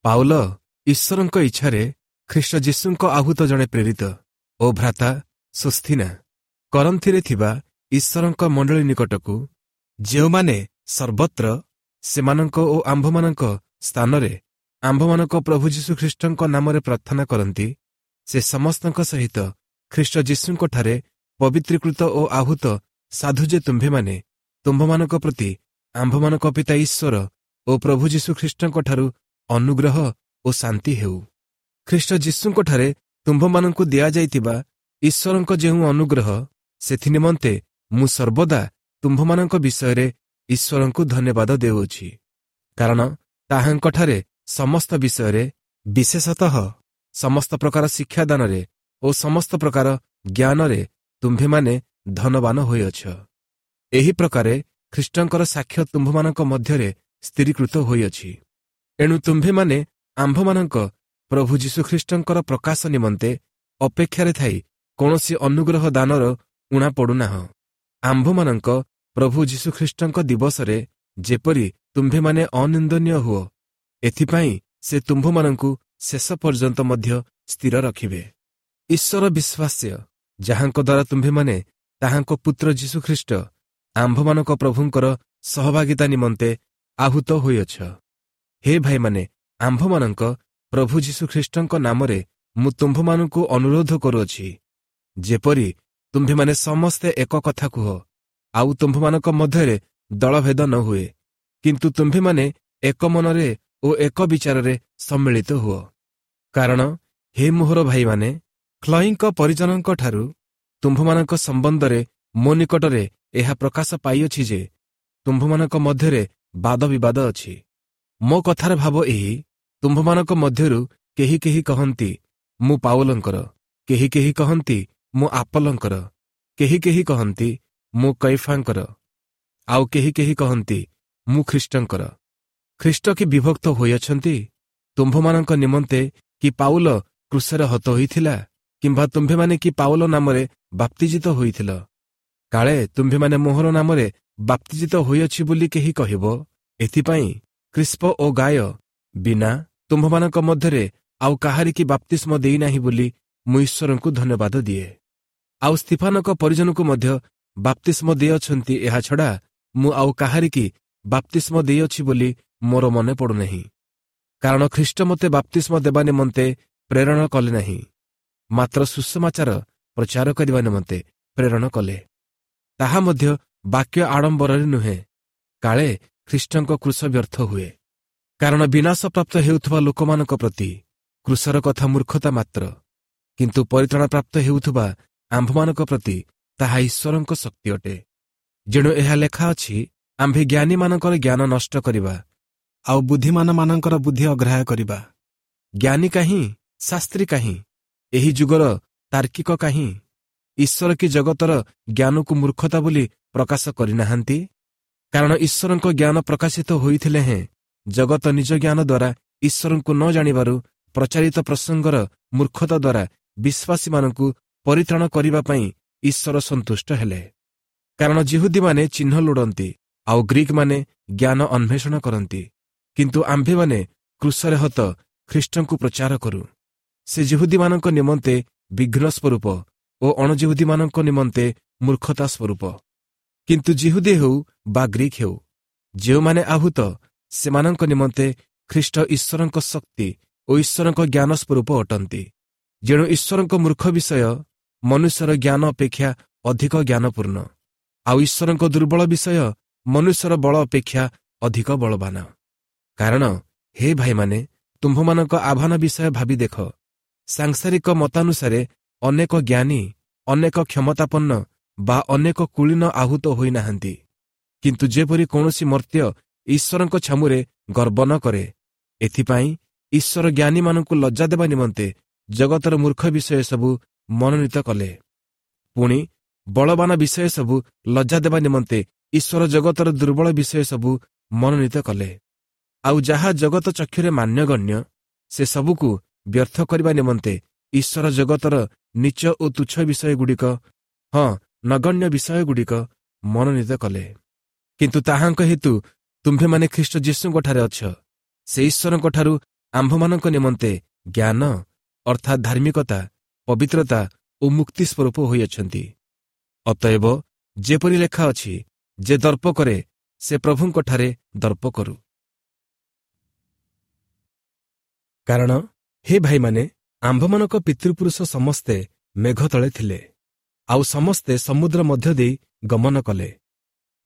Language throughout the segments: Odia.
ପାଉଲ ଈଶ୍ୱରଙ୍କ ଇଚ୍ଛାରେ ଖ୍ରୀଷ୍ଟ ଯୀଶୁଙ୍କ ଆହୁତ ଜଣେ ପ୍ରେରିତ ଓ ଭ୍ରାତା ସୁସ୍ଥିନା, କରନ୍ଥିରେ ଥିବା ଈଶ୍ୱରଙ୍କ ମଣ୍ଡଳୀ ନିକଟକୁ, ଯେଉଁମାନେ ସର୍ବତ୍ର ସେମାନଙ୍କ ଓ ଆମ୍ଭମାନଙ୍କ ସ୍ଥାନରେ ଆମ୍ଭମାନଙ୍କ ପ୍ରଭୁ ଯୀଶୁଖ୍ରୀଷ୍ଟଙ୍କ ନାମରେ ପ୍ରାର୍ଥନା କରନ୍ତି, ସେ ସମସ୍ତଙ୍କ ସହିତ ଖ୍ରୀଷ୍ଟ ଯୀଶୁଙ୍କଠାରେ ପବିତ୍ରୀକୃତ ଓ ଆହୁତ ସାଧୁ ଯେ ତୁମ୍ଭେମାନେ, ତୁମ୍ଭମାନଙ୍କ ପ୍ରତି ଆମ୍ଭମାନଙ୍କ ପିତା ଈଶ୍ୱର ଓ ପ୍ରଭୁ ଯୀଶୁଖ୍ରୀଷ୍ଟଙ୍କଠାରୁ ଅନୁଗ୍ରହ ଓ ଶାନ୍ତି ହେଉ। ଖ୍ରୀଷ୍ଟ ଯୀଶୁଙ୍କଠାରେ ତୁମ୍ଭମାନଙ୍କୁ ଦିଆଯାଇଥିବା ଈଶ୍ୱରଙ୍କ ଯେଉଁ ଅନୁଗ୍ରହ, ସେଥିନିମନ୍ତେ ମୁଁ ସର୍ବଦା ତୁମ୍ଭମାନଙ୍କ ବିଷୟରେ ଈଶ୍ୱରଙ୍କୁ ଧନ୍ୟବାଦ ଦେଉଅଛି। କାରଣ ତାହାଙ୍କଠାରେ ସମସ୍ତ ବିଷୟରେ, ବିଶେଷତଃ ସମସ୍ତ ପ୍ରକାର ଶିକ୍ଷାଦାନରେ ଓ ସମସ୍ତ ପ୍ରକାର ଜ୍ଞାନରେ ତୁମ୍ଭେମାନେ ଧନବାନ ହୋଇଅଛ। ଏହି ପ୍ରକାରେ ଖ୍ରୀଷ୍ଟଙ୍କର ସାକ୍ଷ୍ୟ ତୁମ୍ଭମାନଙ୍କ ମଧ୍ୟରେ ସ୍ଥିରୀକୃତ ହୋଇଅଛି। ଏଣୁ ତୁମ୍ଭେମାନେ ଆମ୍ଭମାନଙ୍କ ପ୍ରଭୁ ଯୀଶୁଖ୍ରୀଷ୍ଟଙ୍କର ପ୍ରକାଶ ନିମନ୍ତେ ଅପେକ୍ଷାରେ ଥାଇ କୌଣସି ଅନୁଗ୍ରହ ଦାନର ଊଣା ପଡ଼ୁନାହଁ। ଆମ୍ଭମାନଙ୍କ ପ୍ରଭୁ ଯୀଶୁଖ୍ରୀଷ୍ଟଙ୍କ ଦିବସରେ ଯେପରି ତୁମ୍ଭେମାନେ ଅନିନ୍ଦନୀୟ ହୁଅ, ଏଥିପାଇଁ ସେ ତୁମ୍ଭମାନଙ୍କୁ ଶେଷ ପର୍ଯ୍ୟନ୍ତ ମଧ୍ୟ ସ୍ଥିର ରଖିବେ। ଈଶ୍ୱର ବିଶ୍ୱାସ୍ୟ, ଯାହାଙ୍କ ଦ୍ୱାରା ତୁମ୍ଭେମାନେ ତାହାଙ୍କ ପୁତ୍ର ଯୀଶୁଖ୍ରୀଷ୍ଟ ଆମ୍ଭମାନଙ୍କ ପ୍ରଭୁଙ୍କର ସହଭାଗିତା ନିମନ୍ତେ ଆହୁତ ହୋଇଅଛ। ହେ ଭାଇମାନେ, ଆମ୍ଭମାନଙ୍କ ପ୍ରଭୁ ଯୀଶୁଖ୍ରୀଷ୍ଟଙ୍କ ନାମରେ ମୁଁ ତୁମ୍ଭମାନଙ୍କୁ ଅନୁରୋଧ କରୁଅଛି, ଯେପରି ତୁମ୍ଭେମାନେ ସମସ୍ତେ ଏକ କଥା କୁହ, ଆଉ ତୁମ୍ଭମାନଙ୍କ ମଧ୍ୟରେ ଦଳଭେଦ ନ ହୁଏ, କିନ୍ତୁ ତୁମ୍ଭେମାନେ ଏକ ମନରେ ଓ ଏକ ବିଚାରରେ ସମ୍ମିଳିତ ହୁଅ। କାରଣ ହେ ମୋହର ଭାଇମାନେ, ଖ୍ଲୟିଙ୍କ ପରିଜନଙ୍କଠାରୁ ତୁମ୍ଭମାନଙ୍କ ସମ୍ବନ୍ଧରେ ମୋ ନିକଟରେ ଏହା ପ୍ରକାଶ ପାଇଅଛି ଯେ ତୁମ୍ଭମାନଙ୍କ ମଧ୍ୟରେ ବାଦବିବାଦ ଅଛି। ମୋ କଥାର ଭାବ ଏହି, ତୁମ୍ଭମାନଙ୍କ ମଧ୍ୟରୁ କେହି କେହି କହନ୍ତି ମୁଁ ପାଉଲଙ୍କର, କେହି କେହି କହନ୍ତି ମୁଁ ଆପଲଙ୍କର, କେହି କେହି କହନ୍ତି ମୁଁ କୈଫାଙ୍କର, ଆଉ କେହି କେହି କହନ୍ତି ମୁଁ ଖ୍ରୀଷ୍ଟଙ୍କର। ଖ୍ରୀଷ୍ଟ କି ବିଭକ୍ତ ହୋଇଅଛନ୍ତି? ତୁମ୍ଭମାନଙ୍କ ନିମନ୍ତେ କି ପାଉଲ କ୍ରୁଶରେ ହତ ହୋଇଥିଲା? କିମ୍ବା ତୁମ୍ଭେମାନେ କି ପାଉଲ ନାମରେ ବାପ୍ତିଜିତ ହୋଇଥିଲ? କାଳେ ତୁମ୍ଭେମାନେ ମୋହର ନାମରେ ବାପ୍ତିଜିତ ହୋଇଅଛି ବୋଲି କେହି କହିବ, ଏଥିପାଇଁ କ୍ରିସ୍ପ ଓ ଗାୟ ବିନା ତୁମ୍ଭମାନଙ୍କ ମଧ୍ୟରେ ଆଉ କାହାରିକି ବାପ୍ତିସ୍ମ ଦେଇନାହିଁ ବୋଲି ମୁଁ ଈଶ୍ୱରଙ୍କୁ ଧନ୍ୟବାଦ ଦିଏ। ଆଉ ସ୍ତିଫାନଙ୍କ ପରିଜନକୁ ମଧ୍ୟ ବାପ୍ତିସ୍ମ ଦେଇଅଛନ୍ତି, ଏହା ଛଡ଼ା ମୁଁ ଆଉ କାହାରିକି ବାପ୍ତିସ୍ମ ଦେଇଅଛି ବୋଲି ମୋର ମନେ ପଡ଼ୁନାହିଁ। କାରଣ ଖ୍ରୀଷ୍ଟ ମୋତେ ବାପ୍ତିସ୍ମ ଦେବା ନିମନ୍ତେ ପ୍ରେରଣ କଲେ ନାହିଁ, ମାତ୍ର ସୁସମାଚାର ପ୍ରଚାର କରିବା ନିମନ୍ତେ ପ୍ରେରଣ କଲେ, ତାହା ମଧ୍ୟ ବାକ୍ୟ ଆଡ଼ମ୍ବରରେ ନୁହେଁ, କାଳେ ଖ୍ରୀଷ୍ଟଙ୍କ କ୍ରୁଶ ବ୍ୟର୍ଥ ହୁଏ। କାରଣ ବିନାଶପ୍ରାପ୍ତ ହେଉଥିବା ଲୋକମାନଙ୍କ ପ୍ରତି କ୍ରୁଶର କଥା ମୂର୍ଖତା ମାତ୍ର, କିନ୍ତୁ ପରିତ୍ରାଣପ୍ରାପ୍ତ ହେଉଥିବା ଆମ୍ଭମାନଙ୍କ ପ୍ରତି ତାହା ଈଶ୍ୱରଙ୍କ ଶକ୍ତି ଅଟେ। ଯେଣୁ ଏହା ଲେଖା ଅଛି, ଆମ୍ଭେ ଜ୍ଞାନୀମାନଙ୍କର ଜ୍ଞାନ ନଷ୍ଟ କରିବା ଆଉ ବୁଦ୍ଧିମାନମାନଙ୍କର ବୁଦ୍ଧି ଅଗ୍ରାହ୍ୟ କରିବା। ଜ୍ଞାନୀ କାହିଁ? ଶାସ୍ତ୍ରୀ କାହିଁ? ଏହି ଯୁଗର ତାର୍କିକ କାହିଁ? ଈଶ୍ୱର କି ଜଗତର ଜ୍ଞାନକୁ ମୂର୍ଖତା ବୋଲି ପ୍ରକାଶ କରିନାହାନ୍ତି? କାରଣ ଈଶ୍ୱରଙ୍କ ଜ୍ଞାନ ପ୍ରକାଶିତ ହୋଇଥିଲେ ହେଁ ଜଗତ ନିଜ ଜ୍ଞାନ ଦ୍ୱାରା ଈଶ୍ୱରଙ୍କୁ ନ ଜାଣିବାରୁ ପ୍ରଚାରିତ ପ୍ରସଙ୍ଗର ମୂର୍ଖତା ଦ୍ୱାରା ବିଶ୍ୱାସୀମାନଙ୍କୁ ପରିତ୍ରାଣ କରିବା ପାଇଁ ଈଶ୍ୱର ସନ୍ତୁଷ୍ଟ ହେଲେ। କାରଣ ଜିହୁଦୀମାନେ ଚିହ୍ନ ଲୋଡ଼ନ୍ତି ଆଉ ଗ୍ରୀକମାନେ ଜ୍ଞାନ ଅନ୍ୱେଷଣ କରନ୍ତି, କିନ୍ତୁ ଆମ୍ଭେମାନେ କ୍ରୁଶରେ ହତ ଖ୍ରୀଷ୍ଟଙ୍କୁ ପ୍ରଚାର କରୁ। ସେ ଜିହୁଦୀମାନଙ୍କ ନିମନ୍ତେ ବିଘ୍ନ ସ୍ୱରୂପ ଓ ଅଣଜିହୁଦୀମାନଙ୍କ ନିମନ୍ତେ ମୂର୍ଖତା ସ୍ୱରୂପ। କିନ୍ତୁ ଜିହୁଦୀ ହେଉ ବା ଗ୍ରୀକ୍ ହେଉ, ଯେଉଁମାନେ ଆହୁତ ସେମାନଙ୍କ ନିମନ୍ତେ ଖ୍ରୀଷ୍ଟ ଈଶ୍ୱରଙ୍କ ଶକ୍ତି ଓ ଈଶ୍ୱରଙ୍କ ଜ୍ଞାନ ସ୍ୱରୂପ ଅଟନ୍ତି। ଯେଣୁ ଈଶ୍ୱରଙ୍କ ମୂର୍ଖ ବିଷୟ ମନୁଷ୍ୟର ଜ୍ଞାନ ଅପେକ୍ଷା ଅଧିକ ଜ୍ଞାନପୂର୍ଣ୍ଣ, ଆଉ ଈଶ୍ୱରଙ୍କ ଦୁର୍ବଳ ବିଷୟ ମନୁଷ୍ୟର ବଳ ଅପେକ୍ଷା ଅଧିକ ବଳବାନ। କାରଣ ହେ ଭାଇମାନେ, ତୁମ୍ଭମାନଙ୍କ ଆହ୍ୱାନ ବିଷୟ ଭାବି ଦେଖ। ସାଂସାରିକ ମତାନୁସାରେ ଅନେକ ଜ୍ଞାନୀ, ଅନେକ କ୍ଷମତାପନ୍ନ ବା ଅନେକ କୁଳୀନ ଆହୁତ ହୋଇନାହାନ୍ତି। କିନ୍ତୁ ଯେପରି କୌଣସି ମର୍ତ୍ତ୍ୟ ଈଶ୍ୱରଙ୍କ ଛାମୁରେ ଗର୍ବ ନ କରେ, ଏଥିପାଇଁ ଈଶ୍ୱର ଜ୍ଞାନୀମାନଙ୍କୁ ଲଜ୍ଜା ଦେବା ନିମନ୍ତେ ଜଗତର ମୂର୍ଖ ବିଷୟ ସବୁ ମନୋନୀତ କଲେ। ପୁଣି ବଳବାନ ବିଷୟ ସବୁ ଲଜ୍ଜା ଦେବା ନିମନ୍ତେ ଈଶ୍ୱର ଜଗତର ଦୁର୍ବଳ ବିଷୟ ସବୁ ମନୋନୀତ କଲେ। ଆଉ ଯାହା ଜଗତ ଚକ୍ଷୁରେ ମାନ୍ୟଗଣ୍ୟ, ସେ ସବୁକୁ ବ୍ୟର୍ଥ କରିବା ନିମନ୍ତେ ଈଶ୍ୱର ଜଗତର ନୀଚ ଓ ତୁଚ୍ଛ ବିଷୟଗୁଡ଼ିକ, ହଁ ନଗଣ୍ୟ ବିଷୟଗୁଡ଼ିକ ମନୋନୀତ କଲେ। କିନ୍ତୁ ତାହାଙ୍କ ହେତୁ ତୁମ୍ଭେମାନେ ଖ୍ରୀଷ୍ଟ ଯୀଶୁଙ୍କଠାରେ ଅଛ। ସେ ଈଶ୍ୱରଙ୍କଠାରୁ ଆମ୍ଭମାନଙ୍କ ନିମନ୍ତେ ଜ୍ଞାନ, ଅର୍ଥାତ୍ ଧାର୍ମିକତା, ପବିତ୍ରତା ଓ ମୁକ୍ତି ସ୍ୱରୂପ ହୋଇଅଛନ୍ତି। ଅତଏବ ଯେପରି ଲେଖା ଅଛି, ଯେ ଦର୍ପ କରେ, ସେ ପ୍ରଭୁଙ୍କଠାରେ ଦର୍ପ କରୁ। କାରଣ ହେ ଭାଇମାନେ, ଆମ୍ଭମାନଙ୍କ ପିତୃପୁରୁଷ ସମସ୍ତେ ମେଘ ତଳେ ଥିଲେ, ଆଉ ସମସ୍ତେ ସମୁଦ୍ର ମଧ୍ୟ ଦେଇ ଗମନ କଲେ।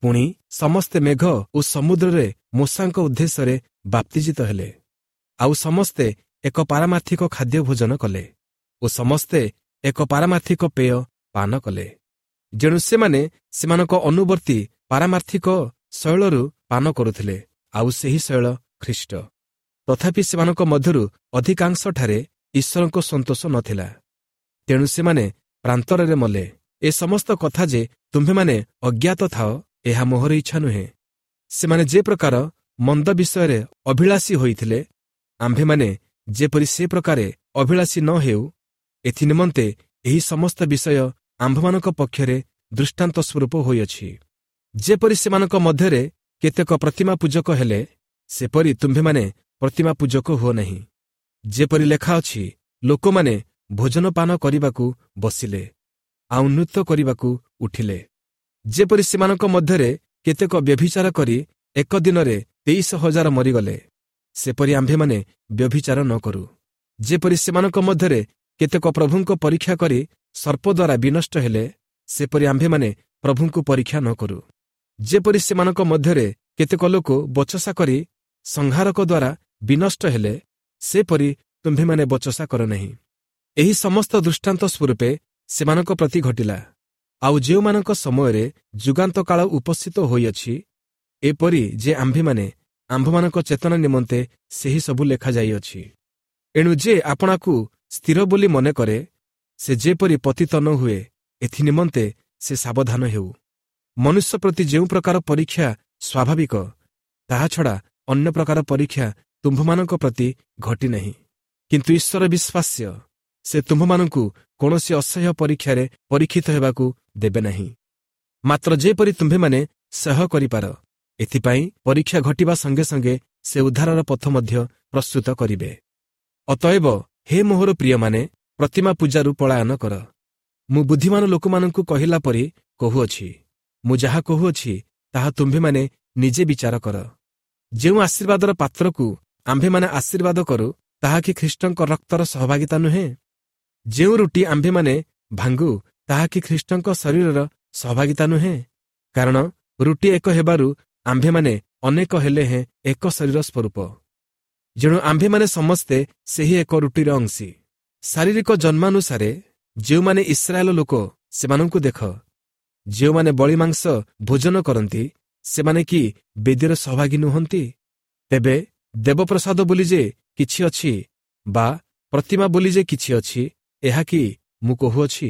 ପୁଣି ସମସ୍ତେ ମେଘ ଓ ସମୁଦ୍ରରେ ମୋଶାଙ୍କ ଉଦ୍ଦେଶ୍ୟରେ ବାପ୍ତିଜିତ ହେଲେ। ଆଉ ସମସ୍ତେ ଏକ ପାରମାର୍ଥିକ ଖାଦ୍ୟ ଭୋଜନ କଲେ ଓ ସମସ୍ତେ ଏକ ପାରମାର୍ଥିକ ପେୟ ପାନ କଲେ। ଯେଣୁ ସେମାନେ ସେମାନଙ୍କ ଅନୁବର୍ତ୍ତୀ ପାରମାର୍ଥିକ ଶୈଳରୁ ପାନ କରୁଥିଲେ, ଆଉ ସେହି ଶୈଳ ଖ୍ରୀଷ୍ଟ। ତଥାପି ସେମାନଙ୍କ ମଧ୍ୟରୁ ଅଧିକାଂଶଠାରେ ଈଶ୍ୱରଙ୍କ ସନ୍ତୋଷ ନଥିଲା, ତେଣୁ ସେମାନେ ପ୍ରାନ୍ତରରେ ମଲେ। ଏ ସମସ୍ତ କଥା ଯେ ତୁମ୍ଭେମାନେ ଅଜ୍ଞାତ ଥାଅ, ଏହା ମୋହର ଇଚ୍ଛା ନୁହେଁ। ସେମାନେ ଯେ ପ୍ରକାର ମନ୍ଦ ବିଷୟରେ ଅଭିଳାଷୀ ହୋଇଥିଲେ, ଆମ୍ଭେମାନେ ଯେପରି ସେ ପ୍ରକାରେ ଅଭିଳାଷୀ ନ ହେଉ, ଏଥିନିମନ୍ତେ ଏହି ସମସ୍ତ ବିଷୟ ଆମ୍ଭମାନଙ୍କ ପକ୍ଷରେ ଦୃଷ୍ଟାନ୍ତ ସ୍ୱରୂପ ହୋଇଅଛି। ଯେପରି ସେମାନଙ୍କ ମଧ୍ୟରେ କେତେକ ପ୍ରତିମା ପୂଜକ ହେଲେ, ସେପରି ତୁମ୍ଭେମାନେ ପ୍ରତିମା ପୂଜକ ହୁଅ ନାହିଁ। ଯେପରି ଲେଖା ଅଛି, ଲୋକମାନେ ଭୋଜନପାନ କରିବାକୁ ବସିଲେ, ଆଉ ନୃତ୍ୟ କରିବାକୁ ଉଠିଲେ। ଯେପରି ସେମାନଙ୍କ ମଧ୍ୟରେ କେତେକ ବ୍ୟଭିଚାର କରି ଏକ ଦିନରେ 23,000 ମରିଗଲେ, ସେପରି ଆମ୍ଭେମାନେ ବ୍ୟଭିଚାର ନ କରୁ। ଯେପରି ସେମାନଙ୍କ ମଧ୍ୟରେ କେତେକ ପ୍ରଭୁଙ୍କ ପରୀକ୍ଷା କରି ସର୍ପ ଦ୍ୱାରା ବିନଷ୍ଟ ହେଲେ, ସେପରି ଆମ୍ଭେମାନେ ପ୍ରଭୁଙ୍କୁ ପରୀକ୍ଷା ନ କରୁ। ଯେପରି ସେମାନଙ୍କ ମଧ୍ୟରେ କେତେକ ଲୋକ ବଚସା କରି ସଂହାରକ ଦ୍ୱାରା ବିନଷ୍ଟ ହେଲେ, ସେପରି ତୁମ୍ଭେମାନେ ବଚସା କର ନାହିଁ। ଏହି ସମସ୍ତ ଦୃଷ୍ଟାନ୍ତ ସ୍ୱରୂପେ ସେମାନଙ୍କ ପ୍ରତି ଘଟିଲା, ଆଉ ଯେଉଁମାନଙ୍କ ସମୟରେ ଯୁଗାନ୍ତ କାଳ ଉପସ୍ଥିତ ହୋଇଅଛି, ଏପରି ଯେ ଆମ୍ଭେମାନେ ଆମ୍ଭମାନଙ୍କ ଚେତନା ନିମନ୍ତେ ସେହି ସବୁ ଲେଖାଯାଇଅଛି। ଏଣୁ ଯେ ଆପଣାକୁ ସ୍ଥିର ବୋଲି ମନେ କରେ, ସେ ଯେପରି ପତିତ ନ ହୁଏ, ଏଥିନିମନ୍ତେ ସେ ସାବଧାନ ହେଉ। ମନୁଷ୍ୟ ପ୍ରତି ଯେଉଁ ପ୍ରକାର ପରୀକ୍ଷା ସ୍ୱାଭାବିକ, ତାହା ଛଡ଼ା ଅନ୍ୟ ପ୍ରକାର ପରୀକ୍ଷା ତୁମ୍ଭମାନଙ୍କ ପ୍ରତି ଘଟିନାହିଁ। କିନ୍ତୁ ଈଶ୍ୱର ବିଶ୍ୱାସ୍ୟ, ସେ ତୁମ୍ଭମାନଙ୍କୁ କୌଣସି ଅସହ୍ୟ ପରୀକ୍ଷାରେ ପରୀକ୍ଷିତ ହେବାକୁ ଦେବେ ନାହିଁ। ମାତ୍ର ଯେପରି ତୁମ୍ଭେମାନେ ସହ୍ୟ କରିପାର, ଏଥିପାଇଁ ପରୀକ୍ଷା ଘଟିବା ସଙ୍ଗେ ସଙ୍ଗେ ସେ ଉଦ୍ଧାରର ପଥ ମଧ୍ୟ ପ୍ରସ୍ତୁତ କରିବେ। ଅତଏବ ହେ ମୋହର ପ୍ରିୟମାନେ, ପ୍ରତିମା ପୂଜାରୁ ପଳାୟନ କର। ମୁଁ ବୁଦ୍ଧିମାନ ଲୋକମାନଙ୍କୁ କହିଲା ପରି କହୁଅଛି। ମୁଁ ଯାହା କହୁଅଛି, ତାହା ତୁମ୍ଭେମାନେ ନିଜେ ବିଚାର କର। ଯେଉଁ ଆଶୀର୍ବାଦର ପାତ୍ରକୁ ଆମ୍ଭେମାନେ ଆଶୀର୍ବାଦ କରୁ, ତାହା କି ଖ୍ରୀଷ୍ଟଙ୍କ ରକ୍ତର ସହଭାଗିତା ନୁହେଁ? ଯେଉଁ ରୁଟି ଆମ୍ଭେମାନେ ଭାଙ୍ଗୁ, ତାହା କି ଖ୍ରୀଷ୍ଟଙ୍କ ଶରୀରର ସହଭାଗିତା ନୁହେଁ? କାରଣ ରୁଟି ଏକ ହେବାରୁ ଆମ୍ଭେମାନେ ଅନେକ ହେଲେ ହେଁ ଏକ ଶରୀର ସ୍ୱରୂପ। ଯେଣୁ ଆମ୍ଭେମାନେ ସମସ୍ତେ ସେହି ଏକ ରୁଟିର ଅଂଶୀ। ଶାରୀରିକ ଜନ୍ମାନୁସାରେ ଯେଉଁମାନେ ଇସ୍ରାଏଲ ଲୋକ, ସେମାନଙ୍କୁ ଦେଖ। ଯେଉଁମାନେ ବଳି ମାଂସ ଭୋଜନ କରନ୍ତି, ସେମାନେ କି ବେଦୀର ସହଭାଗୀ ନୁହନ୍ତି? ତେବେ ଦେବପ୍ରସାଦ ବୋଲି ଯେ କିଛି ଅଛି ବା ପ୍ରତିମା ବୋଲି ଯେ କିଛି ଅଛି, ଏହା କି ମୁଁ କହୁଅଛି?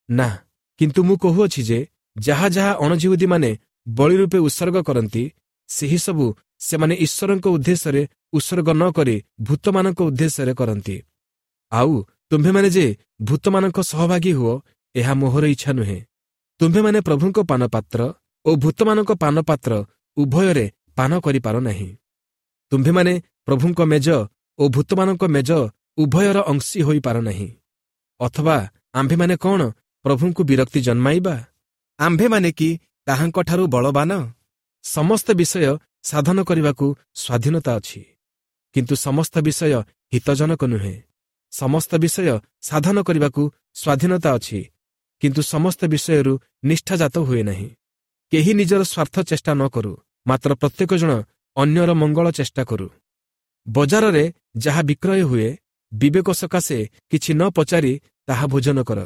ନା, କିନ୍ତୁ ମୁଁ କହୁଅଛି ଯେ ଯାହା ଯାହା ଅଣଜିହୁଦୀମାନେ ବଳି ରୂପେ ଉତ୍ସର୍ଗ କରନ୍ତି, ସେହି ସବୁ ସେମାନେ ଈଶ୍ୱରଙ୍କ ଉଦ୍ଦେଶ୍ୟରେ ଉତ୍ସର୍ଗ ନ କରି ଭୂତମାନଙ୍କ ଉଦ୍ଦେଶ୍ୟରେ କରନ୍ତି। ଆଉ ତୁମ୍ଭେମାନେ ଯେ ଭୂତମାନଙ୍କ ସହଭାଗୀ ହୁଅ, ଏହା ମୋହର ଇଚ୍ଛା ନୁହେଁ। ତୁମ୍ଭେମାନେ ପ୍ରଭୁଙ୍କ ପାନପାତ୍ର ଓ ଭୂତମାନଙ୍କ ପାନପାତ୍ର ଉଭୟରେ ପାନ କରିପାର ନାହିଁ। ତୁମ୍ଭେମାନେ ପ୍ରଭୁଙ୍କ ମେଜ ଓ ଭୂତମାନଙ୍କ ମେଜ ଉଭୟର ଅଂଶୀ ହୋଇପାର ନାହିଁ। ଅଥବା ଆମ୍ଭେମାନେ କ'ଣ ପ୍ରଭୁଙ୍କୁ ବିରକ୍ତି ଜନ୍ମାଇବା? ଆମ୍ଭେମାନେ କି ତାହାଙ୍କଠାରୁ ବଳବାନ? ସମସ୍ତ ବିଷୟ ସାଧନ କରିବାକୁ ସ୍ୱାଧୀନତା ଅଛି, କିନ୍ତୁ ସମସ୍ତ ବିଷୟ ହିତଜନକ ନୁହେଁ। ସମସ୍ତ ବିଷୟ ସାଧନ କରିବାକୁ ସ୍ୱାଧୀନତା ଅଛି, କିନ୍ତୁ ସମସ୍ତ ବିଷୟରୁ ନିଷ୍ଠାଜାତ ହୁଏ ନାହିଁ। କେହି ନିଜର ସ୍ୱାର୍ଥ ଚେଷ୍ଟା ନ କରୁ, ମାତ୍ର ପ୍ରତ୍ୟେକ ଜଣ ଅନ୍ୟର ମଙ୍ଗଳ ଚେଷ୍ଟା କରୁ। ବଜାରରେ ଯାହା ବିକ୍ରୟ ହୁଏ, ବିବେକ ସକାଶେ କିଛି ନ ପଚାରି ତାହା ଭୋଜନ କର,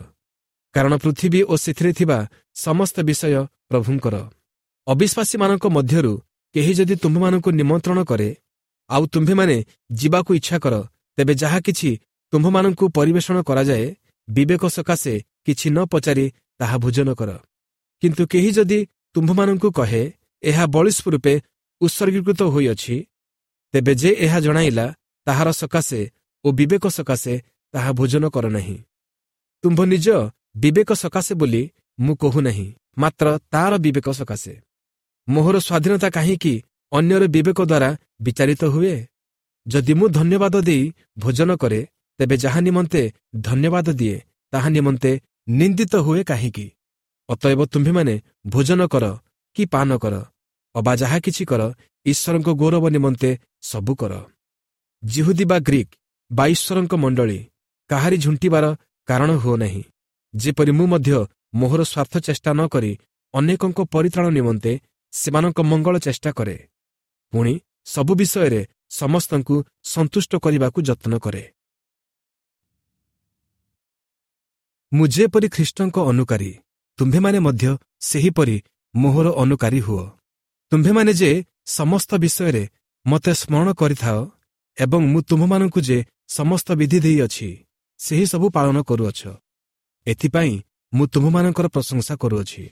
କାରଣ ପୃଥିବୀ ଓ ସେଥିରେ ଥିବା ସମସ୍ତ ବିଷୟ ପ୍ରଭୁଙ୍କର। ଅବିଶ୍ୱାସୀମାନଙ୍କ ମଧ୍ୟରୁ କେହି ଯଦି ତୁମ୍ଭମାନଙ୍କୁ ନିମନ୍ତ୍ରଣ କରେ, ଆଉ ତୁମ୍ଭେମାନେ ଯିବାକୁ ଇଚ୍ଛା କର, ତେବେ ଯାହା କିଛି ତୁମ୍ଭମାନଙ୍କୁ ପରିବେଷଣ କରାଯାଏ, ବିବେକ ସକାଶେ କିଛି ନ ପଚାରି ତାହା ଭୋଜନ କର। କିନ୍ତୁ କେହି ଯଦି ତୁମ୍ଭମାନଙ୍କୁ କହେ, ଏହା ବଳି ସ୍ୱରୂପେ ଉତ୍ସର୍ଗୀକୃତ ହୋଇଅଛି, ତେବେ ଯେ ଏହା ଜଣାଇଲା, ତାହାର ସକାଶେ ଓ ବିବେକ ସକାଶେ ତାହା ଭୋଜନ କର ନାହିଁ। ତୁମ୍ଭ ନିଜ ବିବେକ ସକାଶେ ବୋଲି ମୁଁ କହୁନାହିଁ, ମାତ୍ର ତାର ବିବେକ ସକାଶେ। ମୋହର ସ୍ୱାଧୀନତା କାହିଁକି ଅନ୍ୟର ବିବେକ ଦ୍ୱାରା ବିଚାରିତ ହୁଏ? ଯଦି ମୁଁ ଧନ୍ୟବାଦ ଦେଇ ଭୋଜନ କରେ, ତେବେ ଯାହା ନିମନ୍ତେ ଧନ୍ୟବାଦ ଦିଏ, ତାହା ନିମନ୍ତେ ନିନ୍ଦିତ ହୁଏ କାହିଁକି? ଅତଏବ ତୁମ୍ଭେମାନେ ଭୋଜନ କର କି ପାନ କର ଅବା ଯାହା କିଛି କର, ଈଶ୍ୱରଙ୍କ ଗୌରବ ନିମନ୍ତେ ସବୁ କର। ଜିହୁଦୀ ବା ଗ୍ରୀକ୍ ବା ଈଶ୍ୱରଙ୍କ ମଣ୍ଡଳୀ କାହାରି ଝୁଣ୍ଟିବାର କାରଣ ହୁଅ ନାହିଁ, ଯେପରି ମୁଁ ମଧ୍ୟ ମୋହର ସ୍ୱାର୍ଥ ଚେଷ୍ଟା ନ କରି ଅନେକଙ୍କ ପରିତ୍ରାଣ ନିମନ୍ତେ ସେମାନଙ୍କ ମଙ୍ଗଳ ଚେଷ୍ଟା କରେ। ପୁଣି ସବୁ ବିଷୟରେ ସମସ୍ତଙ୍କୁ ସନ୍ତୁଷ୍ଟ କରିବାକୁ ଯତ୍ନ କରେ। ମୁଁ ଯେପରି ଖ୍ରୀଷ୍ଟଙ୍କ ଅନୁକାରୀ, ତୁମ୍ଭେମାନେ ମଧ୍ୟ ସେହିପରି ମୋହର ଅନୁକାରୀ ହୁଅ। ତୁମ୍ଭେମାନେ ଯେ ସମସ୍ତ ବିଷୟରେ ମୋତେ ସ୍ମରଣ କରିଥାଅ ଏବଂ ମୁଁ ତୁମ୍ଭମାନଙ୍କୁ ଯେ ସମସ୍ତ ବିଧି ଦେଇଅଛି, ସେହି ସବୁ ପାଳନ କରୁଅଛ, ଏଥିପାଇଁ ମୁଁ ତୁମ୍ଭମାନଙ୍କର ପ୍ରଶଂସା କରୁଅଛି।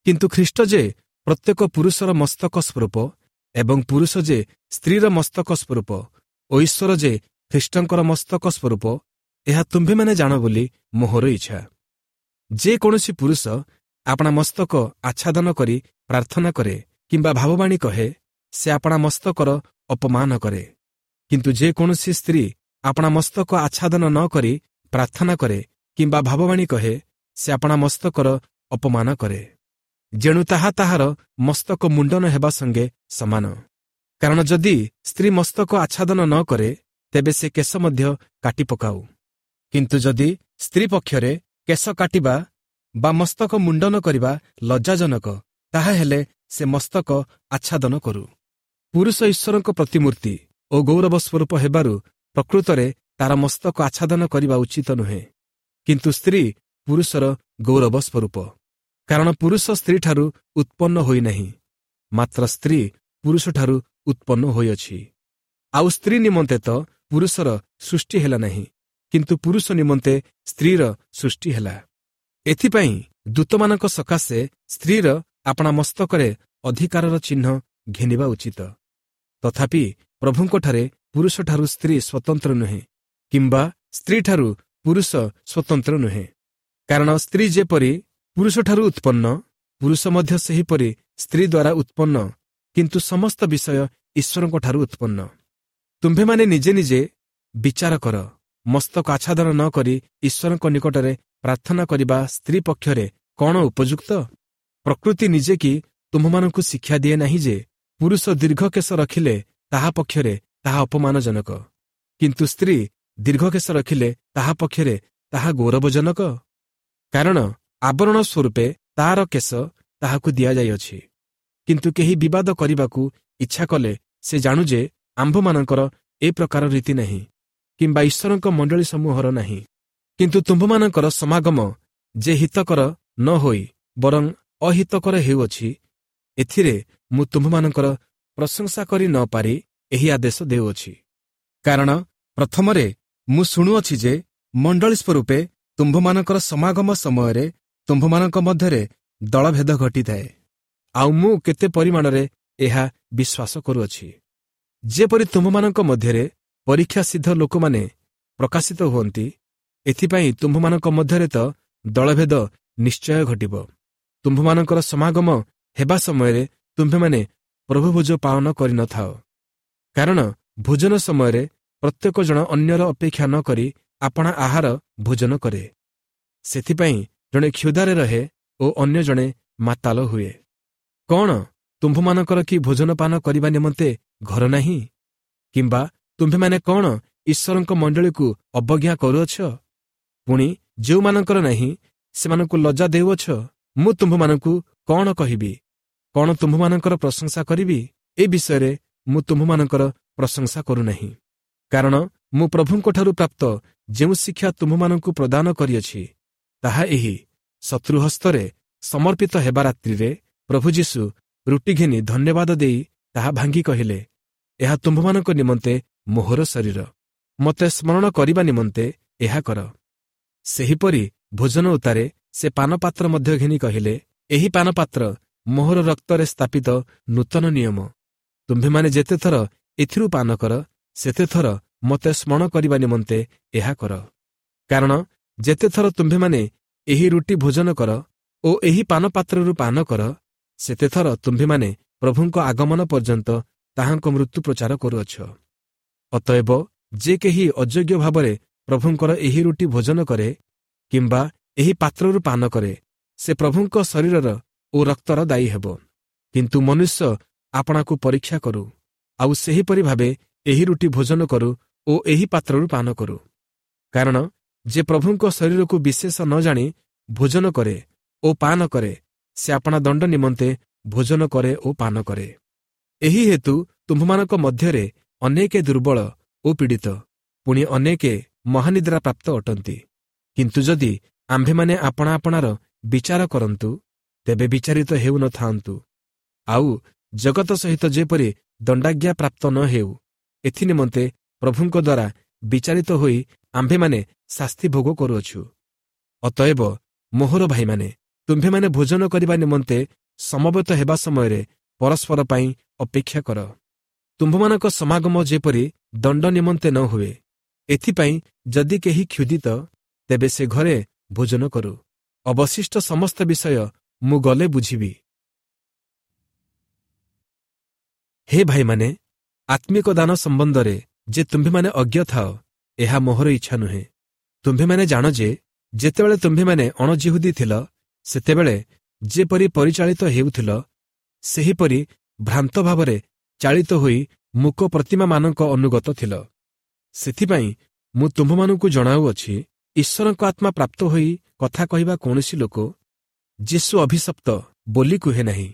କିନ୍ତୁ ଖ୍ରୀଷ୍ଟ ଯେ ପ୍ରତ୍ୟେକ ପୁରୁଷର ମସ୍ତକ ସ୍ୱରୂପ ଏବଂ ପୁରୁଷ ଯେ ସ୍ତ୍ରୀର ମସ୍ତକ ସ୍ୱରୂପ ଓ ଈଶ୍ୱର ଯେ ଖ୍ରୀଷ୍ଟଙ୍କର ମସ୍ତକ ସ୍ୱରୂପ, ଏହା ତୁମ୍ଭେମାନେ ଜାଣ ବୋଲି ମୋହର ଇଚ୍ଛା। ଯେକୌଣସି ପୁରୁଷ ଆପଣା ମସ୍ତକ ଆଚ୍ଛାଦନ କରି ପ୍ରାର୍ଥନା କରେ କିମ୍ବା ଭାବବାଣୀ କହେ, ସେ ଆପଣା ମସ୍ତକର ଅପମାନ କରେ। କିନ୍ତୁ ଯେକୌଣସି ସ୍ତ୍ରୀ ଆପଣା ମସ୍ତକ ଆଚ୍ଛାଦନ ନ କରି ପ୍ରାର୍ଥନା କରେ କିମ୍ବା ଭାବବାଣୀ କହେ, ସେ ଆପଣା ମସ୍ତକର ଅପମାନ କରେ। ଯେଣୁ ତାହା ତାହାର ମସ୍ତକ ମୁଣ୍ଡନ ହେବା ସଙ୍ଗେ ସମାନ। କାରଣ ଯଦି ସ୍ତ୍ରୀ ମସ୍ତକ ଆଚ୍ଛାଦନ ନ କରେ, ତେବେ ସେ କେଶ ମଧ୍ୟ କାଟି ପକାଉ। କିନ୍ତୁ ଯଦି ସ୍ତ୍ରୀ ପକ୍ଷରେ କେଶ କାଟିବା ବା ମସ୍ତକ ମୁଣ୍ଡନ କରିବା ଲଜ୍ଜାଜନକ, ତାହାହେଲେ ସେ ମସ୍ତକ ଆଚ୍ଛାଦନ କରୁ। ପୁରୁଷ ଈଶ୍ୱରଙ୍କ ପ୍ରତିମୂର୍ତ୍ତି ଓ ଗୌରବ ସ୍ୱରୂପ ହେବାରୁ ପ୍ରକୃତରେ ତାର ମସ୍ତକ ଆଚ୍ଛାଦନ କରିବା ଉଚିତ ନୁହେଁ, କିନ୍ତୁ ସ୍ତ୍ରୀ ପୁରୁଷର ଗୌରବ ସ୍ୱରୂପ। କାରଣ ପୁରୁଷ ସ୍ତ୍ରୀଠାରୁ ଉତ୍ପନ୍ନ ହୋଇନାହିଁ, ମାତ୍ର ସ୍ତ୍ରୀ ପୁରୁଷଠାରୁ ଉତ୍ପନ୍ନ ହୋଇଅଛି। ଆଉ ସ୍ତ୍ରୀ ନିମନ୍ତେ ତ ପୁରୁଷର ସୃଷ୍ଟି ହେଲା ନାହିଁ, କିନ୍ତୁ ପୁରୁଷ ନିମନ୍ତେ ସ୍ତ୍ରୀର ସୃଷ୍ଟି ହେଲା। ଏଥିପାଇଁ ଦୂତମାନଙ୍କ ସକାଶେ ସ୍ତ୍ରୀର ଆପଣା ମସ୍ତକରେ ଅଧିକାରର ଚିହ୍ନ ଘେନିବା ଉଚିତ। ତଥାପି ପ୍ରଭୁଙ୍କଠାରେ ପୁରୁଷଠାରୁ ସ୍ତ୍ରୀ ସ୍ୱତନ୍ତ୍ର ନୁହେଁ, କିମ୍ବା ସ୍ତ୍ରୀଠାରୁ ପୁରୁଷ ସ୍ୱତନ୍ତ୍ର ନୁହେଁ। କାରଣ ସ୍ତ୍ରୀ ଯେପରି ପୁରୁଷଠାରୁ ଉତ୍ପନ୍ନ, ପୁରୁଷ ମଧ୍ୟ ସେହିପରି ସ୍ତ୍ରୀ ଦ୍ୱାରା ଉତ୍ପନ୍ନ, କିନ୍ତୁ ସମସ୍ତ ବିଷୟ ଈଶ୍ୱରଙ୍କଠାରୁ ଉତ୍ପନ୍ନ। ତୁମ୍ଭେମାନେ ନିଜେ ନିଜେ ବିଚାର କର, ମସ୍ତକ ଆଚ୍ଛାଦନ ନ କରି ଈଶ୍ୱରଙ୍କ ନିକଟରେ ପ୍ରାର୍ଥନା କରିବା ସ୍ତ୍ରୀ ପକ୍ଷରେ କ'ଣ ଉପଯୁକ୍ତ? ପ୍ରକୃତି ନିଜେ କି ତୁମ୍ଭମାନଙ୍କୁ ଶିକ୍ଷା ଦିଏ ନାହିଁ ଯେ ପୁରୁଷ ଦୀର୍ଘକେଶ ରଖିଲେ ତାହା ପକ୍ଷରେ ତାହା ଅପମାନଜନକ, କିନ୍ତୁ ସ୍ତ୍ରୀ ଦୀର୍ଘକେଶ ରଖିଲେ ତାହା ପକ୍ଷରେ ତାହା ଗୌରବଜନକ? କାରଣ ଆବରଣ ସ୍ୱରୂପେ ତାର କେଶ ତାହାକୁ ଦିଆଯାଇଅଛି। କିନ୍ତୁ କେହି ବିବାଦ କରିବାକୁ ଇଚ୍ଛା କଲେ ସେ ଜାଣୁ ଯେ ଆମ୍ଭମାନଙ୍କର ଏ ପ୍ରକାର ରୀତି ନାହିଁ, କିମ୍ବା ଈଶ୍ୱରଙ୍କ ମଣ୍ଡଳୀ ସମୂହର ନାହିଁ। କିନ୍ତୁ ତୁମ୍ଭମାନଙ୍କର ସମାଗମ ଯେ ହିତକର ନ ହୋଇ ବରଂ ଅହିତକର ହେଉଅଛି, ଏଥିରେ ମୁଁ ତୁମ୍ଭମାନଙ୍କର ପ୍ରଶଂସା କରି ନ ପାରି ଏହି ଆଦେଶ ଦେଉଅଛି। କାରଣ ପ୍ରଥମରେ ମୁଁ ଶୁଣୁଅଛି ଯେ ମଣ୍ଡଳୀ ସ୍ୱରୂପେ ତୁମ୍ଭମାନଙ୍କର ସମାଗମ ସମୟରେ ତୁମ୍ଭମାନଙ୍କ ମଧ୍ୟରେ ଦଳଭେଦ ଘଟିଥାଏ, ଆଉ ମୁଁ କେତେ ପରିମାଣରେ ଏହା ବିଶ୍ୱାସ କରୁଅଛି। ଯେପରି ତୁମ୍ଭମାନଙ୍କ ମଧ୍ୟରେ ପରୀକ୍ଷା ସିଦ୍ଧ ଲୋକମାନେ ପ୍ରକାଶିତ ହୁଅନ୍ତି, ଏଥିପାଇଁ ତୁମ୍ଭମାନଙ୍କ ମଧ୍ୟରେ ତ ଦଳଭେଦ ନିଶ୍ଚୟ ଘଟିବ। ତୁମ୍ଭମାନଙ୍କର ସମାଗମ ହେବା ସମୟରେ ତୁମ୍ଭେମାନେ ପ୍ରଭୁଭୋଜ ପାଳନ କରିନଥାଅ। କାରଣ ଭୋଜନ ସମୟରେ ପ୍ରତ୍ୟେକ ଜଣ ଅନ୍ୟର ଅପେକ୍ଷା ନ କରି ଆପଣା ଆହାର ଭୋଜନ କରେ। ସେଥିପାଇଁ ଜଣେ କ୍ଷୁଧାରେ ରହେ ଓ ଅନ୍ୟ ଜଣେ ମାତାଲ ହୁଏ। କ'ଣ ତୁମ୍ଭମାନଙ୍କର କି ଭୋଜନପାନ କରିବା ନିମନ୍ତେ ଘର ନାହିଁ? କିମ୍ବା ତୁମ୍ଭେମାନେ କ'ଣ ଈଶ୍ୱରଙ୍କ ମଣ୍ଡଳୀକୁ ଅବଜ୍ଞା କରୁଅଛ? ପୁଣି ଯେଉଁମାନଙ୍କର ନାହିଁ ସେମାନଙ୍କୁ ଲଜ୍ଜା ଦେଉଅଛ। ମୁଁ ତୁମ୍ଭମାନଙ୍କୁ କ'ଣ କହିବି? କ'ଣ ତୁମ୍ଭମାନଙ୍କର ପ୍ରଶଂସା କରିବି? ଏ ବିଷୟରେ ମୁଁ ତୁମ୍ଭମାନଙ୍କର ପ୍ରଶଂସା କରୁନାହିଁ। କାରଣ ମୁଁ ପ୍ରଭୁଙ୍କଠାରୁ ପ୍ରାପ୍ତ ଯେଉଁ ଶିକ୍ଷା ତୁମ୍ଭମାନଙ୍କୁ ପ୍ରଦାନ କରିଅଛି, ତାହା ଏହି: ଶତ୍ରୁ ହସ୍ତରେ ସମର୍ପିତ ହେବା ରାତ୍ରିରେ ପ୍ରଭୁ ଯୀଶୁ ରୁଟି ଘେନି ଧନ୍ୟବାଦ ଦେଇ ତାହା ଭାଙ୍ଗି କହିଲେ, ଏହା ତୁମ୍ଭମାନଙ୍କ ନିମନ୍ତେ ମୋହର ଶରୀର, ମୋତେ ସ୍ମରଣ କରିବା ନିମନ୍ତେ ଏହା କର। ସେହିପରି ଭୋଜନ ଉତ୍ତାରେ ସେ ପାନପାତ୍ର ମଧ୍ୟ ଘେନି କହିଲେ, ଏହି ପାନପାତ୍ର ମୋହର ରକ୍ତରେ ସ୍ଥାପିତ ନୂତନ ନିୟମ। ତୁମ୍ଭେମାନେ ଯେତେଥର ଏଥିରୁ ପାନ କର, ସେତେଥର ମୋତେ ସ୍ମରଣ କରିବା ନିମନ୍ତେ ଏହା କର। କାରଣ ଯେତେଥର ତୁମ୍ଭେମାନେ ଏହି ରୁଟି ଭୋଜନ କର ଓ ଏହି ପାନପାତ୍ରରୁ ପାନ କର, ସେତେଥର ତୁମ୍ଭେମାନେ ପ୍ରଭୁଙ୍କ ଆଗମନ ପର୍ଯ୍ୟନ୍ତ ତାହାଙ୍କ ମୃତ୍ୟୁ ପ୍ରଚାର କରୁଅଛ। ଅତଏବ ଯେ କେହି ଅଯୋଗ୍ୟ ଭାବରେ ପ୍ରଭୁଙ୍କର ଏହି ରୁଟି ଭୋଜନ କରେ କିମ୍ବା ଏହି ପାତ୍ରରୁ ପାନ କରେ, ସେ ପ୍ରଭୁଙ୍କ ଶରୀରର ଓ ରକ୍ତର ଦାୟୀ ହେବ। କିନ୍ତୁ ମନୁଷ୍ୟ ଆପଣାକୁ ପରୀକ୍ଷା କରୁ, ଆଉ ସେହିପରି ଭାବେ ଏହି ରୁଟି ଭୋଜନ କରୁ ଓ ଏହି ପାତ୍ରରୁ ପାନ କରୁ। କାରଣ ଯେ ପ୍ରଭୁଙ୍କ ଶରୀରକୁ ବିଶେଷ ନ ଜାଣି ଭୋଜନ କରେ ଓ ପାନ କରେ, ସେ ଆପଣା ଦଣ୍ଡ ନିମନ୍ତେ ଭୋଜନ କରେ ଓ ପାନ କରେ। ଏହି ହେତୁ ତୁମ୍ଭମାନଙ୍କ ମଧ୍ୟରେ ଅନେକେ ଦୁର୍ବଳ ଓ ପୀଡ଼ିତ, ପୁଣି ଅନେକେ ମହାନିଦ୍ରା ପ୍ରାପ୍ତ ଅଟନ୍ତି। କିନ୍ତୁ ଯଦି ଆମ୍ଭେମାନେ ଆପଣା ଆପଣାର ବିଚାର କରନ୍ତୁ, ତେବେ ବିଚାରିତ ହେଉନଥାନ୍ତୁ। ଆଉ ଜଗତ ସହିତ ଯେପରି ଦଣ୍ଡାଜ୍ଞା ପ୍ରାପ୍ତ ନ ହେଉ, ଏଥିନିମନ୍ତେ ପ୍ରଭୁଙ୍କ ଦ୍ୱାରା ବିଚାରିତ ହୋଇ ଆମ୍ଭେମାନେ ଶାସ୍ତି ଭୋଗ କରୁଅଛୁ। ଅତଏବ ମୋହର ଭାଇମାନେ, ତୁମ୍ଭେମାନେ ଭୋଜନ କରିବା ନିମନ୍ତେ ସମବେତ ହେବା ସମୟରେ ପରସ୍ପର ପାଇଁ ଅପେକ୍ଷା କର। ତୁମ୍ଭମାନଙ୍କ ସମାଗମ ଯେପରି ଦଣ୍ଡ ନିମନ୍ତେ ନ ହୁଏ, ଏଥିପାଇଁ ଯଦି କେହି କ୍ଷୁଧିତ, ତେବେ ସେ ଘରେ ଭୋଜନ କରୁ। ଅବଶିଷ୍ଟ ସମସ୍ତ ବିଷୟ ମୁଁ ଗଲେ ବୁଝିବି। ହେ ଭାଇମାନେ, ଆତ୍ମିକ ଦାନ ସମ୍ବନ୍ଧରେ ଯେ ତୁମ୍ଭେମାନେ ଅଜ୍ଞ ଥାଅ, ଏହା ମୋହର ଇଚ୍ଛା ନୁହେଁ। ତୁମ୍ଭେମାନେ ଜାଣ ଯେ ଯେତେବେଳେ ତୁମ୍ଭେମାନେ ଅଣଜିହୁଦୀ ଥିଲ, ସେତେବେଳେ ଯେପରି ପରିଚାଳିତ ହେଉଥିଲ, ସେହିପରି ଭ୍ରାନ୍ତ ଭାବରେ ଚାଳିତ ହୋଇ ମୂକ ପ୍ରତିମାମାନଙ୍କ ଅନୁଗତ ଥିଲ। ସେଥିପାଇଁ ମୁଁ ତୁମ୍ଭମାନଙ୍କୁ ଜଣାଉଅଛି, ଈଶ୍ୱରଙ୍କ ଆତ୍ମା ପ୍ରାପ୍ତ ହୋଇ କଥା କହିବା କୌଣସି ଲୋକ ଯୀଶୁ ଅଭିଶପ୍ତ ବୋଲି କୁହେ ନାହିଁ।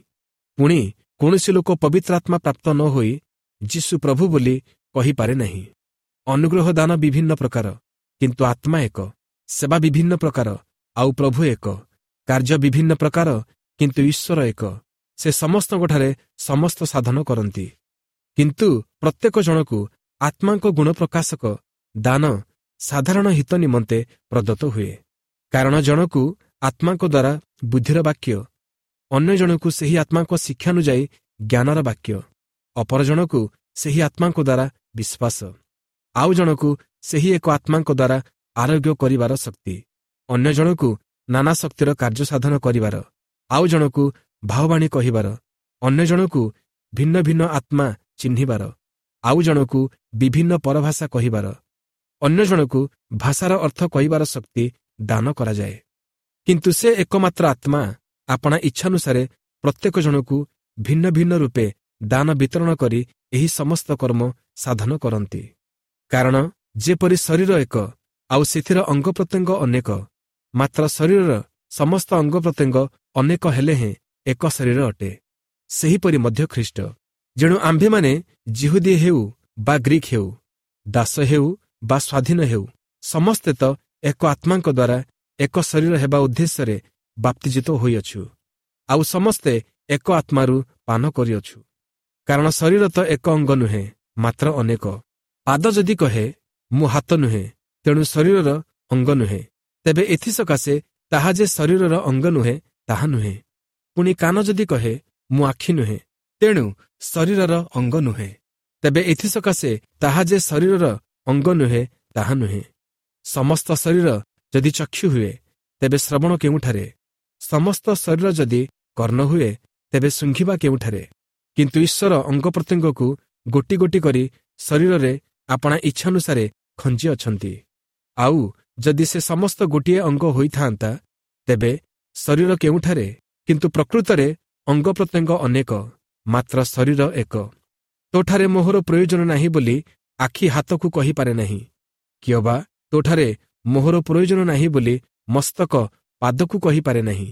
ପୁଣି କୌଣସି ଲୋକ ପବିତ୍ର ଆତ୍ମା ପ୍ରାପ୍ତ ନ ହୋଇ ଯୀଶୁ ପ୍ରଭୁ ବୋଲି କହିପାରେ ନାହିଁ। ଅନୁଗ୍ରହ ଦାନ ବିଭିନ୍ନ ପ୍ରକାର, କିନ୍ତୁ ଆତ୍ମା ଏକ। ସେବା ବିଭିନ୍ନ ପ୍ରକାର, ଆଉ ପ୍ରଭୁ ଏକ। କାର୍ଯ୍ୟ ବିଭିନ୍ନ ପ୍ରକାର, କିନ୍ତୁ ଈଶ୍ୱର ଏକ। ସେ ସମସ୍ତଙ୍କଠାରେ ସମସ୍ତ ସାଧନ କରନ୍ତି। କିନ୍ତୁ ପ୍ରତ୍ୟେକ ଜଣକୁ ଆତ୍ମାଙ୍କ ଗୁଣ ପ୍ରକାଶକ ଦାନ ସାଧାରଣ ହିତ ନିମନ୍ତେ ପ୍ରଦତ୍ତ ହୁଏ। କାରଣ ଜଣକୁ ଆତ୍ମାଙ୍କ ଦ୍ୱାରା ବୁଦ୍ଧିର ବାକ୍ୟ, ଅନ୍ୟ ଜଣକୁ ସେହି ଆତ୍ମାଙ୍କ ଶିକ୍ଷାନୁଯାୟୀ ଜ୍ଞାନର ବାକ୍ୟ, ଅପର ଜଣକୁ ସେହି ଆତ୍ମାଙ୍କ ଦ୍ୱାରା ବିଶ୍ୱାସ, ଆଉ ଜଣକୁ ସେହି ଏକ ଆତ୍ମାଙ୍କ ଦ୍ୱାରା ଆରୋଗ୍ୟ କରିବାର ଶକ୍ତି, ଅନ୍ୟ ଜଣକୁ ନାନା ଶକ୍ତିର କାର୍ଯ୍ୟ ସାଧନ କରିବାର, ଆଉ ଜଣକୁ ଭାବବାଣୀ କହିବାର, ଅନ୍ୟ ଜଣକୁ ଭିନ୍ନ ଭିନ୍ନ ଆତ୍ମା ଚିହ୍ନିବାର, ଆଉ ଜଣକୁ ବିଭିନ୍ନ ପରଭାଷା କହିବାର, ଅନ୍ୟ ଜଣକୁ ଭାଷାର ଅର୍ଥ କହିବାର ଶକ୍ତି ଦାନ କରାଯାଏ। କିନ୍ତୁ ସେ ଏକମାତ୍ର ଆତ୍ମା ଆପଣା ଇଚ୍ଛାନୁସାରେ ପ୍ରତ୍ୟେକ ଜଣକୁ ଭିନ୍ନ ଭିନ୍ନ ରୂପେ ଦାନ ବିତରଣ କରି ଏହି ସମସ୍ତ କର୍ମ ସାଧନ କରନ୍ତି। କାରଣ ଯେପରି ଶରୀର ଏକ, ଆଉ ସେଥିର ଅଙ୍ଗ ପ୍ରତ୍ୟଙ୍ଗ ଅନେକ, ମାତ୍ର ଶରୀରର ସମସ୍ତ ଅଙ୍ଗ ପ୍ରତ୍ୟଙ୍ଗ ଅନେକ ହେଲେ ହେଁ ଏକ ଶରୀର ଅଟେ, ସେହିପରି ମଧ୍ୟ ଖ୍ରୀଷ୍ଟ। ଯେଣୁ ଆମ୍ଭେମାନେ ଜିହୁଦୀ ହେଉ ବା ଗ୍ରୀକ୍ ହେଉ, ଦାସ ହେଉ ବା ସ୍ୱାଧୀନ ହେଉ, ସମସ୍ତେ ତ ଏକ ଆତ୍ମାଙ୍କ ଦ୍ୱାରା ଏକ ଶରୀର ହେବା ଉଦ୍ଦେଶ୍ୟରେ ବାପ୍ତିଜିତ ହୋଇଅଛୁ, ଆଉ ସମସ୍ତେ ଏକ ଆତ୍ମାରୁ ପାନ କରିଅଛୁ। କାରଣ ଶରୀର ତ ଏକ ଅଙ୍ଗ ନୁହେଁ, ମାତ୍ର ଅନେକ। ପାଦ ଯଦି କହେ, ମୁଁ ହାତ ନୁହେଁ, ତେଣୁ ଶରୀରର ଅଙ୍ଗ ନୁହେଁ, ତେବେ ଏଥିସକାଶେ ତାହା ଯେ ଶରୀରର ଅଙ୍ଗ ନୁହେଁ, ତାହା ନୁହେଁ। ପୁଣି କାନ ଯଦି କହେ, ମୁଁ ଆଖି ନୁହେଁ, ତେଣୁ ଶରୀରର ଅଙ୍ଗ ନୁହେଁ, ତେବେ ଏଥିସକାଶେ ତାହା ଯେ ଶରୀରର ଅଙ୍ଗ ନୁହେଁ, ତାହା ନୁହେଁ। ସମସ୍ତ ଶରୀର ଯଦି ଚକ୍ଷୁ ହୁଏ, ତେବେ ଶ୍ରବଣ କେଉଁଠାରେ? ସମସ୍ତ ଶରୀର ଯଦି କର୍ଣ୍ଣ ହୁଏ, ତେବେ ଶୁଙ୍ଘିବା କେଉଁଠାରେ? କିନ୍ତୁ ଈଶ୍ୱର ଅଙ୍ଗ ପ୍ରତ୍ୟଙ୍ଗକୁ ଗୋଟି ଗୋଟି କରି ଶରୀରରେ ଆପଣା ଇଚ୍ଛାନୁସାରେ ଖଞ୍ଜି ଅଛନ୍ତି। ଆଉ ଯଦି ସେ ସମସ୍ତ ଗୋଟିଏ ଅଙ୍ଗ ହୋଇଥାନ୍ତା, ତେବେ ଶରୀର କେଉଁଠାରେ? କିନ୍ତୁ ପ୍ରକୃତରେ ଅଙ୍ଗ ପ୍ରତ୍ୟଙ୍ଗ ଅନେକ, ମାତ୍ର ଶରୀର ଏକ। ତୋଠାରେ ମୋହର ପ୍ରୟୋଜନ ନାହିଁ ବୋଲି ଆଖି ହାତକୁ କହିପାରେ ନାହିଁ, କିଅବା ତୋଠାରେ ମୋହର ପ୍ରୟୋଜନ ନାହିଁ ବୋଲି ମସ୍ତକ ପାଦକୁ କହିପାରେ ନାହିଁ।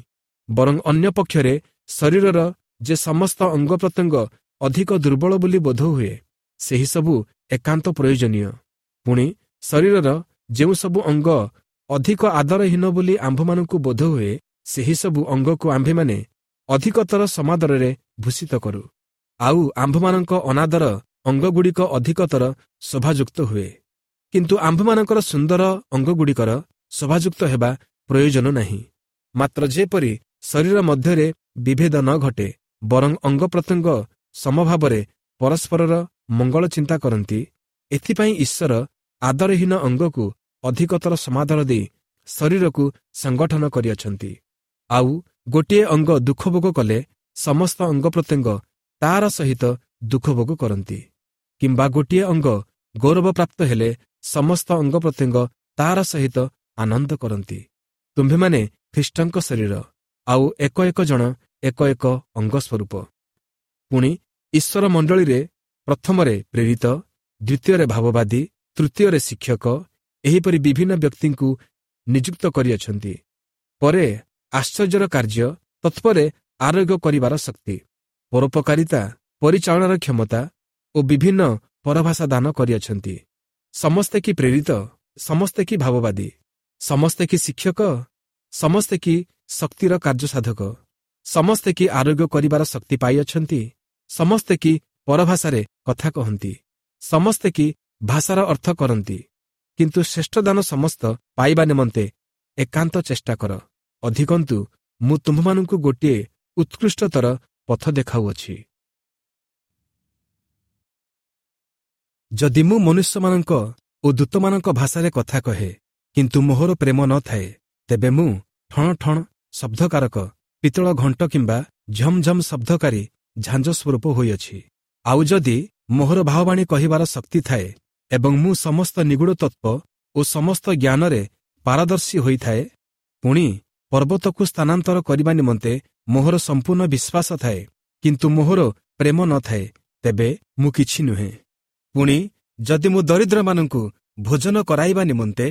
ବରଂ ଅନ୍ୟ ପକ୍ଷରେ ଶରୀରର ଯେ ସମସ୍ତ ଅଙ୍ଗ ପ୍ରତ୍ୟଙ୍ଗ ଅଧିକ ଦୁର୍ବଳ ବୋଲି ବୋଧ ହୁଏ, ସେହିସବୁ ଏକାନ୍ତ ପ୍ରୟୋଜନୀୟ। ପୁଣି ଶରୀରର ଯେଉଁ ସବୁ ଅଙ୍ଗ ଅଧିକ ଆଦରହୀନ ବୋଲି ଆମ୍ଭମାନଙ୍କୁ ବୋଧ ହୁଏ, ସେହିସବୁ ଅଙ୍ଗକୁ ଆମ୍ଭେମାନେ ଅଧିକତର ସମାଦରରେ ଭୂଷିତ କରୁ, ଆଉ ଆମ୍ଭମାନଙ୍କ ଅନାଦର ଅଙ୍ଗଗୁଡ଼ିକ ଅଧିକତର ଶୋଭାଯୁକ୍ତ ହୁଏ। କିନ୍ତୁ ଆମ୍ଭମାନଙ୍କର ସୁନ୍ଦର ଅଙ୍ଗଗୁଡ଼ିକର ଶୋଭାଯୁକ୍ତ ହେବା ପ୍ରୟୋଜନ ନାହିଁ। ମାତ୍ର ଯେପରି ଶରୀର ମଧ୍ୟରେ ବିଭେଦ ନ ଘଟେ, ବରଂ ଅଙ୍ଗ ପ୍ରତ୍ୟଙ୍ଗ ସମଭାବରେ ପରସ୍ପରର ମଙ୍ଗଳ ଚିନ୍ତା କରନ୍ତି, ଏଥିପାଇଁ ଈଶ୍ୱର ଆଦରହୀନ ଅଙ୍ଗକୁ ଅଧିକତର ସମାଦର ଦେଇ ଶରୀରକୁ ସଂଗଠନ କରିଅଛନ୍ତି। ଆଉ ଗୋଟିଏ ଅଙ୍ଗ ଦୁଃଖ ଭୋଗ କଲେ ସମସ୍ତ ଅଙ୍ଗ ପ୍ରତ୍ୟଙ୍ଗ ତାର ସହିତ ଦୁଃଖ ଭୋଗ କରନ୍ତି, କିମ୍ବା ଗୋଟିଏ ଅଙ୍ଗ ଗୌରବପ୍ରାପ୍ତ ହେଲେ ସମସ୍ତ ଅଙ୍ଗ ପ୍ରତ୍ୟଙ୍ଗ ତାହାର ସହିତ ଆନନ୍ଦ କରନ୍ତି। ତୁମ୍ଭେମାନେ ଖ୍ରୀଷ୍ଟଙ୍କ ଶରୀର, ଆଉ ଏକ ଏକ ଜଣ ଏକ ଏକ ଅଙ୍ଗ ସ୍ୱରୂପ। ପୁଣି ଈଶ୍ୱର ମଣ୍ଡଳୀରେ ପ୍ରଥମରେ ପ୍ରେରିତ, ଦ୍ୱିତୀୟରେ ଭାବବାଦୀ, ତୃତୀୟରେ ଶିକ୍ଷକ, ଏହିପରି ବିଭିନ୍ନ ବ୍ୟକ୍ତିଙ୍କୁ ନିଯୁକ୍ତ କରିଅଛନ୍ତି। ପରେ ଆଶ୍ଚର୍ଯ୍ୟର କାର୍ଯ୍ୟ, ତତ୍ପରେ ଆରୋଗ୍ୟ କରିବାର ଶକ୍ତି, ପରୋପକାରିତା, ପରିଚାଳନାର କ୍ଷମତା ଓ ବିଭିନ୍ନ ପରଭାଷା ଦାନ କରିଅଛନ୍ତି। ସମସ୍ତେ କି ପ୍ରେରିତ? ସମସ୍ତେ କି ଭାବବାଦୀ? ସମସ୍ତେ କି ଶିକ୍ଷକ? ସମସ୍ତେ କି ଶକ୍ତିର କାର୍ଯ୍ୟସାଧକ? ସମସ୍ତେ କି ଆରୋଗ୍ୟ କରିବାର ଶକ୍ତି ପାଇଅଛନ୍ତି? ସମସ୍ତେ କି ପରଭାଷାରେ କଥା କହନ୍ତି? ସମସ୍ତେ କି ଭାଷାର ଅର୍ଥ କରନ୍ତି? କିନ୍ତୁ ଶ୍ରେଷ୍ଠ ଦାନ ସମସ୍ତ ପାଇବା ନିମନ୍ତେ ଏକାନ୍ତ ଚେଷ୍ଟା କର। ଅଧିକନ୍ତୁ ମୁଁ ତୁମ୍ଭମାନଙ୍କୁ ଗୋଟିଏ ଉତ୍କୃଷ୍ଟତର ପଥ ଦେଖାଉଅଛି। ଯଦି ମୁଁ ମନୁଷ୍ୟମାନଙ୍କ ଓ ଦୂତମାନଙ୍କ ଭାଷାରେ କଥା କହେ, କିନ୍ତୁ ମୋହର ପ୍ରେମ ନ ଥାଏ, ତେବେ ମୁଁ ଠଣ ଠଣ ଶବ୍ଦକାରକ ପିତ୍ତଳ ଘଣ୍ଟ କିମ୍ବା ଝମଝମ ଶବ୍ଦକାରୀ ଝାଞ୍ଜ ସ୍ୱରୂପ ହୋଇଅଛି। ଆଉ ଯଦି ମୋହର ଭାବବାଣୀ କହିବାର ଶକ୍ତି ଥାଏ ଏବଂ ମୁଁ ସମସ୍ତ ନିଗୂଢ଼ ତତ୍ତ୍ୱ ଓ ସମସ୍ତ ଜ୍ଞାନରେ ପାରଦର୍ଶୀ ହୋଇଥାଏ, ପୁଣି ପର୍ବତକୁ ସ୍ଥାନାନ୍ତର କରିବା ନିମନ୍ତେ ମୋହର ସମ୍ପୂର୍ଣ୍ଣ ବିଶ୍ୱାସ ଥାଏ, କିନ୍ତୁ ମୋହର ପ୍ରେମ ନ ଥାଏ, ତେବେ ମୁଁ କିଛି ନୁହେଁ। ପୁଣି ଯଦି ମୁଁ ଦରିଦ୍ରମାନଙ୍କୁ ଭୋଜନ କରାଇବା ନିମନ୍ତେ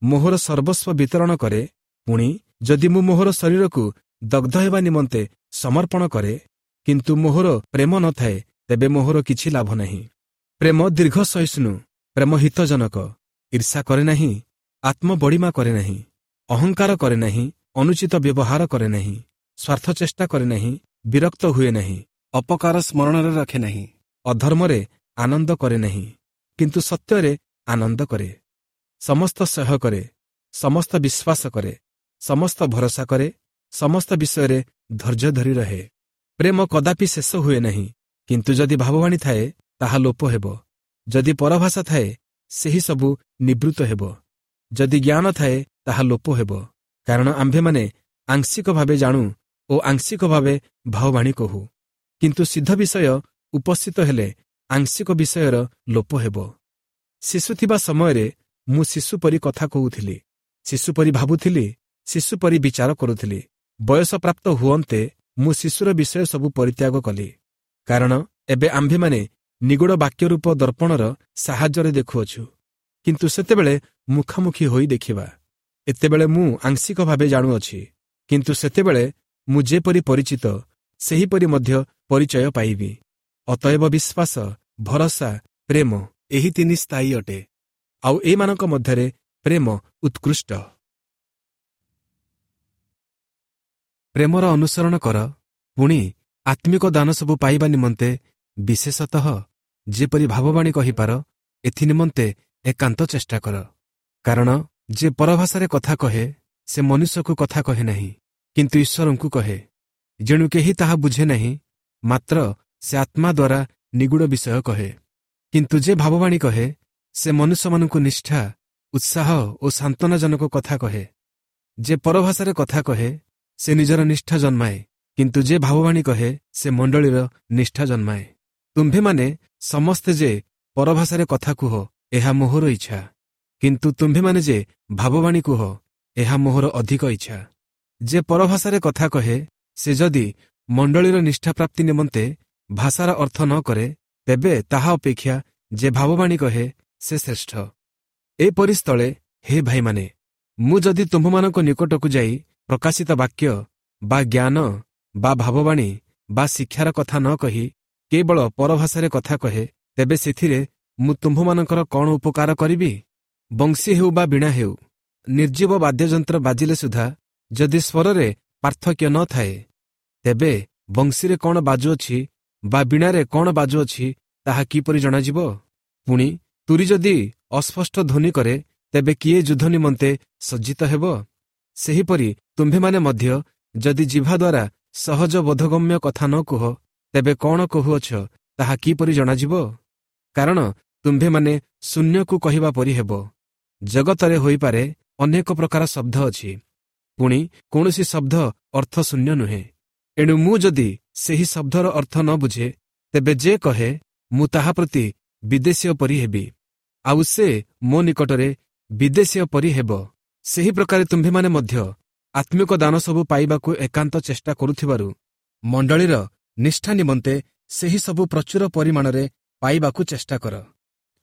ମୋହର ସର୍ବସ୍ୱ ବିତରଣ କରେ, ପୁଣି ଯଦି ମୁଁ ମୋହର ଶରୀରକୁ ଦଗ୍ଧ ହେବା ନିମନ୍ତେ ସମର୍ପଣ କରେ, କିନ୍ତୁ ମୋହର ପ୍ରେମ ନ ଥାଏ, ତେବେ ମୋହର କିଛି ଲାଭ ନାହିଁ। ପ୍ରେମ ଦୀର୍ଘ ସହିଷ୍ଣୁ, ପ୍ରେମ ହିତଜନକ, ଈର୍ଷା କରେ ନାହିଁ, ଆତ୍ମବଡ଼ିମା କରେ ନାହିଁ, ଅହଙ୍କାର କରେ ନାହିଁ, ଅନୁଚିତ ବ୍ୟବହାର କରେ ନାହିଁ, ସ୍ୱାର୍ଥ ଚେଷ୍ଟା କରେ ନାହିଁ, ବିରକ୍ତ ହୁଏ ନାହିଁ, ଅପକାର ସ୍ମରଣରେ ରଖେ ନାହିଁ, ଅଧର୍ମରେ ଆନନ୍ଦ କରେ ନାହିଁ, କିନ୍ତୁ ସତ୍ୟରେ ଆନନ୍ଦ କରେ, ସମସ୍ତ ସହ୍ୟ କରେ, ସମସ୍ତ ବିଶ୍ୱାସ କରେ, ସମସ୍ତ ଭରସା କରେ, ସମସ୍ତ ବିଷୟରେ ଧୈର୍ଯ୍ୟ ଧରି ରହେ। ପ୍ରେମ କଦାପି ଶେଷ ହୁଏ ନାହିଁ, କିନ୍ତୁ ଯଦି ଭାବବାଣୀ ଥାଏ ତାହା ଲୋପ ହେବ, ଯଦି ପରଭାଷା ଥାଏ ସେହି ସବୁ ନିବୃତ୍ତ ହେବ, ଯଦି ଜ୍ଞାନ ଥାଏ ତାହା ଲୋପ ହେବ। କାରଣ ଆମ୍ଭେମାନେ ଆଂଶିକ ଭାବେ ଜାଣୁ ଓ ଆଂଶିକ ଭାବେ ଭାବବାଣୀ କହୁ, କିନ୍ତୁ ସିଦ୍ଧ ବିଷୟ ଉପସ୍ଥିତ ହେଲେ ଆଂଶିକ ବିଷୟର ଲୋପ ହେବ। ଶିଶୁ ଥିବା ସମୟରେ ମୁଁ ଶିଶୁ ପରି କଥା କହୁଥିଲି, ଶିଶୁ ପରି ଭାବୁଥିଲି, ଶିଶୁ ପରି ବିଚାର କରୁଥିଲି। ବୟସ ପ୍ରାପ୍ତ ହୁଅନ୍ତେ ମୁଁ ଶିଶୁର ବିଷୟ ସବୁ ପରିତ୍ୟାଗ କଲି। କାରଣ ଏବେ ଆମ୍ଭେମାନେ ନିଗୂଢ଼ ବାକ୍ୟରୂପ ଦର୍ପଣର ସାହାଯ୍ୟରେ ଦେଖୁଅଛୁ, କିନ୍ତୁ ସେତେବେଳେ ମୁଖାମୁଖି ହୋଇ ଦେଖିବା। ଏତେବେଳେ ମୁଁ ଆଂଶିକ ଭାବେ ଜାଣୁଅଛି, କିନ୍ତୁ ସେତେବେଳେ ମୁଁ ଯେପରି ପରିଚିତ ସେହିପରି ମଧ୍ୟ ପରିଚୟ ପାଇବି। ଅତଏବ ବିଶ୍ୱାସ, ଭରସା, ପ୍ରେମ ଏହି ତିନି ସ୍ଥାୟୀ ଅଟେ, ଆଉ ଏମାନଙ୍କ ମଧ୍ୟରେ ପ୍ରେମ ଉତ୍କୃଷ୍ଟ। ପ୍ରେମର ଅନୁସରଣ କର, ପୁଣି ଆତ୍ମିକ ଦାନ ସବୁ ପାଇବା ନିମନ୍ତେ ବିଶେଷତଃ ଯେପରି ଭାବବାଣୀ କହିପାର ଏଥି ନିମନ୍ତେ ଏକାନ୍ତ ଚେଷ୍ଟା କର। କାରଣ ଯେ ପରଭାଷାରେ କଥା କହେ ସେ ମନୁଷ୍ୟକୁ କଥା କହେ ନାହିଁ, କିନ୍ତୁ ଈଶ୍ୱରଙ୍କୁ କହେ। ଯେଣୁ କେହି ତାହା ବୁଝେ ନାହିଁ, ମାତ୍ର ସେ ଆତ୍ମା ଦ୍ୱାରା ନିଗୂଢ଼ ବିଷୟ କହେ। କିନ୍ତୁ ଯେ ଭାବବାଣୀ କହେ ସେ ମନୁଷ୍ୟମାନଙ୍କୁ ନିଷ୍ଠା, ଉତ୍ସାହ ଓ ସାନ୍ତ୍ୱନାଜନକ କଥା କହେ। ଯେ ପରଭାଷାରେ କଥା କହେ ସେ ନିଜର ନିଷ୍ଠା ଜନ୍ମାଏ, କିନ୍ତୁ ଯେ ଭାବବାଣୀ କହେ ସେ ମଣ୍ଡଳୀର ନିଷ୍ଠା ଜନ୍ମାଏ। ତୁମ୍ଭେମାନେ ସମସ୍ତେ ଯେ ପରଭାଷାରେ କଥା କୁହ ଏହା ମୋହର ଇଚ୍ଛା, କିନ୍ତୁ ତୁମ୍ଭେମାନେ ଯେ ଭାବବାଣୀ କୁହ ଏହା ମୋହର ଅଧିକ ଇଚ୍ଛା। ଯେ ପରଭାଷାରେ କଥା କହେ ସେ ଯଦି ମଣ୍ଡଳୀର ନିଷ୍ଠା ପ୍ରାପ୍ତି ନିମନ୍ତେ ଭାଷାର ଅର୍ଥ ନ କରେ, ତେବେ ତାହା ଅପେକ୍ଷା ଯେ ଭାବବାଣୀ କହେ ସେ ଶ୍ରେଷ୍ଠ। ଏପରି ସ୍ଥଳେ ହେ ଭାଇମାନେ, ମୁଁ ଯଦି ତୁମ୍ଭମାନଙ୍କ ନିକଟକୁ ଯାଇ ପ୍ରକାଶିତ ବାକ୍ୟ ବା ଜ୍ଞାନ ବା ଭାବବାଣୀ ବା ଶିକ୍ଷାର କଥା ନ କହି କେବଳ ପରଭାଷାରେ କଥା କହେ, ତେବେ ସେଥିରେ ମୁଁ ତୁମ୍ଭମାନଙ୍କର କ'ଣ ଉପକାର କରିବି? ବଂଶୀ ହେଉ ବା ବୀଣା ହେଉ, ନିର୍ଜୀବ ବାଦ୍ୟଯନ୍ତ୍ର ବାଜିଲେ ସୁଦ୍ଧା ଯଦି ସ୍ୱରରେ ପାର୍ଥକ୍ୟ ନ ଥାଏ, ତେବେ ବଂଶୀରେ କ'ଣ ବାଜୁଅଛି ବା ବୀଣାରେ କ'ଣ ବାଜୁଅଛି ତାହା କିପରି ଜଣାଯିବ? ପୁଣି ତୁରୀ ଯଦି ଅସ୍ପଷ୍ଟ ଧ୍ୱନି କରେ, ତେବେ କିଏ ଯୁଦ୍ଧ ନିମନ୍ତେ ସଜ୍ଜିତ ହେବ? ସେହିପରି ତୁମ୍ଭେମାନେ ମଧ୍ୟ ଯଦି ଜିଭା ଦ୍ୱାରା ସହଜ ବୋଧଗମ୍ୟ କଥା ନ କୁହ, ତେବେ କ'ଣ କହୁଅଛ ତାହା କିପରି ଜଣାଯିବ? କାରଣ ତୁମ୍ଭେମାନେ ଶୂନ୍ୟକୁ କହିବା ପରି ହେବ। ଜଗତରେ ହୋଇପାରେ ଅନେକ ପ୍ରକାର ଶବ୍ଦ ଅଛି, ପୁଣି କୌଣସି ଶବ୍ଦ ଅର୍ଥ ଶୂନ୍ୟ ନୁହେଁ। ଏଣୁ ମୁଁ ଯଦି ସେହି ଶବ୍ଦର ଅର୍ଥ ନ ବୁଝେ, ତେବେ ଯେ କହେ ମୁଁ ତାହା ପ୍ରତି ବିଦେଶୀୟ ପରି ହେବି। ଆଉ ସେ ମୋ ନିକଟରେ ବିଦେଶୀୟ ପରି ହେବ। ସେହି ପ୍ରକାରେ ତୁମ୍ଭେମାନେ ମଧ୍ୟ ଆତ୍ମିକ ଦାନ ସବୁ ପାଇବାକୁ ଏକାନ୍ତ ଚେଷ୍ଟା କରୁଥିବାରୁ ମଣ୍ଡଳୀର ନିଷ୍ଠା ନିମନ୍ତେ ସେହି ସବୁ ପ୍ରଚୁର ପରିମାଣରେ ପାଇବାକୁ ଚେଷ୍ଟା କର।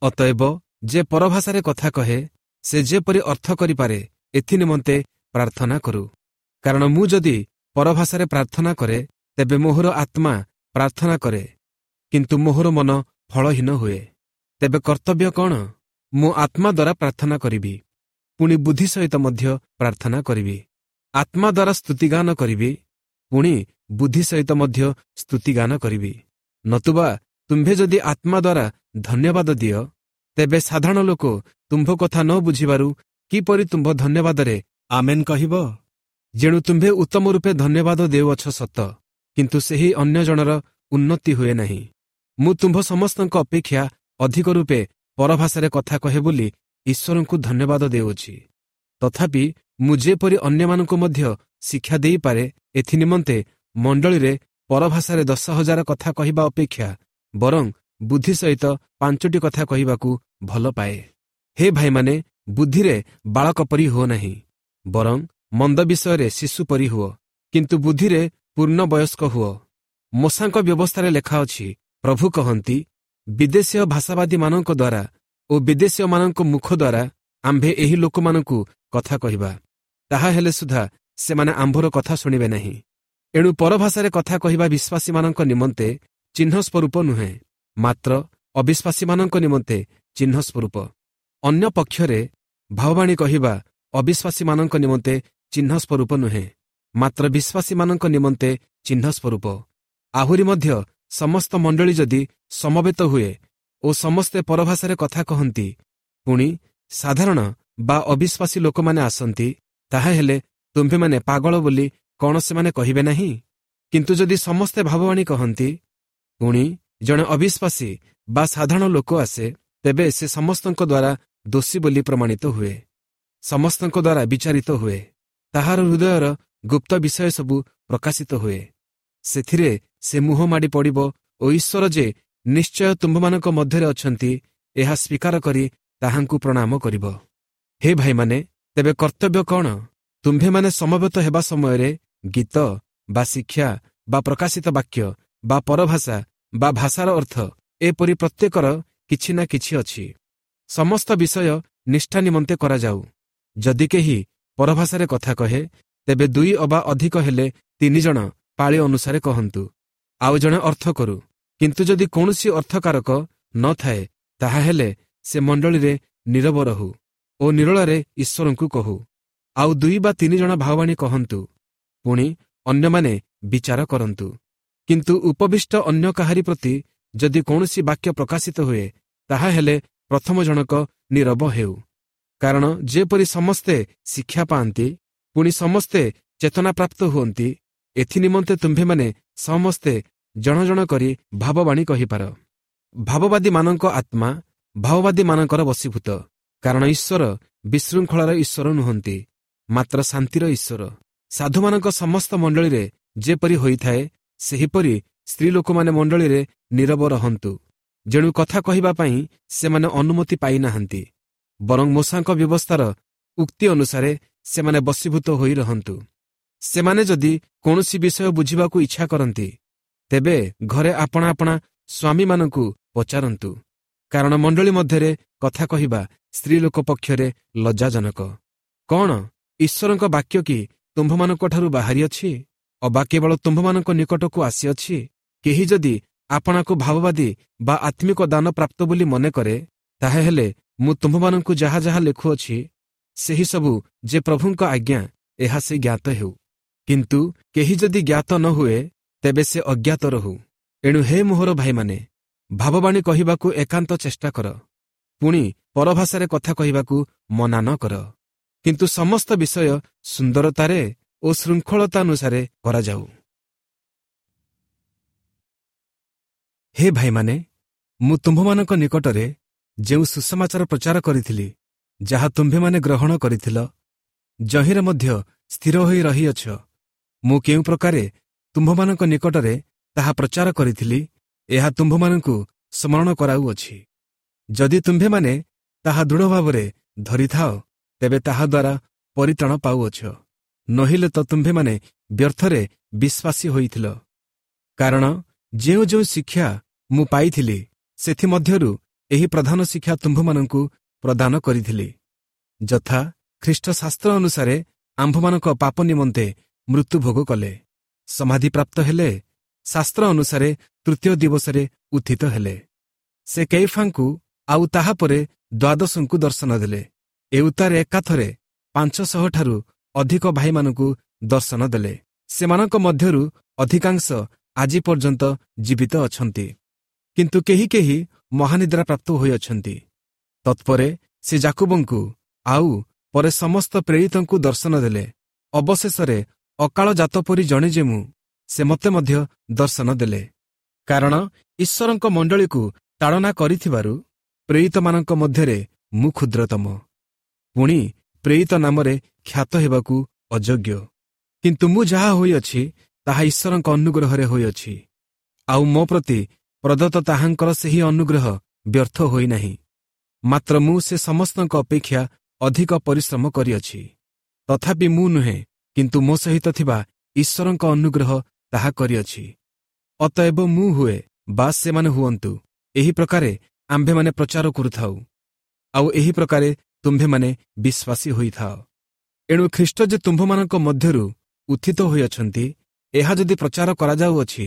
ଅତଏବ ଯେ ପରଭାଷାରେ କଥା କହେ, ସେ ଯେପରି ଅର୍ଥ କରିପାରେ ଏଥିନିମନ୍ତେ ପ୍ରାର୍ଥନା କରୁ। କାରଣ ମୁଁ ଯଦି ପରଭାଷାରେ ପ୍ରାର୍ଥନା କରେ, ତେବେ ମୋହର ଆତ୍ମା ପ୍ରାର୍ଥନା କରେ, କିନ୍ତୁ ମୋହର ମନ ଫଳହୀନ ହୁଏ। ତେବେ କର୍ତ୍ତବ୍ୟ କ'ଣ? ମୁଁ ଆତ୍ମା ଦ୍ୱାରା ପ୍ରାର୍ଥନା କରିବି, ପୁଣି ବୁଦ୍ଧି ସହିତ ମଧ୍ୟ ପ୍ରାର୍ଥନା କରିବି। ଆତ୍ମା ଦ୍ୱାରା ସ୍ତୁତିଗାନ କରିବି, ପୁଣି ବୁଦ୍ଧି ସହିତ ମଧ୍ୟ ସ୍ତୁତିଗାନ କରିବି। ନତୁବା ତୁମ୍ଭେ ଯଦି ଆତ୍ମା ଦ୍ୱାରା ଧନ୍ୟବାଦ ଦିଅ, ତେବେ ସାଧାରଣ ଲୋକ ତୁମ୍ଭ କଥା ନ ବୁଝିବାରୁ କିପରି ତୁମ୍ଭ ଧନ୍ୟବାଦରେ ଆମେନ୍ କହିବ? ଯେଣୁ ତୁମ୍ଭେ ଉତ୍ତମ ରୂପେ ଧନ୍ୟବାଦ ଦେଉଅଛ ସତ, କିନ୍ତୁ ସେହି ଅନ୍ୟ ଜଣର ଉନ୍ନତି ହୁଏ ନାହିଁ। ମୁଁ ତୁମ୍ଭ ସମସ୍ତଙ୍କ ଅପେକ୍ଷା ଅଧିକ ରୂପେ ପରଭାଷାରେ କଥା କହେ ବୋଲି ଈଶ୍ୱରଙ୍କୁ ଧନ୍ୟବାଦ ଦେଉଅଛି। ତଥାପି ମୁଁ ଯେପରି ଅନ୍ୟମାନଙ୍କୁ ମଧ୍ୟ ଶିକ୍ଷା ଦେଇପାରେ, ଏଥିନିମନ୍ତେ ମଣ୍ଡଳୀରେ ପରଭାଷାରେ 10,000 କଥା କହିବା ଅପେକ୍ଷା ବରଂ ବୁଦ୍ଧି ସହିତ 5ଟି କଥା କହିବାକୁ ଭଲ ପାଏ। ହେ ଭାଇମାନେ, ବୁଦ୍ଧିରେ ବାଳକ ପରି ହୁଅ ନାହିଁ, ବରଂ ମନ୍ଦ ବିଷୟରେ ଶିଶୁ ପରି ହୁଅ, କିନ୍ତୁ ବୁଦ୍ଧିରେ ପୂର୍ଣ୍ଣ ବୟସ୍କ ହୁଅ। ମୋଶାଙ୍କ ବ୍ୟବସ୍ଥାରେ ଲେଖା ଅଛି, ପ୍ରଭୁ କହନ୍ତି, ବିଦେଶୀୟ ଭାଷାବାଦୀମାନଙ୍କ ଦ୍ୱାରା ଓ ବିଦେଶୀୟମାନଙ୍କ ମୁଖ ଦ୍ୱାରା ଆମ୍ଭେ ଏହି ଲୋକମାନଙ୍କୁ କଥା କହିବା, ତାହା ହେଲେ ସୁଦ୍ଧା ସେମାନେ ଆମ୍ଭର କଥା ଶୁଣିବେ ନାହିଁ। ଏଣୁ ପରଭାଷାରେ କଥା କହିବା ବିଶ୍ୱାସୀମାନଙ୍କ ନିମନ୍ତେ ଚିହ୍ନ ସ୍ୱରୂପ ନୁହେଁ, ମାତ୍ର ଅବିଶ୍ୱାସୀମାନଙ୍କ ନିମନ୍ତେ ଚିହ୍ନ ସ୍ୱରୂପ। ଅନ୍ୟ ପକ୍ଷରେ ଭାବବାଣୀ କହିବା ଅବିଶ୍ୱାସୀମାନଙ୍କ ନିମନ୍ତେ ଚିହ୍ନ ସ୍ୱରୂପ ନୁହେଁ, ମାତ୍ର ବିଶ୍ୱାସୀମାନଙ୍କ ନିମନ୍ତେ ଚିହ୍ନ ସ୍ୱରୂପ। ଆହୁରି ମଧ୍ୟ ସମସ୍ତ ମଣ୍ଡଳୀ ଯଦି ସମବେତ ହୁଏ ଓ ସମସ୍ତେ ପରଭାଷାରେ କଥା କହନ୍ତି, ପୁଣି ସାଧାରଣ ବା ଅବିଶ୍ୱାସୀ ଲୋକମାନେ ଆସନ୍ତି, ତାହାହେଲେ ତୁମ୍ଭେମାନେ ପାଗଳ ବୋଲି କ'ଣ ସେମାନେ କହିବେ ନାହିଁ? କିନ୍ତୁ ଯଦି ସମସ୍ତେ ଭାବବାଣୀ କହନ୍ତି, ପୁଣି ଜଣେ ଅବିଶ୍ୱାସୀ ବା ସାଧାରଣ ଲୋକ ଆସେ, ତେବେ ସେ ସମସ୍ତଙ୍କ ଦ୍ୱାରା ଦୋଷୀ ବୋଲି ପ୍ରମାଣିତ ହୁଏ, ସମସ୍ତଙ୍କ ଦ୍ୱାରା ବିଚାରିତ ହୁଏ, ତାହାର ହୃଦୟର ଗୁପ୍ତ ବିଷୟ ସବୁ ପ୍ରକାଶିତ ହୁଏ। ସେଥିରେ ସେ ମୁହଁ ମାଡ଼ି ପଡ଼ିବ ଓ ଈଶ୍ୱର ଯେ ନିଶ୍ଚୟ ତୁମ୍ଭମାନଙ୍କ ମଧ୍ୟରେ ଅଛନ୍ତି, ଏହା ସ୍ୱୀକାର କରି ତାହାଙ୍କୁ ପ୍ରଣାମ କରିବ। ହେ ଭାଇମାନେ, ତେବେ କର୍ତ୍ତବ୍ୟ କ'ଣ? ତୁମ୍ଭେମାନେ ସମବେତ ହେବା ସମୟରେ ଗୀତ ବା ଶିକ୍ଷା ବା ପ୍ରକାଶିତ ବାକ୍ୟ ବା ପରଭାଷା ବା ଭାଷାର ଅର୍ଥ, ଏପରି ପ୍ରତ୍ୟେକର କିଛି ନା କିଛି ଅଛି। ସମସ୍ତ ବିଷୟ ନିଷ୍ଠା ନିମନ୍ତେ କରାଯାଉ। ଯଦି କେହି ପରଭାଷାରେ କଥା କହେ, ତେବେ 2 ଅବା ଅଧିକ ହେଲେ 3 ଜଣ ପାଳି ଅନୁସାରେ କହନ୍ତୁ, ଆଉ ଜଣେ ଅର୍ଥ କରୁ। କିନ୍ତୁ ଯଦି କୌଣସି ଅର୍ଥକାରକ ନଥାଏ, ତାହାହେଲେ ସେ ମଣ୍ଡଳୀରେ ନୀରବ ରହୁ ଓ ନିରଳରେ ଈଶ୍ୱରଙ୍କୁ କହୁ। ଆଉ 2 ବା 3 ଜଣ ଭାବବାଣୀ କହନ୍ତୁ, ପୁଣି ଅନ୍ୟମାନେ ବିଚାର କରନ୍ତୁ। କିନ୍ତୁ ଉପବିଷ୍ଟ ଅନ୍ୟ କାହାରି ପ୍ରତି ଯଦି କୌଣସି ବାକ୍ୟ ପ୍ରକାଶିତ ହୁଏ, ତାହାହେଲେ ପ୍ରଥମ ଜଣକ ନୀରବ ହେଉ। କାରଣ ଯେପରି ସମସ୍ତେ ଶିକ୍ଷା ପାଆନ୍ତି, ପୁଣି ସମସ୍ତେ ଚେତନାପ୍ରାପ୍ତ ହୁଅନ୍ତି, ଏଥିନିମନ୍ତେ ତୁମ୍ଭେମାନେ ସମସ୍ତେ ଜଣ ଜଣ କରି ଭାବବାଣୀ କହିପାର। ଭାବବାଦୀମାନଙ୍କ ଆତ୍ମା ଭାବବାଦୀମାନଙ୍କର ବଶୀଭୂତ, କାରଣ ଈଶ୍ୱର ବିଶୃଙ୍ଖଳାର ଈଶ୍ୱର ନୁହନ୍ତି, ମାତ୍ର ଶାନ୍ତିର ଈଶ୍ୱର। ସାଧୁମାନଙ୍କ ସମସ୍ତ ମଣ୍ଡଳୀରେ ଯେପରି ହୋଇଥାଏ, ସେହିପରି ସ୍ତ୍ରୀ ଲୋକମାନେ ମଣ୍ଡଳୀରେ ନୀରବ ରହନ୍ତୁ। ଯେଣୁ କଥା କହିବା ପାଇଁ ସେମାନେ ଅନୁମତି ପାଇନାହାନ୍ତି, ବରଂ ମୋଶାଙ୍କ ବ୍ୟବସ୍ଥାର ଉକ୍ତି ଅନୁସାରେ ସେମାନେ ବଶୀଭୂତ ହୋଇ ରହନ୍ତୁ। ସେମାନେ ଯଦି କୌଣସି ବିଷୟ ବୁଝିବାକୁ ଇଚ୍ଛା କରନ୍ତି, ତେବେ ଘରେ ଆପଣା ଆପଣା ସ୍ୱାମୀମାନଙ୍କୁ ପଚାରନ୍ତୁ, କାରଣ ମଣ୍ଡଳୀ ମଧ୍ୟରେ କଥା କହିବା ସ୍ତ୍ରୀ ଲୋକ ପକ୍ଷରେ ଲଜ୍ଜାଜନକ। କ'ଣ ଈଶ୍ୱରଙ୍କ ବାକ୍ୟ କି ତୁମ୍ଭମାନଙ୍କଠାରୁ ବାହାରିଅଛି, ଅବା କେବଳ ତୁମ୍ଭମାନଙ୍କ ନିକଟକୁ ଆସିଅଛି? କେହି ଯଦି ଆପଣାକୁ ଭାବବାଦୀ ବା ଆତ୍ମିକ ଦାନ ପ୍ରାପ୍ତ ବୋଲି ମନେ କରେ, ତାହାହେଲେ ମୁଁ ତୁମ୍ଭମାନଙ୍କୁ ଯାହା ଯାହା ଲେଖୁଅଛି, ସେହି ସବୁ ଯେ ପ୍ରଭୁଙ୍କ ଆଜ୍ଞା, ଏହା ସେ ଜ୍ଞାତ ହେଉ। କିନ୍ତୁ କେହି ଯଦି ଜ୍ଞାତ ନ ହୁଏ, ତେବେ ସେ ଅଜ୍ଞାତ ରହୁ। ଏଣୁ ହେ ମୋହର ଭାଇମାନେ, ଭାବବାଣୀ କହିବାକୁ ଏକାନ୍ତ ଚେଷ୍ଟା କର, ପୁଣି ପରଭାଷାରେ କଥା କହିବାକୁ ମନା ନ କର। କିନ୍ତୁ ସମସ୍ତ ବିଷୟ ସୁନ୍ଦରତାରେ ଓ ଶୃଙ୍ଖଳତାନୁସାରେ କରାଯାଉ। ହେ ଭାଇମାନେ, ମୁଁ ତୁମ୍ଭମାନଙ୍କ ନିକଟରେ ଯେଉଁ ସୁସମାଚାର ପ୍ରଚାର କରିଥିଲି, ଯାହା ତୁମ୍ଭେମାନେ ଗ୍ରହଣ କରିଥିଲ, ଯହିଁରେ ମଧ୍ୟ ସ୍ଥିର ହୋଇ ରହିଅଛ, ମୁଁ କେଉଁ ପ୍ରକାରେ ତୁମ୍ଭମାନଙ୍କ ନିକଟରେ ତାହା ପ୍ରଚାର କରିଥିଲି, ଏହା ତୁମ୍ଭମାନଙ୍କୁ ସ୍ମରଣ କରାଉଅଛି। ଯଦି ତୁମ୍ଭେମାନେ ତାହା ଦୃଢ଼ ଭାବରେ ଧରିଥାଅ, ତେବେ ତାହାଦ୍ୱାରା ପରିତ୍ରାଣ ପାଉଅଛ। ନହିଲେ ତ ତୁମ୍ଭେମାନେ ବ୍ୟର୍ଥରେ ବିଶ୍ୱାସୀ ହୋଇଥିଲ। କାରଣ ଯେଉଁ ଯେଉଁ ଶିକ୍ଷା ମୁଁ ପାଇଥିଲି, ସେଥିମଧ୍ୟରୁ ଏହି ପ୍ରଧାନ ଶିକ୍ଷା ତୁମ୍ଭମାନଙ୍କୁ ପ୍ରଦାନ କରିଥିଲି, ଯଥା ଖ୍ରୀଷ୍ଟ ଶାସ୍ତ୍ର ଅନୁସାରେ ଆମ୍ଭମାନଙ୍କ ପାପ ନିମନ୍ତେ ମୃତ୍ୟୁଭୋଗ କଲେ, ସମାଧିପ୍ରାପ୍ତ ହେଲେ, ଶାସ୍ତ୍ର ଅନୁସାରେ ତୃତୀୟ ଦିବସରେ ଉତ୍ଥିତ ହେଲେ। ସେ କେଇଫାଙ୍କୁ ଆଉ ତାହାପରେ ଦ୍ୱାଦଶଙ୍କୁ ଦର୍ଶନ ଦେଲେ। ଏ ଉତ୍ତାରେ ଏକାଥରେ 500 ଠାରୁ ଅଧିକ ଭାଇମାନଙ୍କୁ ଦର୍ଶନ ଦେଲେ। ସେମାନଙ୍କ ମଧ୍ୟରୁ ଅଧିକାଂଶ ଆଜି ପର୍ଯ୍ୟନ୍ତ ଜୀବିତ ଅଛନ୍ତି, କିନ୍ତୁ କେହି କେହି ମହାନିଦ୍ରା ପ୍ରାପ୍ତ ହୋଇଅଛନ୍ତି। ତତ୍ପରେ ସେ ଜାକୁବଙ୍କୁ ଆଉ ପରେ ସମସ୍ତ ପ୍ରେରିତଙ୍କୁ ଦର୍ଶନ ଦେଲେ। ଅବଶେଷରେ ଅକାଳ ଜାତ ପରି ଜଣେ ଯେ ମୁଁ, ସେ ମୋତେ ମଧ୍ୟ ଦର୍ଶନ ଦେଲେ। କାରଣ ଈଶ୍ୱରଙ୍କ ମଣ୍ଡଳୀକୁ ତାଡ଼ନା କରିଥିବାରୁ ପ୍ରେରିତମାନଙ୍କ ମଧ୍ୟରେ ମୁଁ କ୍ଷୁଦ୍ରତମ, ପୁଣି ପ୍ରେରିତ ନାମରେ ଖ୍ୟାତ ହେବାକୁ ଅଯୋଗ୍ୟ। କିନ୍ତୁ ମୁଁ ଯାହା ହୋଇଅଛି, ତାହା ଈଶ୍ୱରଙ୍କ ଅନୁଗ୍ରହରେ ହୋଇଅଛି, ଆଉ ମୋ ପ୍ରତି ପ୍ରଦତ୍ତ ତାହାଙ୍କର ସେହି ଅନୁଗ୍ରହ ବ୍ୟର୍ଥ ହୋଇନାହିଁ। ମାତ୍ର ମୁଁ ସେ ସମସ୍ତଙ୍କ ଅପେକ୍ଷା ଅଧିକ ପରିଶ୍ରମ କରିଅଛି। ତଥାପି ମୁଁ ନୁହେଁ, କିନ୍ତୁ ମୋ ସହିତ ଥିବା ଈଶ୍ୱରଙ୍କ ଅନୁଗ୍ରହ ତାହା କରିଅଛି। ଅତଏବ ମୁଁ ହୁଏ ବା ସେମାନେ ହୁଅନ୍ତୁ, ଏହି ପ୍ରକାରେ ଆମ୍ଭେମାନେ ପ୍ରଚାର କରୁଥାଉ, ଆଉ ଏହି ପ୍ରକାରେ ତୁମ୍ଭେମାନେ ବିଶ୍ୱାସୀ ହୋଇଥାଅ। ଏଣୁ ଖ୍ରୀଷ୍ଟ ଯେ ତୁମ୍ଭମାନଙ୍କ ମଧ୍ୟରୁ ଉତ୍ଥିତ ହୋଇଅଛନ୍ତି, ଏହା ଯଦି ପ୍ରଚାର କରାଯାଉଅଛି,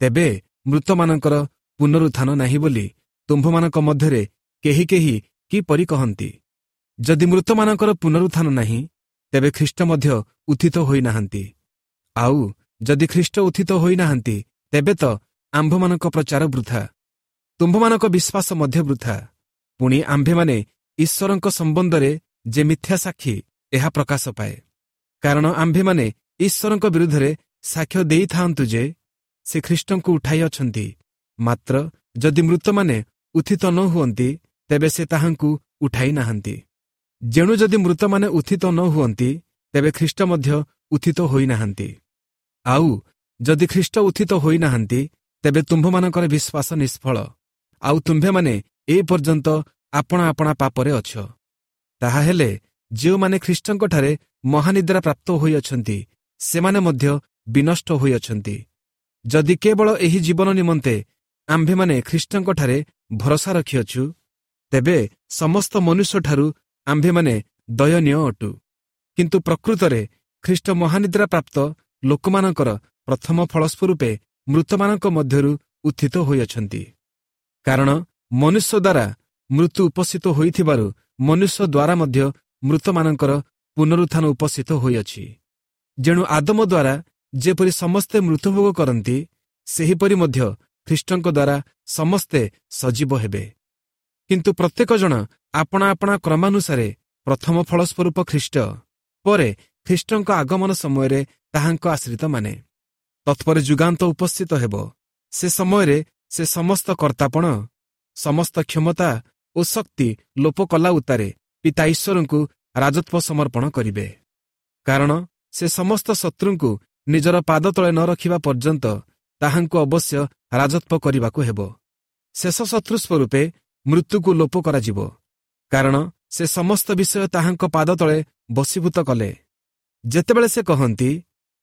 ତେବେ ମୃତମାନଙ୍କର ପୁନରୁତ୍ଥାନ ନାହିଁ ବୋଲି ତୁମ୍ଭମାନଙ୍କ ମଧ୍ୟରେ କେହି କେହି କିପରି କହନ୍ତି? ଯଦି ମୃତମାନଙ୍କର ପୁନରୁତ୍ଥାନ ନାହିଁ, ତେବେ ଖ୍ରୀଷ୍ଟ ମଧ୍ୟ ଉତ୍ଥିତ ହୋଇନାହାନ୍ତି। ଆଉ ଯଦି ଖ୍ରୀଷ୍ଟ ଉତ୍ଥିତ ହୋଇନାହାନ୍ତି, ତେବେ ତ ଆମ୍ଭମାନଙ୍କ ପ୍ରଚାର ବୃଥା, ତୁମ୍ଭମାନଙ୍କ ବିଶ୍ୱାସ ମଧ୍ୟ ବୃଥା। ପୁଣି ଆମ୍ଭେମାନେ ଈଶ୍ୱରଙ୍କ ସମ୍ବନ୍ଧରେ ଯେ ମିଥ୍ୟା ସାକ୍ଷୀ, ଏହା ପ୍ରକାଶ ପାଏ। କାରଣ ଆମ୍ଭେମାନେ ଈଶ୍ୱରଙ୍କ ବିରୁଦ୍ଧରେ ସାକ୍ଷ୍ୟ ଦେଇଥାନ୍ତୁ ଯେ ସେ ଖ୍ରୀଷ୍ଟଙ୍କୁ ଉଠାଇ ଅଛନ୍ତି। ମାତ୍ର ଯଦି ମୃତମାନେ ଉତ୍ଥିତ ନ ହୁଅନ୍ତି, ତେବେ ସେ ତାହାଙ୍କୁ ଉଠାଇ ନାହାନ୍ତି। ଯେଣୁ ଯଦି ମୃତମାନେ ଉତ୍ଥିତ ନ ହୁଅନ୍ତି, ତେବେ ଖ୍ରୀଷ୍ଟ ମଧ୍ୟ ଉତ୍ଥିତ ହୋଇନାହାନ୍ତି। ଆଉ ଯଦି ଖ୍ରୀଷ୍ଟ ଉତ୍ଥିତ ହୋଇନାହାନ୍ତି, ତେବେ ତୁମ୍ଭମାନଙ୍କର ବିଶ୍ୱାସ ନିଷ୍ଫଳ, ଆଉ ତୁମ୍ଭେମାନେ ଏ ପର୍ଯ୍ୟନ୍ତ ଆପଣା ଆପଣା ପାପରେ ଅଛ। ତାହାହେଲେ ଯେଉଁମାନେ ଖ୍ରୀଷ୍ଟଙ୍କଠାରେ ମହାନିଦ୍ରା ପ୍ରାପ୍ତ ହୋଇଅଛନ୍ତି, ସେମାନେ ମଧ୍ୟ ବିନଷ୍ଟ ହୋଇଅଛନ୍ତି। ଯଦି କେବଳ ଏହି ଜୀବନ ନିମନ୍ତେ ଆମ୍ଭେମାନେ ଖ୍ରୀଷ୍ଟଙ୍କଠାରେ ଭରସା ରଖିଅଛୁ, ତେବେ ସମସ୍ତ ମନୁଷ୍ୟଠାରୁ ଆମ୍ଭେମାନେ ଦୟନୀୟ ଅଟୁ। କିନ୍ତୁ ପ୍ରକୃତରେ ଖ୍ରୀଷ୍ଟ ମହାନିଦ୍ରା ପ୍ରାପ୍ତ ଲୋକମାନଙ୍କର ପ୍ରଥମ ଫଳସ୍ୱରୂପେ ମୃତମାନଙ୍କ ମଧ୍ୟରୁ ଉତ୍ଥିତ ହୋଇଅଛନ୍ତି। କାରଣ ମନୁଷ୍ୟ ଦ୍ୱାରା ମୃତ୍ୟୁ ଉପସ୍ଥିତ ହୋଇଥିବାରୁ ମନୁଷ୍ୟ ଦ୍ୱାରା ମଧ୍ୟ ମୃତମାନଙ୍କର ପୁନରୁତ୍ଥାନ ଉପସ୍ଥିତ ହୋଇଅଛି। ଯେଣୁ ଆଦମ ଦ୍ୱାରା ଯେପରି ସମସ୍ତେ ମୃତ୍ୟୁଭୋଗ କରନ୍ତି, ସେହିପରି ମଧ୍ୟ ଖ୍ରୀଷ୍ଟଙ୍କ ଦ୍ୱାରା ସମସ୍ତେ ସଜୀବ ହେବେ। କିନ୍ତୁ ପ୍ରତ୍ୟେକ ଜଣ ଆପଣା ଆପଣା କ୍ରମାନୁସାରେ ପ୍ରଥମ ଫଳସ୍ୱରୂପ ଖ୍ରୀଷ୍ଟ, ପରେ ଖ୍ରୀଷ୍ଟଙ୍କ ଆଗମନ ସମୟରେ ତାହାଙ୍କ ଆଶ୍ରିତମାନେ। ତତ୍ପରେ ଯୁଗାନ୍ତ ଉପସ୍ଥିତ ହେବ। ସେ ସମୟରେ ସେ ସମସ୍ତ କର୍ତ୍ତାପଣ, ସମସ୍ତ କ୍ଷମତା ଓ ଶକ୍ତି ଲୋପ କଲା ଉତ୍ତାରେ ପିତା ଈଶ୍ୱରଙ୍କୁ ରାଜତ୍ୱ ସମର୍ପଣ କରିବେ। କାରଣ ସେ ସମସ୍ତ ଶତ୍ରୁଙ୍କୁ ନିଜର ପାଦ ତଳେ ନ ରଖିବା ପର୍ଯ୍ୟନ୍ତ ତାହାଙ୍କୁ ଅବଶ୍ୟ ରାଜତ୍ୱ କରିବାକୁ ହେବ। ଶେଷ ଶତ୍ରୁ ସ୍ୱରୂପେ ମୃତ୍ୟୁକୁ ଲୋପ କରାଯିବ, କାରଣ ସେ ସମସ୍ତ ବିଷୟ ତାହାଙ୍କ ପାଦ ତଳେ ବଶୀଭୂତ କଲେ। ଯେତେବେଳେ ସେ କହନ୍ତି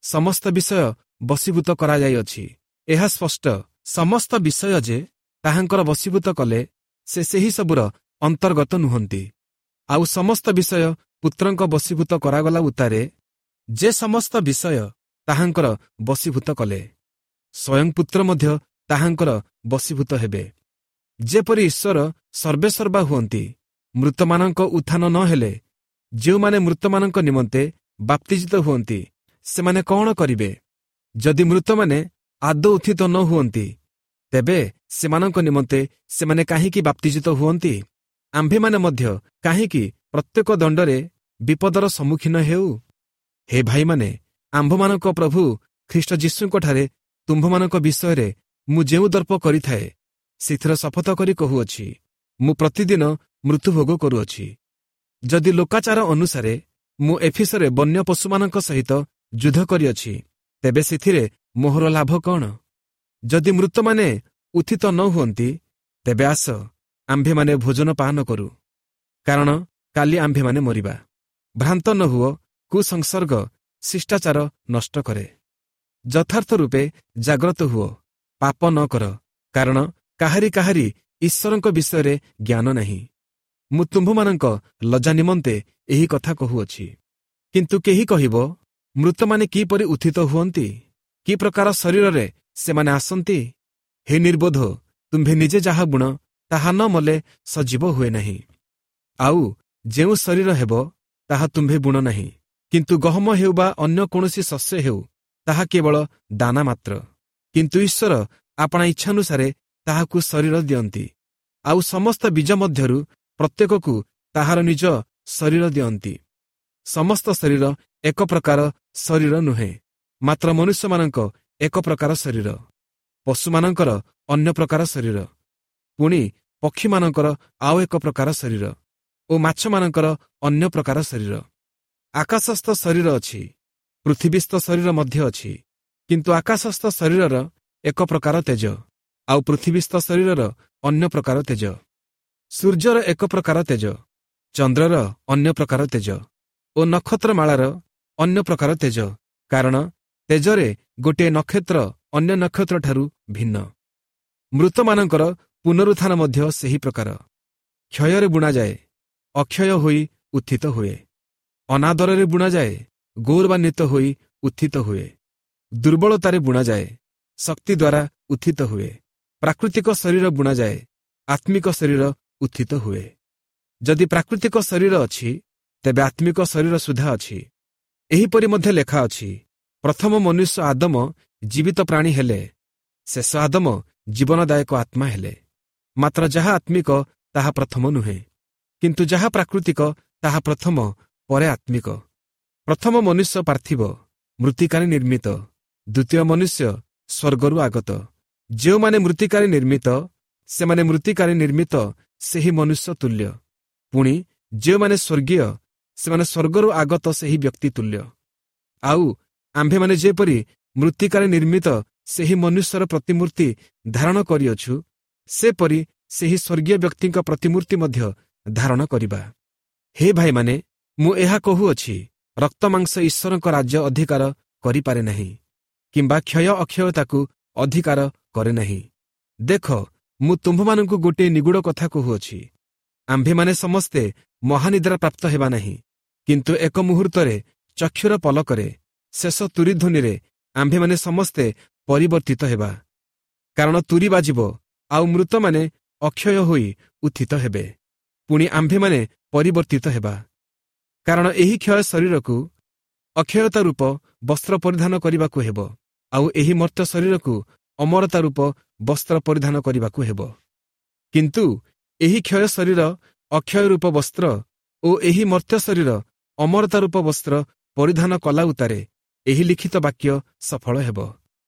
ସମସ୍ତ ବିଷୟ ବଶୀଭୂତ କରାଯାଇଅଛି, ଏହା ସ୍ପଷ୍ଟ, ସମସ୍ତ ବିଷୟ ଯେ ତାହାଙ୍କର ବଶୀଭୂତ କଲେ, ସେ ସେହି ସବୁର ଅନ୍ତର୍ଗତ ନୁହନ୍ତି। ଆଉ ସମସ୍ତ ବିଷୟ ପୁତ୍ରଙ୍କ ବଶୀଭୂତ କରାଗଲା ଉତ୍ତାରେ ଯେ ସମସ୍ତ ବିଷୟ ତାହାଙ୍କର ବଶୀଭୂତ କଲେ, ସ୍ୱୟଂ ପୁତ୍ର ମଧ୍ୟ ତାହାଙ୍କର ବଶୀଭୂତ ହେବେ। ଯେପରି ଈଶ୍ୱର ସର୍ବେସର୍ବା ହୁଅନ୍ତି, ମୃତମାନଙ୍କ ଉତ୍ଥାନ ନ ହେଲେ ଯେଉଁମାନେ ମୃତମାନଙ୍କ ନିମନ୍ତେ ବାପ୍ତିଜିତ ହୁଅନ୍ତି, ସେମାନେ କ'ଣ କରିବେ? ଯଦି ମୃତମାନେ ଆଦୌ ଉତ୍ଥିତ ନ ହୁଅନ୍ତି, ତେବେ ସେମାନଙ୍କ ନିମନ୍ତେ ସେମାନେ କାହିଁକି ବାପ୍ତିଜିତ ହୁଅନ୍ତି? ଆମ୍ଭେମାନେ ମଧ୍ୟ କାହିଁକି ପ୍ରତ୍ୟେକ ଦଣ୍ଡରେ ବିପଦର ସମ୍ମୁଖୀନ ହେଉ? ହେ ଭାଇମାନେ, ଆମ୍ଭମାନଙ୍କ ପ୍ରଭୁ ଖ୍ରୀଷ୍ଟ ଯୀଶୁଙ୍କଠାରେ ତୁମ୍ଭମାନଙ୍କ ବିଷୟରେ ମୁଁ ଯେଉଁ ଦର୍ପ କରିଥାଏ, ସେଥିର ଶପଥ କରି କହୁଅଛି, ମୁଁ ପ୍ରତିଦିନ ମୃତ୍ୟୁଭୋଗ କରୁଅଛି। ଯଦି ଲୋକାଚାର ଅନୁସାରେ ମୁଁ ଏଫିସରେ ବନ୍ୟ ପଶୁମାନଙ୍କ ସହିତ ଯୁଦ୍ଧ କରିଅଛି, ତେବେ ସେଥିରେ ମୋହର ଲାଭ କ'ଣ? ଯଦି ମୃତମାନେ ଉତ୍ଥିତ ନ ହୁଅନ୍ତି, ତେବେ ଆସ ଆମ୍ଭେମାନେ ଭୋଜନ ପାନ କରୁ। କାରଣ କାଲି ଆମ୍ଭେମାନେ ମରିବା। ଭ୍ରାନ୍ତ ନ ହୁଅ, କୁସଂସର୍ଗ ଶିଷ୍ଟାଚାର ନଷ୍ଟ କରେ। ଯଥାର୍ଥ ରୂପେ ଜାଗ୍ରତ ହୁଅ, ପାପ ନ କର, କାରଣ କାହାରି କାହାରି ଈଶ୍ୱରଙ୍କ ବିଷୟରେ ଜ୍ଞାନ ନାହିଁ। ମୁଁ ତୁମ୍ଭମାନଙ୍କ ଲଜ୍ଜା ନିମନ୍ତେ ଏହି କଥା କହୁଅଛି। କିନ୍ତୁ କେହି କହିବ, ମୃତମାନେ କିପରି ଉତ୍ଥିତ ହୁଅନ୍ତି? କି ପ୍ରକାର ଶରୀରରେ ସେମାନେ ଆସନ୍ତି? ହେ ନିର୍ବୋଧ, ତୁମ୍ଭେ ନିଜେ ଯାହା ବୁଣ ତାହା ନ ମଲେ ସଜୀବ ହୁଏ ନାହିଁ। ଆଉ ଯେଉଁ ଶରୀର ହେବ ତାହା ତୁମ୍ଭେ ବୁଣ ନାହିଁ, କିନ୍ତୁ ଗହମ ହେଉ ବା ଅନ୍ୟ କୌଣସି ଶସ୍ୟ ହେଉ, ତାହା କେବଳ ଦାନା ମାତ୍ର। କିନ୍ତୁ ଈଶ୍ୱର ଆପଣା ଇଚ୍ଛାନୁସାରେ ତାହାକୁ ଶରୀର ଦିଅନ୍ତି, ଆଉ ସମସ୍ତ ବୀଜ ମଧ୍ୟରୁ ପ୍ରତ୍ୟେକକୁ ତାହାର ନିଜ ଶରୀର ଦିଅନ୍ତି। ସମସ୍ତ ଶରୀର ଏକ ପ୍ରକାର ଶରୀର ନୁହେଁ, ମାତ୍ର ମନୁଷ୍ୟମାନଙ୍କ ଏକ ପ୍ରକାର ଶରୀର, ପଶୁମାନଙ୍କର ଅନ୍ୟ ପ୍ରକାର ଶରୀର, ପୁଣି ପକ୍ଷୀମାନଙ୍କର ଆଉ ଏକ ପ୍ରକାର ଶରୀର ଓ ମାଛମାନଙ୍କର ଅନ୍ୟ ପ୍ରକାର ଶରୀର। ଆକାଶସ୍ଥ ଶରୀର ଅଛି, ପୃଥିବୀସ୍ଥ ଶରୀର ମଧ୍ୟ ଅଛି, କିନ୍ତୁ ଆକାଶସ୍ଥ ଶରୀରର ଏକ ପ୍ରକାର ତେଜ, ଆଉ ପୃଥିବୀସ୍ଥ ଶରୀରର ଅନ୍ୟ ପ୍ରକାର ତେଜ। ସୂର୍ଯ୍ୟର ଏକ ପ୍ରକାର ତେଜ, ଚନ୍ଦ୍ରର ଅନ୍ୟ ପ୍ରକାର ତେଜ ଓ ନକ୍ଷତ୍ରମାଳାର ଅନ୍ୟ ପ୍ରକାର ତେଜ, କାରଣ ତେଜରେ ଗୋଟିଏ ନକ୍ଷତ୍ର ଅନ୍ୟ ନକ୍ଷତ୍ରଠାରୁ ଭିନ୍ନ। ମୃତମାନଙ୍କର ପୁନରୁତ୍ଥାନ ମଧ୍ୟ ସେହି ପ୍ରକାର। କ୍ଷୟରେ ବୁଣାଯାଏ, ଅକ୍ଷୟ ହୋଇ ଉତ୍ଥିତ ହୁଏ। ଅନାଦରରେ ବୁଣାଯାଏ, ଗୌରବାନ୍ୱିତ ହୋଇ ଉତ୍ଥିତ ହୁଏ। ଦୁର୍ବଳତାରେ ବୁଣାଯାଏ, ଶକ୍ତି ଦ୍ୱାରା ଉତ୍ଥିତ ହୁଏ। ପ୍ରାକୃତିକ ଶରୀର ବୁଣାଯାଏ, ଆତ୍ମିକ ଶରୀର ଉତ୍ଥିତ ହୁଏ। ଯଦି ପ୍ରାକୃତିକ ଶରୀର ଅଛି, ତେବେ ଆତ୍ମିକ ଶରୀର ସୁଦ୍ଧା ଅଛି। ଏହିପରି ମଧ୍ୟ ଲେଖା ଅଛି, ପ୍ରଥମ ମନୁଷ୍ୟ ଆଦମ ଜୀବିତ ପ୍ରାଣୀ ହେଲେ, ଶେଷ ଆଦମ ଜୀବନଦାୟକ ଆତ୍ମା ହେଲେ। ମାତ୍ର ଯାହା ଆତ୍ମିକ ତାହା ପ୍ରଥମ ନୁହେଁ, କିନ୍ତୁ ଯାହା ପ୍ରାକୃତିକ ତାହା ପ୍ରଥମ, ପରେ ଆତ୍ମିକ। ପ୍ରଥମ ମନୁଷ୍ୟ ପାର୍ଥିବ, ମୃତ୍ତିକାରେ ନିର୍ମିତ। ଦ୍ୱିତୀୟ ମନୁଷ୍ୟ ସ୍ୱର୍ଗରୁ ଆଗତ। ଯେଉଁମାନେ ମୃତ୍ତିକାରେ ନିର୍ମିତ, ସେମାନେ ମୃତ୍ତିକାରେ ନିର୍ମିତ ସେହି ମନୁଷ୍ୟ ତୁଲ୍ୟ। ପୁଣି ଯେଉଁମାନେ ସ୍ୱର୍ଗୀୟ, ସେମାନେ ସ୍ୱର୍ଗରୁ ଆଗତ ସେହି ବ୍ୟକ୍ତି ତୁଲ୍ୟ। ଆଉ ଆମ୍ଭେମାନେ ଯେପରି ମୃତ୍ତିକାରେ ନିର୍ମିତ ସେହି ମନୁଷ୍ୟର ପ୍ରତିମୂର୍ତ୍ତି ଧାରଣ କରିଅଛୁ, ସେପରି ସେହି ସ୍ୱର୍ଗୀୟ ବ୍ୟକ୍ତିଙ୍କ ପ୍ରତିମୂର୍ତ୍ତି ମଧ୍ୟ ଧାରଣ କରିବା। ହେ ଭାଇମାନେ, ମୁଁ ଏହା କହୁଅଛି, ରକ୍ତମାଂସ ଈଶ୍ୱରଙ୍କ ରାଜ୍ୟ ଅଧିକାର କରିପାରେ ନାହିଁ, କିମ୍ବା କ୍ଷୟ ଅକ୍ଷୟତାକୁ ଅଧିକାର କରେ ନାହିଁ। ଦେଖ, ମୁଁ ତୁମ୍ଭମାନଙ୍କୁ ଗୋଟିଏ ନିଗୂଢ଼ କଥା କହୁଅଛି। ଆମ୍ଭେମାନେ ସମସ୍ତେ ମହାନିଦ୍ରା ପ୍ରାପ୍ତ ହେବା ନାହିଁ, କିନ୍ତୁ ଏକ ମୁହୂର୍ତ୍ତରେ, ଚକ୍ଷୁର ପଲକରେ, ଶେଷ ତୁରୀଧ୍ୱନିରେ ଆମ୍ଭେମାନେ ସମସ୍ତେ ପରିବର୍ତ୍ତିତ ହେବା। କାରଣ ତୁରୀ ବାଜିବ, ଆଉ ମୃତମାନେ ଅକ୍ଷୟ ହୋଇ ଉତ୍ଥିତ ହେବେ, ପୁଣି ଆମ୍ଭେମାନେ ପରିବର୍ତ୍ତିତ ହେବା। କାରଣ ଏହି କ୍ଷୟ ଶରୀରକୁ ଅକ୍ଷୟତା ରୂପ ବସ୍ତ୍ର ପରିଧାନ କରିବାକୁ ହେବ, ଆଉ ଏହି ମର୍ତ୍ତ୍ୟ ଶରୀରକୁ ଅମରତା ରୂପ ବସ୍ତ୍ର ପରିଧାନ କରିବାକୁ ହେବ। କିନ୍ତୁ ଏହି କ୍ଷୟ ଶରୀର ଅକ୍ଷୟ ରୂପ ବସ୍ତ୍ର ଓ ଏହି ମର୍ତ୍ତ୍ୟ ଶରୀର ଅମରତା ରୂପ ବସ୍ତ୍ର ପରିଧାନ କଲା ଉତ୍ତାରେ ଏହି ଲିଖିତ ବାକ୍ୟ ସଫଳ ହେବ,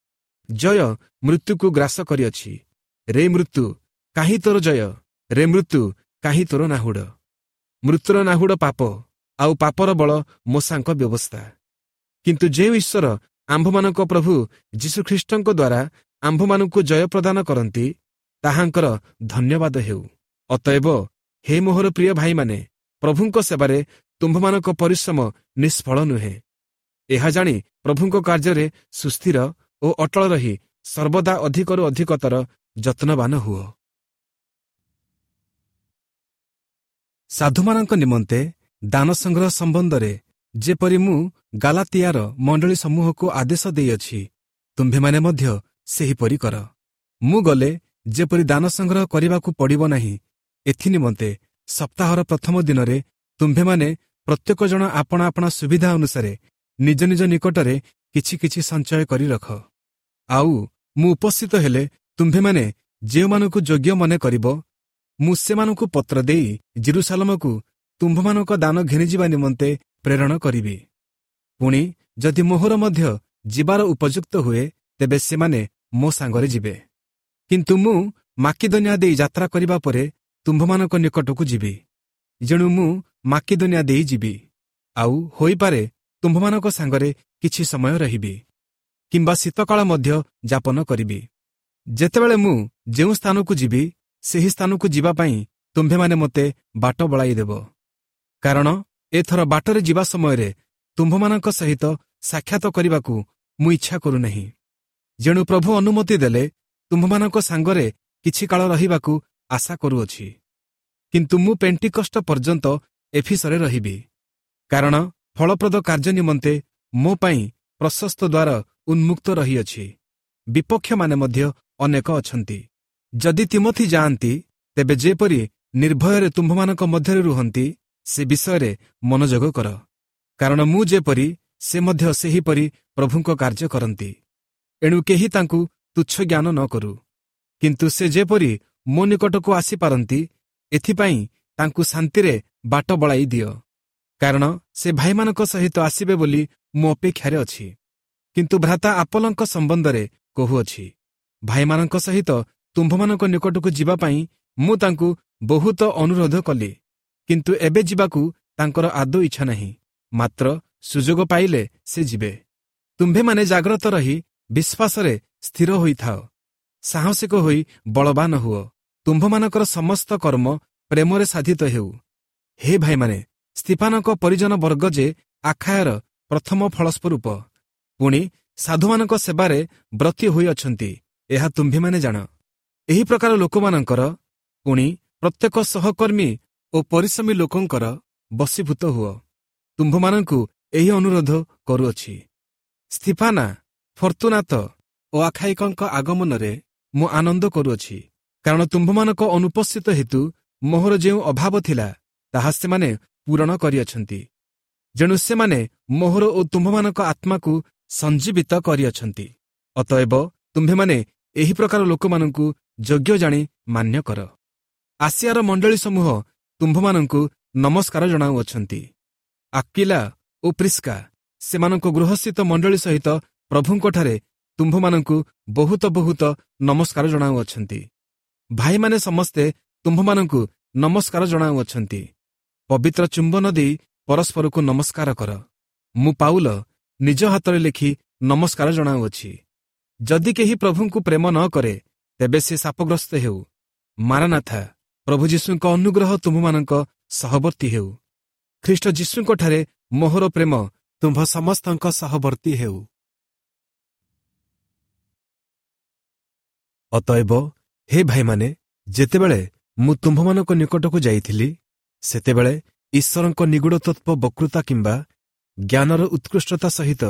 ଜୟ ମୃତ୍ୟୁକୁ ଗ୍ରାସ କରିଅଛି। ରେ ମୃତ୍ୟୁ, କାହିଁ ତୋର ଜୟ? ରେ ମୃତ୍ୟୁ, କାହିଁ ତୋର ନାହୁଡ଼? ମୃତ୍ୟୁର ନାହୁଡ଼ ପାପ, ଆଉ ପାପର ବଳ ମୋଶାଙ୍କ ବ୍ୟବସ୍ଥା। କିନ୍ତୁ ଯେଉଁ ଈଶ୍ୱର ଆମ୍ଭମାନଙ୍କ ପ୍ରଭୁ ଯୀଶୁଖ୍ରୀଷ୍ଟଙ୍କ ଦ୍ୱାରା ଆମ୍ଭମାନଙ୍କୁ ଜୟ ପ୍ରଦାନ କରନ୍ତି, ତାହାଙ୍କର ଧନ୍ୟବାଦ ହେଉ। ଅତଏବ ହେ ମୋହର ପ୍ରିୟ ଭାଇମାନେ, ପ୍ରଭୁଙ୍କ ସେବାରେ ତୁମ୍ଭମାନଙ୍କ ପରିଶ୍ରମ ନିଷ୍ଫଳ ନୁହେଁ। ଏହା ଜାଣି ପ୍ରଭୁଙ୍କ କାର୍ଯ୍ୟରେ ସୁସ୍ଥିର ଓ ଅଟଳ ରହି ସର୍ବଦା ଅଧିକରୁ ଅଧିକତର ଯତ୍ନବାନ ହୁଅ। ସାଧୁମାନଙ୍କ ନିମନ୍ତେ ଦାନ ସଂଗ୍ରହ ସମ୍ବନ୍ଧରେ ଯେପରି ମୁଁ ଗାଲାତିଆର ମଣ୍ଡଳୀ ସମୂହକୁ ଆଦେଶ ଦେଇଅଛି, ତୁମ୍ଭେମାନେ ମଧ୍ୟ ସେହିପରି କର। ମୁଁ ଗଲେ ଯେପରି ଦାନ ସଂଗ୍ରହ କରିବାକୁ ପଡ଼ିବ ନାହିଁ, ଏଥିନିମନ୍ତେ ସପ୍ତାହର ପ୍ରଥମ ଦିନରେ ତୁମ୍ଭେମାନେ ପ୍ରତ୍ୟେକ ଜଣ ଆପଣା ଆପଣା ସୁବିଧା ଅନୁସାରେ ନିଜ ନିଜ ନିକଟରେ କିଛି କିଛି ସଞ୍ଚୟ କରି ରଖ। ଆଉ ମୁଁ ଉପସ୍ଥିତ ହେଲେ ତୁମ୍ଭେମାନେ ଯେଉଁମାନଙ୍କୁ ଯୋଗ୍ୟ ମନେ କରିବ, ମୁଁ ସେମାନଙ୍କୁ ପତ୍ର ଦେଇ ଜିରୁସାଲମକୁ ତୁମ୍ଭମାନଙ୍କ ଦାନ ଘେନିଯିବା ନିମନ୍ତେ ପ୍ରେରଣ କରିବି। ପୁଣି ଯଦି ମୋହର ମଧ୍ୟ ଯିବାର ଉପଯୁକ୍ତ ହୁଏ, ତେବେ ସେମାନେ ମୋ ସାଙ୍ଗରେ ଯିବେ। କିନ୍ତୁ ମୁଁ ମାକିଦନିଆ ଦେଇ ଯାତ୍ରା କରିବା ପରେ ତୁମ୍ଭମାନଙ୍କ ନିକଟକୁ ଯିବି। ଯେଣୁ ମୁଁ ମାକିଦନିଆ ଦେଇ ଯିବି, ଆଉ ହୋଇପାରେ ତୁମ୍ଭମାନଙ୍କ ସାଙ୍ଗରେ କିଛି ସମୟ ରହିବି, କିମ୍ବା ଶୀତକାଳ ମଧ୍ୟ ଯାପନ କରିବି। ଯେତେବେଳେ ମୁଁ ଯେଉଁ ସ୍ଥାନକୁ ଯିବି, ସେହି ସ୍ଥାନକୁ ଯିବା ପାଇଁ ତୁମ୍ଭେମାନେ ମୋତେ ବାଟ ବଳାଇଦେବ। କାରଣ ଏଥର ବାଟରେ ଯିବା ସମୟରେ ତୁମ୍ଭମାନଙ୍କ ସହିତ ସାକ୍ଷାତ କରିବାକୁ ମୁଁ ଇଚ୍ଛା କରୁନାହିଁ। ଯେଣୁ ପ୍ରଭୁ ଅନୁମତି ଦେଲେ ତୁମ୍ଭମାନଙ୍କ ସାଙ୍ଗରେ କିଛି କାଳ ରହିବାକୁ ଆଶା କରୁଅଛି। କିନ୍ତୁ ମୁଁ ପେଣ୍ଟିକଷ୍ଟ ପର୍ଯ୍ୟନ୍ତ ଏଫିସରେ ରହିବି, କାରଣ ଫଳପ୍ରଦ କାର୍ଯ୍ୟ ନିମନ୍ତେ ମୋ ପାଇଁ ପ୍ରଶସ୍ତ ଦ୍ୱାର ଉନ୍ମୁକ୍ତ ରହିଅଛି, ବିପକ୍ଷମାନେ ମଧ୍ୟ ଅନେକ ଅଛନ୍ତି। ଯଦି ତିମୋଥି ଯାଆନ୍ତି, ତେବେ ଯେପରି ନିର୍ଭୟରେ ତୁମ୍ଭମାନଙ୍କ ମଧ୍ୟରେ ରୁହନ୍ତି, ସେ ବିଷୟରେ ମନୋଯୋଗ କର, କାରଣ ମୁଁ ଯେପରି ସେ ମଧ୍ୟ ସେହିପରି ପ୍ରଭୁଙ୍କ କାର୍ଯ୍ୟ କରନ୍ତି। ଏଣୁ କେହି ତାଙ୍କୁ ତୁଚ୍ଛ ଜ୍ଞାନ ନ କରୁ, କିନ୍ତୁ ସେ ଯେପରି ମୋ ନିକଟକୁ ଆସିପାରନ୍ତି, ଏଥିପାଇଁ ତାଙ୍କୁ ଶାନ୍ତିରେ ବାଟ ବଳାଇ ଦିଅ, କାରଣ ସେ ଭାଇମାନଙ୍କ ସହିତ ଆସିବେ ବୋଲି ମୁଁ ଅପେକ୍ଷାରେ ଅଛି। କିନ୍ତୁ ଭ୍ରାତା ଆପଲଙ୍କ ସମ୍ବନ୍ଧରେ କହୁଅଛି, ଭାଇମାନଙ୍କ ସହିତ ତୁମ୍ଭମାନଙ୍କ ନିକଟକୁ ଯିବା ପାଇଁ ମୁଁ ତାଙ୍କୁ ବହୁତ ଅନୁରୋଧ କଲି, କିନ୍ତୁ ଏବେ ଯିବାକୁ ତାଙ୍କର ଆଦୌ ଇଚ୍ଛା ନାହିଁ, ମାତ୍ର ସୁଯୋଗ ପାଇଲେ ସେ ଯିବେ। ତୁମ୍ଭେମାନେ ଜାଗ୍ରତ ରହି ବିଶ୍ୱାସରେ ସ୍ଥିର ହୋଇଥାଅ, ସାହସିକ ହୋଇ ବଳବାନ ହୁଅ, ତୁମ୍ଭମାନଙ୍କର ସମସ୍ତ କର୍ମ ପ୍ରେମରେ ସାଧିତ ହେଉ। ହେ ଭାଇମାନେ, ସ୍ତିଫାନଙ୍କ ପରିଜନ ବର୍ଗ ଯେ ଆଖାୟର ପ୍ରଥମ ଫଳସ୍ୱରୂପ, ପୁଣି ସାଧୁମାନଙ୍କ ସେବାରେ ବ୍ରତୀ ହୋଇଅଛନ୍ତି, ଏହା ତୁମ୍ଭେମାନେ ଜାଣ। ଏହି ପ୍ରକାର ଲୋକମାନଙ୍କର ପୁଣି ପ୍ରତ୍ୟେକ ସହକର୍ମୀ ଓ ପରିଶ୍ରମୀ ଲୋକଙ୍କର ବଶୀଭୂତ ହୁଅ। ତୁମ୍ଭମାନଙ୍କୁ ଏହି ଅନୁରୋଧ କରୁଅଛି। ସ୍ତିଫାନା, ଫର୍ତ୍ତୁନାତ ଓ ଆଖାଇକଙ୍କ ଆଗମନରେ ମୁଁ ଆନନ୍ଦ କରୁଅଛି, କାରଣ ତୁମ୍ଭମାନଙ୍କ ଅନୁପସ୍ଥିତ ହେତୁ ମୋହର ଯେଉଁ ଅଭାବ ଥିଲା, ତାହା ସେମାନେ ପୂରଣ କରିଅଛନ୍ତି। ଯେଣୁ ସେମାନେ ମୋହର ଓ ତୁମ୍ଭମାନଙ୍କ ଆତ୍ମାକୁ ସଞ୍ଜୀବିତ କରିଅଛନ୍ତି। ଅତଏବ ତୁମ୍ଭେମାନେ ଏହି ପ୍ରକାର ଲୋକମାନଙ୍କୁ ଯୋଗ୍ୟ ଜାଣି ମାନ୍ୟ କର। ଆସିଆର ମଣ୍ଡଳୀ ସମୂହ ତୁମ୍ଭମାନଙ୍କୁ ନମସ୍କାର ଜଣାଉଅଛନ୍ତି। ଆକ୍କିଲା ଓ ପ୍ରିସ୍କା ସେମାନଙ୍କ ଗୃହସ୍ଥିତ ମଣ୍ଡଳୀ ସହିତ ପ୍ରଭୁଙ୍କଠାରେ ତୁମ୍ଭମାନଙ୍କୁ ବହୁତ ବହୁତ ନମସ୍କାର ଜଣାଉଅଛନ୍ତି। ଭାଇମାନେ ସମସ୍ତେ ତୁମ୍ଭମାନଙ୍କୁ ନମସ୍କାର ଜଣାଉଅଛନ୍ତି। ପବିତ୍ର ଚୁମ୍ବନ ଦେଇ ପରସ୍ପରକୁ ନମସ୍କାର କର। ମୁଁ ପାଉଲ ନିଜ ହାତରେ ଲେଖି ନମସ୍କାର ଜଣାଉଅଛି। ଯଦି କେହି ପ୍ରଭୁଙ୍କୁ ପ୍ରେମ ନ କରେ, ତେବେ ସେ ଶାପଗ୍ରସ୍ତ ହେଉ। ମାରାନାଥା, ପ୍ରଭୁ ଯୀଶୁଙ୍କ ଅନୁଗ୍ରହ ତୁମ୍ଭମାନଙ୍କ ସହବର୍ତ୍ତୀ ହେଉ। ଖ୍ରୀଷ୍ଟ ଯୀଶୁଙ୍କଠାରେ ମୋହର ପ୍ରେମ ତୁମ୍ଭ ସମସ୍ତଙ୍କ ସହବର୍ତ୍ତୀ ହେଉ। ଅତଏବ ହେ ଭାଇମାନେ, ଯେତେବେଳେ ମୁଁ ତୁମ୍ଭମାନଙ୍କ ନିକଟକୁ ଯାଇଥିଲି, ସେତେବେଳେ ଈଶ୍ୱରଙ୍କ ନିଗୂଢ଼ ତତ୍ତ୍ୱ ବକ୍ତୃତା କିମ୍ବା ଜ୍ଞାନର ଉତ୍କୃଷ୍ଟତା ସହିତ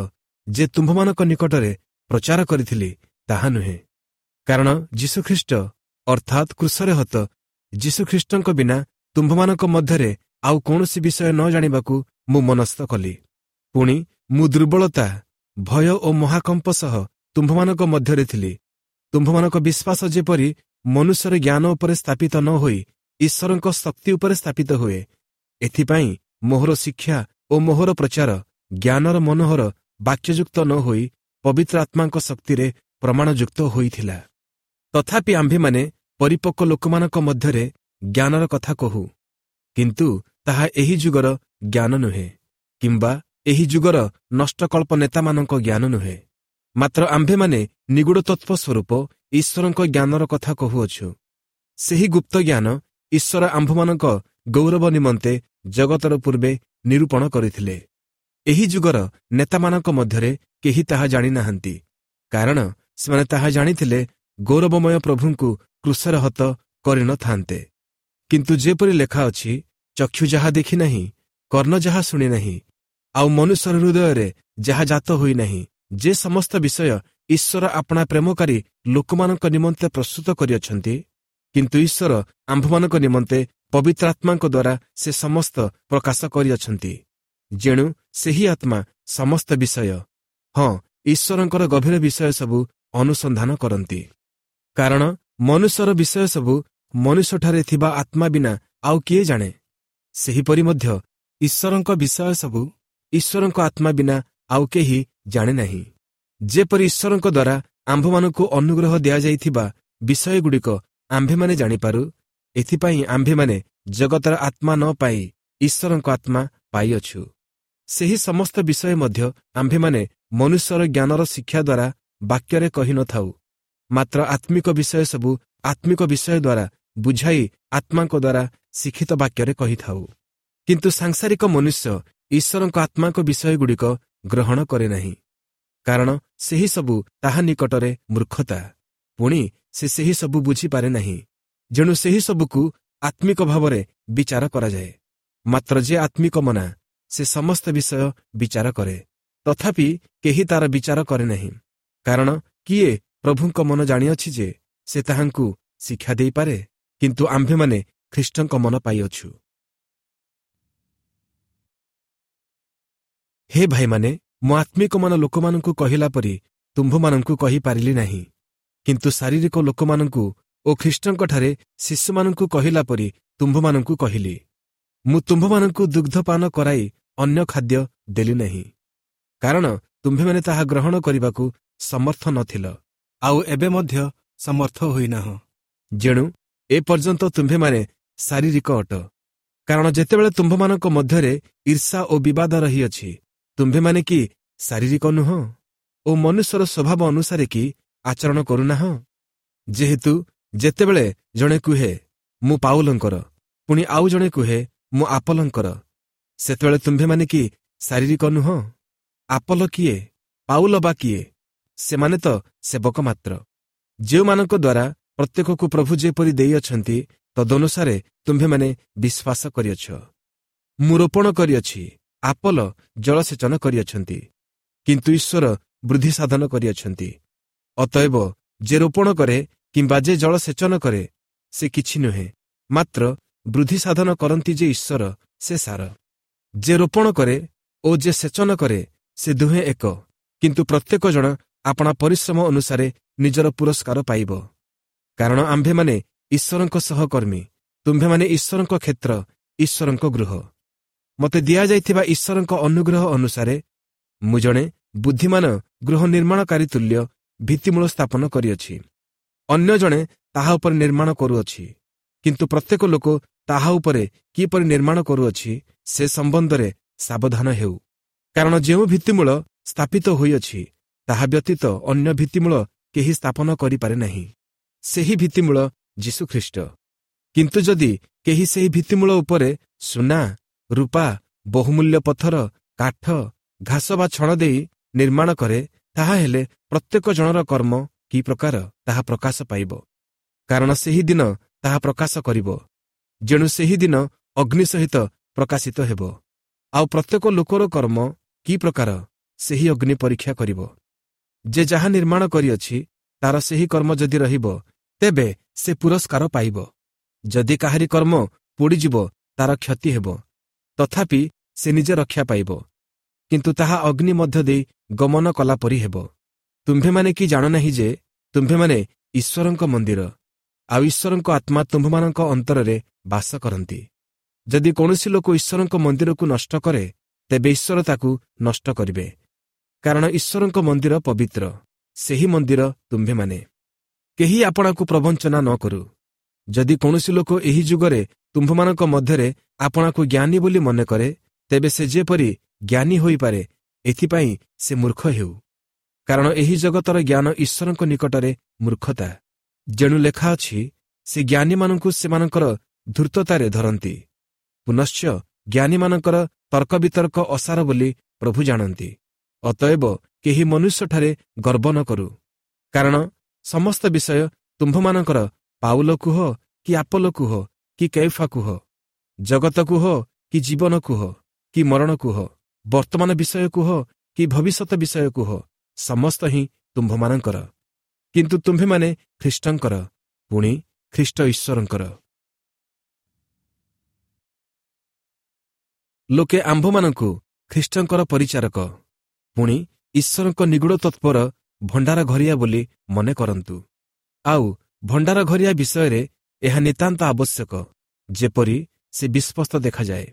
ଯେ ତୁମ୍ଭମାନଙ୍କ ନିକଟରେ ପ୍ରଚାର କରିଥିଲି, ତାହା ନୁହେଁ। କାରଣ ଯୀଶୁଖ୍ରୀଷ୍ଟ ଅର୍ଥାତ୍ କ୍ରୁଶରେ ହତ ଯୀଶୁଖ୍ରୀଷ୍ଟଙ୍କ ବିନା ତୁମ୍ଭମାନଙ୍କ ମଧ୍ୟରେ ଆଉ କୌଣସି ବିଷୟ ନ ଜାଣିବାକୁ ମୁଁ ମନସ୍ଥ କଲି। ପୁଣି ମୁଁ ଦୁର୍ବଳତା, ଭୟ ଓ ମହାକମ୍ପ ସହ ତୁମ୍ଭମାନଙ୍କ ମଧ୍ୟରେ ଥିଲି। ତୁମ୍ଭମାନଙ୍କ ବିଶ୍ୱାସ ଯେପରି ମନୁଷ୍ୟର ଜ୍ଞାନ ଉପରେ ସ୍ଥାପିତ ନ ହୋଇ ଈଶ୍ୱରଙ୍କ ଶକ୍ତି ଉପରେ ସ୍ଥାପିତ ହୁଏ, ଏଥିପାଇଁ ମୋହର ଶିକ୍ଷା ଓ ମୋହର ପ୍ରଚାର ଜ୍ଞାନର ମନୋହର ବାକ୍ୟଯୁକ୍ତ ନ ହୋଇ ପବିତ୍ର ଆତ୍ମାଙ୍କ ଶକ୍ତିରେ ପ୍ରମାଣଯୁକ୍ତ ହୋଇଥିଲା। ତଥାପି ଆମ୍ଭେମାନେ ପରିପକ୍ୱ ଲୋକମାନଙ୍କ ମଧ୍ୟରେ ଜ୍ଞାନର କଥା କହୁ, କିନ୍ତୁ ତାହା ଏହି ଯୁଗର ଜ୍ଞାନ ନୁହେଁ, କିମ୍ବା ଏହି ଯୁଗର ନଷ୍ଟକଳ୍ପ ନେତାମାନଙ୍କ ଜ୍ଞାନ ନୁହେଁ। ମାତ୍ର ଆମ୍ଭେମାନେ ନିଗୂଢ଼ ତତ୍ତ୍ୱ ସ୍ୱରୂପ ଈଶ୍ୱରଙ୍କ ଜ୍ଞାନର କଥା କହୁଅଛୁ। ସେହି ଗୁପ୍ତ ଜ୍ଞାନ ଈଶ୍ୱର ଆମ୍ଭମାନଙ୍କ ଗୌରବ ନିମନ୍ତେ ଜଗତର ପୂର୍ବେ ନିରୂପଣ କରିଥିଲେ। ଏହି ଯୁଗର ନେତାମାନଙ୍କ ମଧ୍ୟରେ କେହି ତାହା ଜାଣିନାହାନ୍ତି, କାରଣ ସେମାନେ ତାହା ଜାଣିଥିଲେ ଗୌରବମୟ ପ୍ରଭୁଙ୍କୁ କ୍ରୁଶରେ ହତ କରିନଥାନ୍ତେ। କିନ୍ତୁ ଯେପରି ଲେଖା ଅଛି, ଚକ୍ଷୁ ଯାହା ଦେଖିନାହିଁ, କର୍ଣ୍ଣ ଯାହା ଶୁଣିନାହିଁ, ଆଉ ମନୁଷ୍ୟର ହୃଦୟରେ ଯାହା ଜାତ ହୋଇନାହିଁ, ଯେ ସମସ୍ତ ବିଷୟ ଈଶ୍ୱର ଆପଣା ପ୍ରେମକାରୀ ଲୋକମାନଙ୍କ ନିମନ୍ତେ ପ୍ରସ୍ତୁତ କରିଅଛନ୍ତି, କିନ୍ତୁ ଈଶ୍ୱର ଆମ୍ଭମାନଙ୍କ ନିମନ୍ତେ ପବିତ୍ର ଆତ୍ମାଙ୍କ ଦ୍ୱାରା ସେ ସମସ୍ତ ପ୍ରକାଶ କରିଅଛନ୍ତି। ଯେଣୁ ସେହି ଆତ୍ମା ସମସ୍ତ ବିଷୟ, ହଁ, ଈଶ୍ୱରଙ୍କର ଗଭୀର ବିଷୟ ସବୁ ଅନୁସନ୍ଧାନ କରନ୍ତି। କାରଣ ମନୁଷ୍ୟର ବିଷୟ ସବୁ ମନୁଷ୍ୟଠାରେ ଥିବା ଆତ୍ମା ବିନା ଆଉ କିଏ ଜାଣେ? ସେହିପରି ମଧ୍ୟ ଈଶ୍ୱରଙ୍କ ବିଷୟ ସବୁ ଈଶ୍ୱରଙ୍କ ଆତ୍ମା ବିନା ଆଉ କେହି ଜାଣେ ନାହିଁ। ଯେପରି ଈଶ୍ୱରଙ୍କ ଦ୍ୱାରା ଆମ୍ଭମାନଙ୍କୁ ଅନୁଗ୍ରହ ଦିଆଯାଇଥିବା ବିଷୟଗୁଡ଼ିକ ଆମ୍ଭେମାନେ ଜାଣିପାରୁ, ଏଥିପାଇଁ ଆମ୍ଭେମାନେ ଜଗତର ଆତ୍ମା ନ ପାଇ ଈଶ୍ୱରଙ୍କ ଆତ୍ମା ପାଇଅଛୁ। ସେହି ସମସ୍ତ ବିଷୟ ମଧ୍ୟ ଆମ୍ଭେମାନେ ମନୁଷ୍ୟର ଜ୍ଞାନର ଶିକ୍ଷା ଦ୍ୱାରା ବାକ୍ୟରେ କହିନଥାଉ, ମାତ୍ର ଆତ୍ମିକ ବିଷୟ ସବୁ ଆତ୍ମିକ ବିଷୟ ଦ୍ୱାରା ବୁଝାଇ ଆତ୍ମାଙ୍କ ଦ୍ୱାରା ଶିକ୍ଷିତ ବାକ୍ୟରେ କହିଥାଉ। କିନ୍ତୁ ସାଂସାରିକ ମନୁଷ୍ୟ ଈଶ୍ୱରଙ୍କ ଆତ୍ମାଙ୍କ ବିଷୟଗୁଡ଼ିକ ଗ୍ରହଣ କରେ ନାହିଁ, କାରଣ ସେହି ସବୁ ତାହା ନିକଟରେ ମୂର୍ଖତା, ପୁଣି ସେ ସେହି ସବୁ ବୁଝିପାରେ ନାହିଁ। ଯେଣୁ ସେହି ସବୁକୁ ଆତ୍ମିକ ଭାବରେ ବିଚାର କରାଯାଏ। ମାତ୍ର ଯେ ଆତ୍ମିକ ମନା, ସେ ସମସ୍ତ ବିଷୟ ବିଚାର କରେ, ତଥାପି କେହି ତାର ବିଚାର କରେ ନାହିଁ। କାରଣ କିଏ ପ୍ରଭୁଙ୍କ ମନ ଜାଣିଅଛି ଯେ ସେ ତାହାଙ୍କୁ ଶିକ୍ଷା ଦେଇପାରେ? କିନ୍ତୁ ଆମ୍ଭେମାନେ ଖ୍ରୀଷ୍ଟଙ୍କ ମନ ପାଇଅଛୁ। ହେ ଭାଇମାନେ, ମୁଁ ଆତ୍ମିକ ମନ ଲୋକମାନଙ୍କୁ କହିଲା ପରି ତୁମ୍ଭମାନଙ୍କୁ କହିପାରିଲି ନାହିଁ, କିନ୍ତୁ ଶାରୀରିକ ଲୋକମାନଙ୍କୁ ଓ ଖ୍ରୀଷ୍ଟଙ୍କଠାରେ ଶିଶୁମାନଙ୍କୁ କହିଲା ପରି ତୁମ୍ଭମାନଙ୍କୁ କହିଲି। ମୁଁ ତୁମ୍ଭମାନଙ୍କୁ ଦୁଗ୍ଧପାନ କରାଇ ଅନ୍ୟ ଖାଦ୍ୟ ଦେଲି ନାହିଁ, କାରଣ ତୁମ୍ଭେମାନେ ତାହା ଗ୍ରହଣ କରିବାକୁ ସମର୍ଥ ନଥିଲ, ଆଉ ଏବେ ମଧ୍ୟ ସମର୍ଥ ହୋଇନାହଁ। ଯେଣୁ ଏପର୍ଯ୍ୟନ୍ତ ତୁମ୍ଭେମାନେ ଶାରୀରିକ ଅଟ। କାରଣ ଯେତେବେଳେ ତୁମ୍ଭମାନଙ୍କ ମଧ୍ୟରେ ଈର୍ଷା ଓ ବିବାଦ ରହିଅଛି, ତୁମ୍ଭେମାନେ କି ଶାରୀରିକ ନୁହଁ ଓ ମନୁଷ୍ୟର ସ୍ୱଭାବ ଅନୁସାରେ କି ଆଚରଣ କରୁନାହଁ? ଯେହେତୁ ଯେତେବେଳେ ଜଣେ କୁହେ ମୁଁ ପାଉଲଙ୍କର, ପୁଣି ଆଉ ଜଣେ କୁହେ ମୁଁ ଆପଲଙ୍କର, ସେତେବେଳେ ତୁମ୍ଭେମାନେ କି ଶାରୀରିକ ନୁହଁ? ଆପଲ କିଏ? ପାଉଲ ବା କିଏ? ସେମାନେ ତ ସେବକ ମାତ୍ର, ଯେଉଁମାନଙ୍କ ଦ୍ୱାରା ପ୍ରତ୍ୟେକକୁ ପ୍ରଭୁ ଯେପରି ଦେଇଅଛନ୍ତି ତଦନୁସାରେ ତୁମ୍ଭେମାନେ ବିଶ୍ୱାସ କରିଅଛ। ମୁଁ ରୋପଣ କରିଅଛି, ଆପଲ ଜଳସେଚନ କରିଅଛନ୍ତି, କିନ୍ତୁ ଈଶ୍ୱର ବୃଦ୍ଧି ସାଧନ କରିଅଛନ୍ତି। ଅତଏବ ଯେ ରୋପଣ କରେ କିମ୍ବା ଯେ ଜଳସେଚନ କରେ ସେ କିଛି ନୁହେଁ, ମାତ୍ର ବୃଦ୍ଧି ସାଧନ କରନ୍ତି ଯେ ଈଶ୍ୱର, ସେ ସାର। ଯେ ରୋପଣ କରେ ଓ ଯେ ସେଚନ କରେ ସେ ଦୁହେଁ ଏକ, କିନ୍ତୁ ପ୍ରତ୍ୟେକ ଜଣ ଆପଣା ପରିଶ୍ରମ ଅନୁସାରେ ନିଜର ପୁରସ୍କାର ପାଇବ। କାରଣ ଆମ୍ଭେମାନେ ଈଶ୍ୱରଙ୍କ ସହକର୍ମୀ, ତୁମ୍ଭେମାନେ ଈଶ୍ୱରଙ୍କ କ୍ଷେତ୍ର, ଈଶ୍ୱରଙ୍କ ଗୃହ। ମୋତେ ଦିଆଯାଇଥିବା ଈଶ୍ୱରଙ୍କ ଅନୁଗ୍ରହ ଅନୁସାରେ ମୁଁ ଜଣେ ବୁଦ୍ଧିମାନ ଗୃହ ନିର୍ମାଣକାରୀ ତୁଲ୍ୟ ଭିତ୍ତିମୂଳ ସ୍ଥାପନ କରିଅଛି, ଅନ୍ୟ ଜଣେ ତାହା ଉପରେ ନିର୍ମାଣ କରୁଅଛି। କିନ୍ତୁ ପ୍ରତ୍ୟେକ ଲୋକ ତାହା ଉପରେ କିପରି ନିର୍ମାଣ କରୁଅଛି ସେ ସମ୍ବନ୍ଧରେ ସାବଧାନ ହେଉ। କାରଣ ଯେଉଁ ଭିତ୍ତିମୂଳ ସ୍ଥାପିତ ହୋଇଅଛି ତାହା ବ୍ୟତୀତ ଅନ୍ୟ ଭିତ୍ତିମୂଳ କେହି ସ୍ଥାପନ କରିପାରେ ନାହିଁ, ସେହି ଭିତ୍ତିମୂଳ ଯୀଶୁଖ୍ରୀଷ୍ଟ। କିନ୍ତୁ ଯଦି କେହି ସେହି ଭିତ୍ତିମୂଳ ଉପରେ ସୁନା, ରୂପା, ବହୁମୂଲ୍ୟ ପଥର, କାଠ, ଘାସ ବା ଛଣ ଦେଇ ନିର୍ମାଣ କରେ, ତାହା ହେଲେ ପ୍ରତ୍ୟେକ ଜଣର କର୍ମ କି ପ୍ରକାର ତାହା ପ୍ରକାଶ ପାଇବ। କାରଣ ସେହି ଦିନ ତାହା ପ୍ରକାଶ କରିବ, ଯେଣୁ ସେହି ଦିନ ଅଗ୍ନି ସହିତ ପ୍ରକାଶିତ ହେବ। ଆଉ ପ୍ରତ୍ୟେକ ଲୋକର କର୍ମ କି ପ୍ରକାର ସେହି ଅଗ୍ନି ପରୀକ୍ଷା କରିବ। ଯେ ଯାହା ନିର୍ମାଣ କରିଅଛି ତାର ସେହି କର୍ମ ଯଦି ରହିବ, ତେବେ ସେ ପୁରସ୍କାର ପାଇବ। ଯଦି କାହାରି କର୍ମ ପୋଡ଼ିଯିବ, ତାର କ୍ଷତି ହେବ, ତଥାପି ସେ ନିଜେ ରକ୍ଷା ପାଇବ, କିନ୍ତୁ ତାହା ଅଗ୍ନି ମଧ୍ୟ ଦେଇ ଗମନ କଲା ପରି ହେବ। ତୁମ୍ଭେମାନେ କି ଜାଣ ନାହିଁ ଯେ ତୁମ୍ଭେମାନେ ଈଶ୍ୱରଙ୍କ ମନ୍ଦିର, ଆଉ ଈଶ୍ୱରଙ୍କ ଆତ୍ମା ତୁମ୍ଭମାନଙ୍କ ଅନ୍ତରରେ ବାସ କରନ୍ତି? ଯଦି କୌଣସି ଲୋକ ଈଶ୍ୱରଙ୍କ ମନ୍ଦିରକୁ ନଷ୍ଟ କରେ, ତେବେ ଈଶ୍ୱର ତାକୁ ନଷ୍ଟ କରିବେ। କାରଣ ଈଶ୍ୱରଙ୍କ ମନ୍ଦିର ପବିତ୍ର, ସେହି ମନ୍ଦିର ତୁମ୍ଭେମାନେ। କେହି ଆପଣାକୁ ପ୍ରବଞ୍ଚନା ନ କରୁ। ଯଦି କୌଣସି ଲୋକ ଏହି ଯୁଗରେ ତୁମ୍ଭମାନଙ୍କ ମଧ୍ୟରେ ଆପଣାକୁ ଜ୍ଞାନୀ ବୋଲି ମନେ କରେ, ତେବେ ସେ ଯେପରି ଜ୍ଞାନୀ ହୋଇପାରେ ଏଥିପାଇଁ ସେ ମୂର୍ଖ ହେଉ। କାରଣ ଏହି ଜଗତର ଜ୍ଞାନ ଈଶ୍ୱରଙ୍କ ନିକଟରେ ମୂର୍ଖତା। ଯେଣୁ ଲେଖା ଅଛି, ସେ ଜ୍ଞାନୀମାନଙ୍କୁ ସେମାନଙ୍କର ଧୂର୍ତ୍ତତାରେ ଧରନ୍ତି, ପୁନଶ୍ଚ ଜ୍ଞାନୀମାନଙ୍କର ତର୍କବିତର୍କ ଅସାର ବୋଲି ପ୍ରଭୁ ଜାଣନ୍ତି। ଅତଏବ କେହି ମନୁଷ୍ୟଠାରେ ଗର୍ବ ନ କରୁ, କାରଣ ସମସ୍ତ ବିଷୟ ତୁମ୍ଭମାନଙ୍କର। ପାଉଲ କୁହ କି ଆପଲ କୁହ କି କେଫା କୁହ, ଜଗତ କୁହ କି ଜୀବନ କୁହ କି ମରଣ କୁହ, ବର୍ତ୍ତମାନ ବିଷୟ କୁହ କି ଭବିଷ୍ୟତ ବିଷୟ କୁହ, ସମସ୍ତ ହିଁ ତୁମ୍ଭମାନଙ୍କର। କିନ୍ତୁ ତୁମ୍ଭେମାନେ ଖ୍ରୀଷ୍ଟଙ୍କର, ପୁଣି ଖ୍ରୀଷ୍ଟ ଈଶ୍ୱରଙ୍କର। ଲୋକେ ଆମ୍ଭମାନଙ୍କୁ ଖ୍ରୀଷ୍ଟଙ୍କର ପରିଚାରକ, ପୁଣି ଈଶ୍ୱରଙ୍କ ନିଗୂଢ଼ ତତ୍ପର ଭଣ୍ଡାର ଘରିଆ ବୋଲି ମନେ କରନ୍ତୁ। ଆଉ ଭଣ୍ଡାର ଘରିଆ ବିଷୟରେ ଏହା ନିତାନ୍ତ ଆବଶ୍ୟକ, ଯେପରି ସେ ବିଶ୍ୱସ୍ତ ଦେଖାଯାଏ।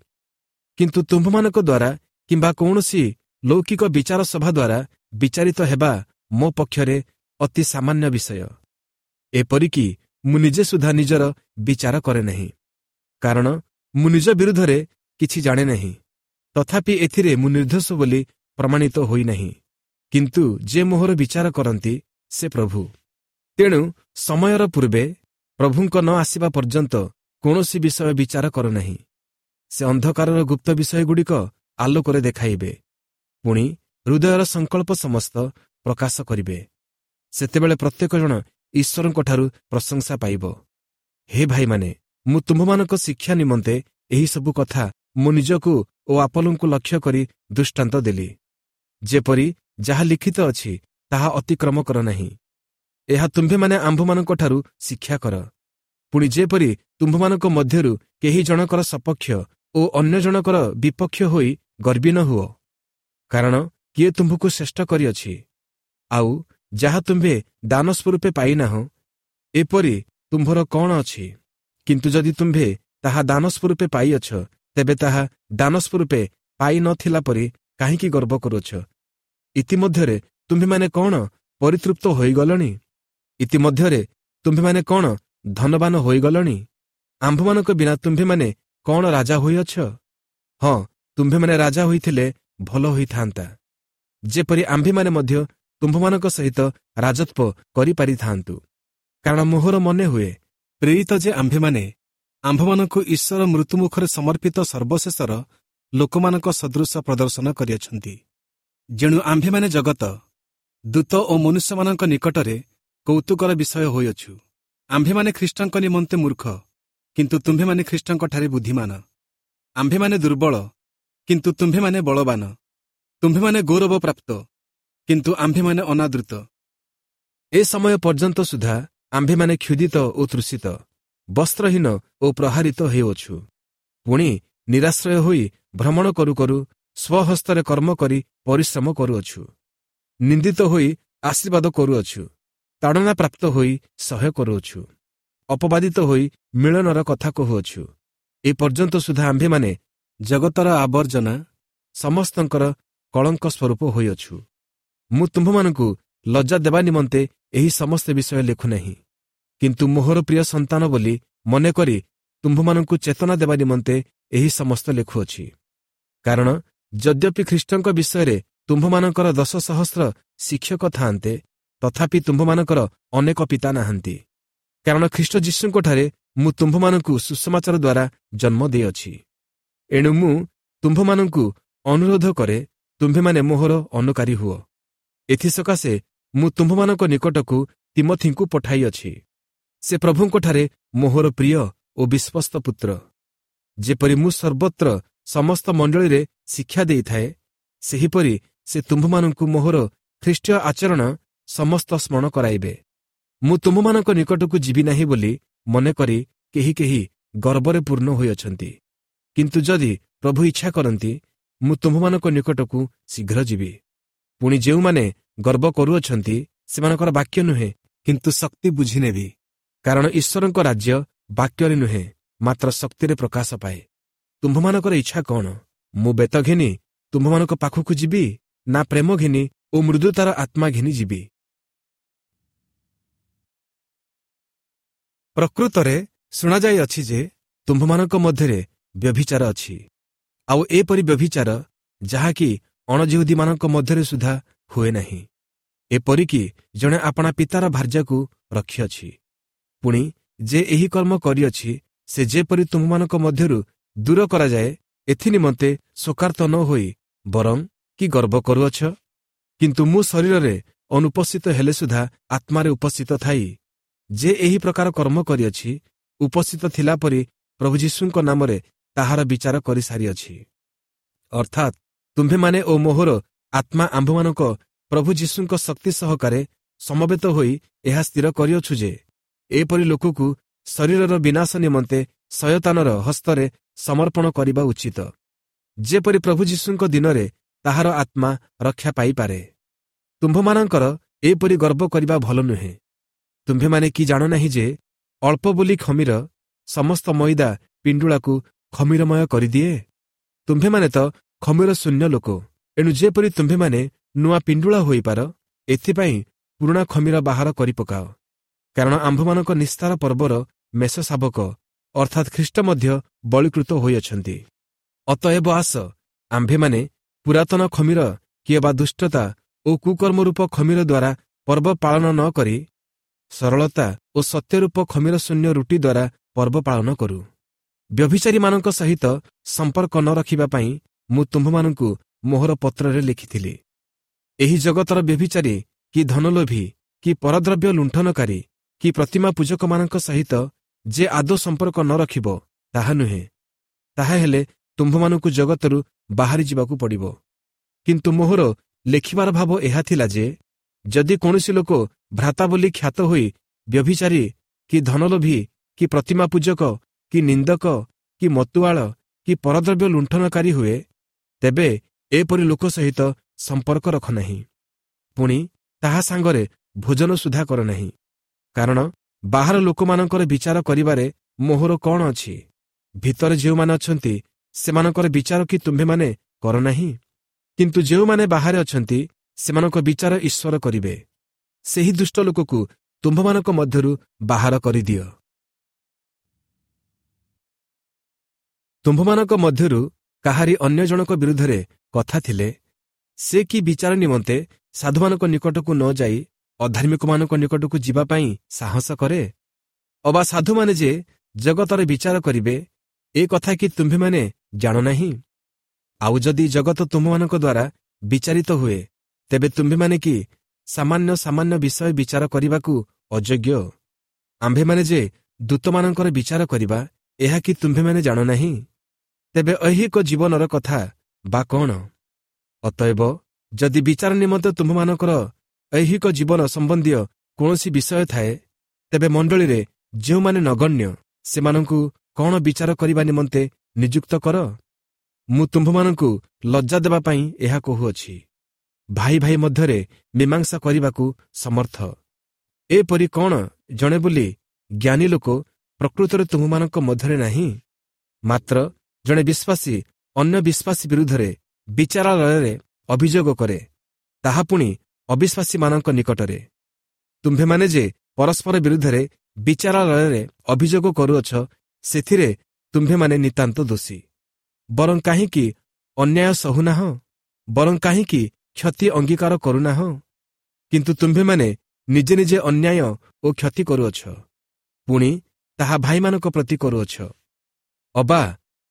କିନ୍ତୁ ତୁମ୍ଭମାନଙ୍କ ଦ୍ୱାରା କିମ୍ବା କୌଣସି ଲୌକିକ ବିଚାର ସଭା ଦ୍ୱାରା ବିଚାରିତ ହେବା ମୋ ପକ୍ଷରେ ଅତି ସାମାନ୍ୟ ବିଷୟ। ଏପରିକି ମୁଁ ନିଜେ ସୁଦ୍ଧା ନିଜର ବିଚାର କରେ ନାହିଁ, କାରଣ ମୁଁ ନିଜ ବିରୁଦ୍ଧରେ କିଛି ଜାଣେ ନାହିଁ। ତଥାପି ଏଥିରେ ମୁଁ ନିର୍ଦ୍ଦୋଷ ବୋଲି ପ୍ରମାଣିତ ହୋଇନାହିଁ, କିନ୍ତୁ ଯେ ମୋହର ବିଚାର କରନ୍ତି ସେ ପ୍ରଭୁ। ତେଣୁ ସମୟର ପୂର୍ବେ ପ୍ରଭୁଙ୍କ ନ ଆସିବା ପର୍ଯ୍ୟନ୍ତ କୌଣସି ବିଷୟ ବିଚାର କର ନାହିଁ। ସେ ଅନ୍ଧକାରର ଗୁପ୍ତ ବିଷୟଗୁଡ଼ିକ ଆଲୋକରେ ଦେଖାଇବେ, ପୁଣି ହୃଦୟର ସଂକଳ୍ପ ସମସ୍ତ ପ୍ରକାଶ କରିବେ। ସେତେବେଳେ ପ୍ରତ୍ୟେକ ଜଣ ଈଶ୍ୱରଙ୍କଠାରୁ ପ୍ରଶଂସା ପାଇବ। ହେ ଭାଇମାନେ, ମୁଁ ତୁମ୍ଭମାନଙ୍କ ଶିକ୍ଷା ନିମନ୍ତେ ଏହିସବୁ କଥା ମୁଁ ନିଜକୁ ଓ ଆପଲଙ୍କୁ ଲକ୍ଷ୍ୟ କରି ଦୃଷ୍ଟାନ୍ତ ଦେଲି, ଯେପରି ଯାହା ଲିଖିତ ଅଛି ତାହା ଅତିକ୍ରମ କର ନାହିଁ। ଏହା ତୁମ୍ଭେମାନେ ଆମ୍ଭମାନଙ୍କଠାରୁ ଶିକ୍ଷା କର। ପୁଣି ଯେପରି ତୁମ୍ଭମାନଙ୍କ ମଧ୍ୟରୁ କେହି ଜଣକର ସପକ୍ଷ ଓ ଅନ୍ୟ ଜଣକର ବିପକ୍ଷ ହୋଇ ଗର୍ବୀ ନ ହୁଅ। କାରଣ କିଏ ତୁମ୍ଭକୁ ଶ୍ରେଷ୍ଠ କରିଅଛି? ଆଉ ଯାହା ତୁମ୍ଭେ ଦାନ ସ୍ୱରୂପେ ପାଇନାହଁ, ଏପରି ତୁମ୍ଭର କ'ଣ ଅଛି? କିନ୍ତୁ ଯଦି ତୁମ୍ଭେ ତାହା ଦାନ ସ୍ୱରୂପେ ପାଇଅଛ, ତେବେ ତାହା ଦାନ ସ୍ୱରୂପେ ପାଇନଥିଲା ପରି କାହିଁକି ଗର୍ବ କରୁଅଛ? ଇତିମଧ୍ୟରେ ତୁମ୍ଭେମାନେ କ'ଣ ପରିତୃପ୍ତ ହୋଇଗଲଣି? ଇତିମଧ୍ୟରେ ତୁମ୍ଭେମାନେ କ'ଣ ଧନବାନ ହୋଇଗଲଣି? ଆମ୍ଭମାନଙ୍କ ବିନା ତୁମ୍ଭେମାନେ କ'ଣ ରାଜା ହୋଇଅଛ? ହଁ, ତୁମ୍ଭେମାନେ ରାଜା ହୋଇଥିଲେ ଭଲ ହୋଇଥାନ୍ତା, ଯେପରି ଆମ୍ଭେମାନେ ମଧ୍ୟ ତୁମ୍ଭମାନଙ୍କ ସହିତ ରାଜତ୍ୱ କରିପାରିଥାନ୍ତୁ। କାରଣ ମୋହର ମନେ ହୁଏ, ପ୍ରେରିତ ଯେ ଆମ୍ଭେମାନେ ଆମ୍ଭମାନଙ୍କୁ ଈଶ୍ୱର ମୃତ୍ୟୁମୁଖରେ ସମର୍ପିତ ସର୍ବଶେଷର ଲୋକମାନଙ୍କ ସଦୃଶ ପ୍ରଦର୍ଶନ କରିଅଛନ୍ତି। ଯେଣୁ ଆମ୍ଭେମାନେ ଜଗତ, ଦୂତ ଓ ମନୁଷ୍ୟମାନଙ୍କ ନିକଟରେ କୌତୁକର ବିଷୟ ହୋଇଅଛୁ। ଆମ୍ଭେମାନେ ଖ୍ରୀଷ୍ଟଙ୍କ ନିମନ୍ତେ ମୂର୍ଖ, କିନ୍ତୁ ତୁମ୍ଭେମାନେ ଖ୍ରୀଷ୍ଟଙ୍କଠାରେ ବୁଦ୍ଧିମାନ। ଆମ୍ଭେମାନେ ଦୁର୍ବଳ, କିନ୍ତୁ ତୁମ୍ଭେମାନେ ବଳବାନ। ତୁମ୍ଭେମାନେ ଗୌରବ ପ୍ରାପ୍ତ, କିନ୍ତୁ ଆମ୍ଭେମାନେ ଅନାଦୃତ। ଏ ସମୟ ପର୍ଯ୍ୟନ୍ତ ସୁଦ୍ଧା ଆମ୍ଭେମାନେ କ୍ଷୁଧିତ ଓ ତୃଷିତ, ବସ୍ତ୍ରହୀନ ଓ ପ୍ରହାରିତ ହେଉଅଛୁ। ପୁଣି ନିରାଶ୍ରୟ ହୋଇ ଭ୍ରମଣ କରୁ କରୁ ସ୍ୱହସ୍ତରେ କର୍ମ କରି ପରିଶ୍ରମ କରୁଅଛୁ। ନିନ୍ଦିତ ହୋଇ ଆଶୀର୍ବାଦ କରୁଅଛୁ, ତାଡ଼ନା ପ୍ରାପ୍ତ ହୋଇ ସହ୍ୟ କରୁଅଛୁ, ଅପବାଦିତ ହୋଇ ମିଳନର କଥା କହୁଅଛୁ। ଏ ପର୍ଯ୍ୟନ୍ତ ସୁଦ୍ଧା ଆମ୍ଭେମାନେ ଜଗତର ଆବର୍ଜନା, ସମସ୍ତଙ୍କର କଳଙ୍କ ସ୍ୱରୂପ ହୋଇଅଛୁ। ମୁଁ ତୁମ୍ଭମାନଙ୍କୁ ଲଜ୍ଜା ଦେବା ନିମନ୍ତେ ଏହି ସମସ୍ତ ବିଷୟ ଲେଖୁନାହିଁ, କିନ୍ତୁ ମୋହର ପ୍ରିୟ ସନ୍ତାନ ବୋଲି ମନେକରି ତୁମ୍ଭମାନଙ୍କୁ ଚେତନା ଦେବା ନିମନ୍ତେ ଏହି ସମସ୍ତ ଲେଖୁଅଛି। କାରଣ ଯଦ୍ୟପି ଖ୍ରୀଷ୍ଟଙ୍କ ବିଷୟରେ ତୁମ୍ଭମାନଙ୍କର 10 ସହସ୍ର ଶିକ୍ଷକ ଥାଆନ୍ତେ, ତଥାପି ତୁମ୍ଭମାନଙ୍କର ଅନେକ ପିତା ନାହାନ୍ତି। କାରଣ ଖ୍ରୀଷ୍ଟ ଯୀଶୁଙ୍କଠାରେ ମୁଁ ତୁମ୍ଭମାନଙ୍କୁ ସୁସମାଚାର ଦ୍ୱାରା ଜନ୍ମ ଦେଇଅଛି। ଏଣୁ ମୁଁ ତୁମ୍ଭମାନଙ୍କୁ ଅନୁରୋଧ କରେ, ତୁମ୍ଭେମାନେ ମୋହର ଅନୁକାରୀ ହୁଅ। ଏଥିସକାଶେ ମୁଁ ତୁମ୍ଭମାନଙ୍କ ନିକଟକୁ ତିମଥିଙ୍କୁ ପଠାଇଅଛି। ସେ ପ୍ରଭୁଙ୍କଠାରେ ମୋହର ପ୍ରିୟ ଓ ବିଶ୍ୱସ୍ତ ପୁତ୍ର। ଯେପରି ମୁଁ ସର୍ବତ୍ର ସମସ୍ତ ମଣ୍ଡଳୀରେ ଶିକ୍ଷା ଦେଇଥାଏ, ସେହିପରି ସେ ତୁମ୍ଭମାନଙ୍କୁ ମୋହର ଖ୍ରୀଷ୍ଟୀୟ ଆଚରଣ ସମସ୍ତ ସ୍ମରଣ କରାଇବେ। ମୁଁ ତୁମ୍ଭମାନଙ୍କ ନିକଟକୁ ଯିବି ନାହିଁ ବୋଲି ମନେକରି କେହି କେହି ଗର୍ବରେ ପୂର୍ଣ୍ଣ ହୋଇଅଛନ୍ତି। କିନ୍ତୁ ଯଦି ପ୍ରଭୁ ଇଚ୍ଛା କରନ୍ତି, ମୁଁ ତୁମ୍ଭମାନଙ୍କ ନିକଟକୁ ଶୀଘ୍ର ଯିବି। ପୁଣି ଯେଉଁମାନେ ଗର୍ବ କରୁଅଛନ୍ତି, ସେମାନଙ୍କର ବାକ୍ୟ ନୁହେଁ, କିନ୍ତୁ ଶକ୍ତି ବୁଝିନେବି। କାରଣ ଈଶ୍ୱରଙ୍କ ରାଜ୍ୟ ବାକ୍ୟରେ ନୁହେଁ, ମାତ୍ର ଶକ୍ତିରେ ପ୍ରକାଶ ପାଏ। ତୁମ୍ଭମାନଙ୍କର ଇଚ୍ଛା କ'ଣ? ମୁଁ ବେତ ଘେନି ତୁମ୍ଭମାନଙ୍କ ପାଖକୁ ଯିବି, ନା ପ୍ରେମ ଘେନି ଓ ମୃଦୁତାର ଆତ୍ମା ଘେନି ଯିବି? ପ୍ରକୃତରେ ଶୁଣାଯାଇଅଛି ଯେ ତୁମ୍ଭମାନଙ୍କ ମଧ୍ୟରେ ବ୍ୟଭିଚାର ଅଛି, ଆଉ ଏପରି ବ୍ୟଭିଚାର ଯାହାକି ଅଣଜିହୁଦୀମାନଙ୍କ ମଧ୍ୟରେ ସୁଦ୍ଧା ହୁଏ ନାହିଁ। ଏପରିକି ଜଣେ ଆପଣା ପିତାର ଭାର୍ଯ୍ୟାକୁ ରଖିଅଛି। ପୁଣି ଯେ ଏହି କର୍ମ କରିଅଛି, ସେ ଯେପରି ତୁମ୍ଭମାନଙ୍କ ମଧ୍ୟରୁ ଦୂର କରାଯାଏ, ଏଥିନିମନ୍ତେ ଶୋକାର୍ତ୍ତ ନ ହୋଇ ବରଂ କି ଗର୍ବ କରୁଅଛ? କିନ୍ତୁ ମୁଁ ଶରୀରରେ ଅନୁପସ୍ଥିତ ହେଲେ ସୁଦ୍ଧା ଆତ୍ମାରେ ଉପସ୍ଥିତ ଥାଇ ଯେ ଏହି ପ୍ରକାର କର୍ମ କରିଅଛି, ଉପସ୍ଥିତ ଥିଲା ପରି ପ୍ରଭୁ ଯୀଶୁଙ୍କ ନାମରେ ତାହାର ବିଚାର କରିସାରିଅଛି। ଅର୍ଥାତ୍ ତୁମ୍ଭେମାନେ ଓ ମୋହର ଆତ୍ମା ଆମ୍ଭମାନଙ୍କ ପ୍ରଭୁ ଯୀଶୁଙ୍କ ଶକ୍ତି ସହକାରେ ସମବେତ ହୋଇ ଏହା ସ୍ଥିର କରିଅଛୁ ଯେ ଏପରି ଲୋକକୁ ଶରୀରର ବିନାଶ ନିମନ୍ତେ ଶୟତାନର ହସ୍ତରେ ସମର୍ପଣ କରିବା ଉଚିତ, ଯେପରି ପ୍ରଭୁ ଯୀଶୁଙ୍କ ଦିନରେ ତାହାର ଆତ୍ମା ରକ୍ଷା ପାଇପାରେ। ତୁମ୍ଭମାନଙ୍କର ଏପରି ଗର୍ବ କରିବା ଭଲ ନୁହେଁ। ତୁମ୍ଭେମାନେ କି ଜାଣ ନାହିଁ ଯେ ଅଳ୍ପ ବୋଲି ଖମୀର ସମସ୍ତ ମଇଦା ପିଣ୍ଡୁଳାକୁ ଖମୀରମୟ କରିଦିଏ? ତୁମ୍ଭେମାନେ ତ ଖମୀର ଶୂନ୍ୟ ଲୋକ। ଏଣୁ ଯେପରି ତୁମ୍ଭେମାନେ ନୂଆ ପିଣ୍ଡୁଳା ହୋଇପାର, ଏଥିପାଇଁ ପୁରୁଣା ଖମୀର ବାହାର କରିପକାଅ। କାରଣ ଆମ୍ଭମାନଙ୍କ ନିସ୍ତାର ପର୍ବର ମେଷ ଶାବକ ଅର୍ଥାତ୍ ଖ୍ରୀଷ୍ଟ ମଧ୍ୟ ବଳୀକୃତ ହୋଇଅଛନ୍ତି। ଅତଏବ ଆସ, ଆମ୍ଭେମାନେ ପୁରାତନ ଖମୀର କିମ୍ବା ଦୁଷ୍ଟତା ଓ କୁକର୍ମରୂପ ଖମୀର ଦ୍ୱାରା ପର୍ବ ପାଳନ ନ କରି ସରଳତା ଓ ସତ୍ୟରୂପ ଖମିର ଶୂନ୍ୟ ରୁଟି ଦ୍ୱାରା ପର୍ବ ପାଳନ କରୁ। ବ୍ୟଭିଚାରୀମାନଙ୍କ ସହିତ ସମ୍ପର୍କ ନ ରଖିବା ପାଇଁ ମୁଁ ତୁମ୍ଭମାନଙ୍କୁ ମୋହର ପତ୍ରରେ ଲେଖିଥିଲି। ଏହି ଜଗତର ବ୍ୟଭିଚାରୀ କି ଧନଲୋଭୀ କି ପରଦ୍ରବ୍ୟ ଲୁଣ୍ଠନକାରୀ କି ପ୍ରତିମା ପୂଜକମାନଙ୍କ ସହିତ ଯେ ଆଦୌ ସମ୍ପର୍କ ନ ରଖିବ ତାହା ନୁହେଁ, ତାହା ହେଲେ ତୁମ୍ଭମାନଙ୍କୁ ଜଗତରୁ ବାହାରି ଯିବାକୁ ପଡ଼ିବ। କିନ୍ତୁ ମୋହର ଲେଖିବାର ଭାବ ଏହା ଥିଲା ଯେ ଯଦି କୌଣସି ଲୋକ ଭ୍ରାତା ବୋଲି ଖ୍ୟାତ ହୋଇ ବ୍ୟଭିଚାରୀ କି ଧନଲୋଭୀ କି ପ୍ରତିମା ପୂଜକ କି ନିନ୍ଦକ କି ମତୁଆଳ କି ପରଦ୍ରବ୍ୟ ଲୁଣ୍ଠନକାରୀ ହୁଏ, ତେବେ ଏପରି ଲୋକ ସହିତ ସମ୍ପର୍କ ରଖ ନାହିଁ, ପୁଣି ତାହା ସାଙ୍ଗରେ ଭୋଜନ ସୁଦ୍ଧା କର ନାହିଁ। କାରଣ ବାହାର ଲୋକମାନଙ୍କର ବିଚାର କରିବାରେ ମୋହର କ'ଣ ଅଛି? ଭିତରେ ଯେଉଁମାନେ ଅଛନ୍ତି ସେମାନଙ୍କର ବିଚାର କି ତୁମ୍ଭେମାନେ କର ନାହିଁ? କିନ୍ତୁ ଯେଉଁମାନେ ବାହାରେ ଅଛନ୍ତି ସେମାନଙ୍କ ବିଚାର ଈଶ୍ୱର କରିବେ। ସେହି ଦୁଷ୍ଟ ଲୋକକୁ ତୁମ୍ଭମାନଙ୍କ ମଧ୍ୟରୁ ବାହାର କରିଦିଅ। ତୁମ୍ଭମାନଙ୍କ ମଧ୍ୟରୁ କାହାରି ଅନ୍ୟ ଜଣକ ବିରୁଦ୍ଧରେ କଥା ଥିଲେ ସେ କି ବିଚାର ନିମନ୍ତେ ସାଧୁମାନଙ୍କ ନିକଟକୁ ନ ଯାଇ ଅଧାର୍ମିକମାନଙ୍କ ନିକଟକୁ ଯିବା ପାଇଁ ସାହସ କରେ? ଅବା ସାଧୁମାନେ ଯେ ଜଗତର ବିଚାର କରିବେ, ଏ କଥା କି ତୁମ୍ଭେମାନେ ଜାଣ ନାହିଁ? ଆଉ ଯଦି ଜଗତ ତୁମ୍ଭମାନଙ୍କ ଦ୍ୱାରା ବିଚାରିତ ହୁଏ, ତେବେ ତୁମ୍ଭେମାନେ କି ସାମାନ୍ୟ ସାମାନ୍ୟ ବିଷୟ ବିଚାର କରିବାକୁ ଅଯୋଗ୍ୟ? ଆମ୍ଭେମାନେ ଯେ ଦୂତମାନଙ୍କର ବିଚାର କରିବା, ଏହା କି ତୁମ୍ଭେମାନେ ଜାଣ ନାହିଁ? ତେବେ ଐହିକ ଜୀବନର କଥା ବା କ'ଣ? ଅତଏବ ଯଦି ବିଚାର ନିମନ୍ତେ ତୁମ୍ଭମାନଙ୍କର ଐହିକ ଜୀବନ ସମ୍ବନ୍ଧୀୟ କୌଣସି ବିଷୟ ଥାଏ, ତେବେ ମଣ୍ଡଳୀରେ ଯେଉଁମାନେ ନଗଣ୍ୟ ସେମାନଙ୍କୁ କ'ଣ ବିଚାର କରିବା ନିମନ୍ତେ ନିଯୁକ୍ତ କର? ମୁଁ ତୁମ୍ଭମାନଙ୍କୁ ଲଜ୍ଜା ଦେବା ପାଇଁ ଏହା କହୁଅଛି। ଭାଇ ଭାଇ ମଧ୍ୟରେ ମୀମାଂସା କରିବାକୁ ସମର୍ଥ ଏପରି କ'ଣ ଜଣେ ବୋଲି ଜ୍ଞାନୀ ଲୋକ ପ୍ରକୃତରେ ତୁମ୍ଭମାନଙ୍କ ମଧ୍ୟରେ ନାହିଁ? ମାତ୍ର ଜଣେ ବିଶ୍ୱାସୀ ଅନ୍ୟ ବିଶ୍ୱାସୀ ବିରୁଦ୍ଧରେ ବିଚାରାଳୟରେ ଅଭିଯୋଗ କରେ, ତାହା ପୁଣି ଅବିଶ୍ୱାସୀମାନଙ୍କ ନିକଟରେ। ତୁମ୍ଭେମାନେ ଯେ ପରସ୍ପର ବିରୁଦ୍ଧରେ ବିଚାରାଳୟରେ ଅଭିଯୋଗ କରୁଅଛ, ସେଥିରେ ତୁମ୍ଭେମାନେ ନିତାନ୍ତ ଦୋଷୀ। ବରଂ କାହିଁକି ଅନ୍ୟାୟ ସହୁନାହଁ? ବରଂ କାହିଁକି କ୍ଷତି ଅଙ୍ଗୀକାର କରୁନାହଁ? କିନ୍ତୁ ତୁମ୍ଭେମାନେ ନିଜେ ନିଜେ ଅନ୍ୟାୟ ଓ କ୍ଷତି କରୁଅଛ, ପୁଣି ତାହା ଭାଇମାନଙ୍କ ପ୍ରତି କରୁଅଛ। ଅବା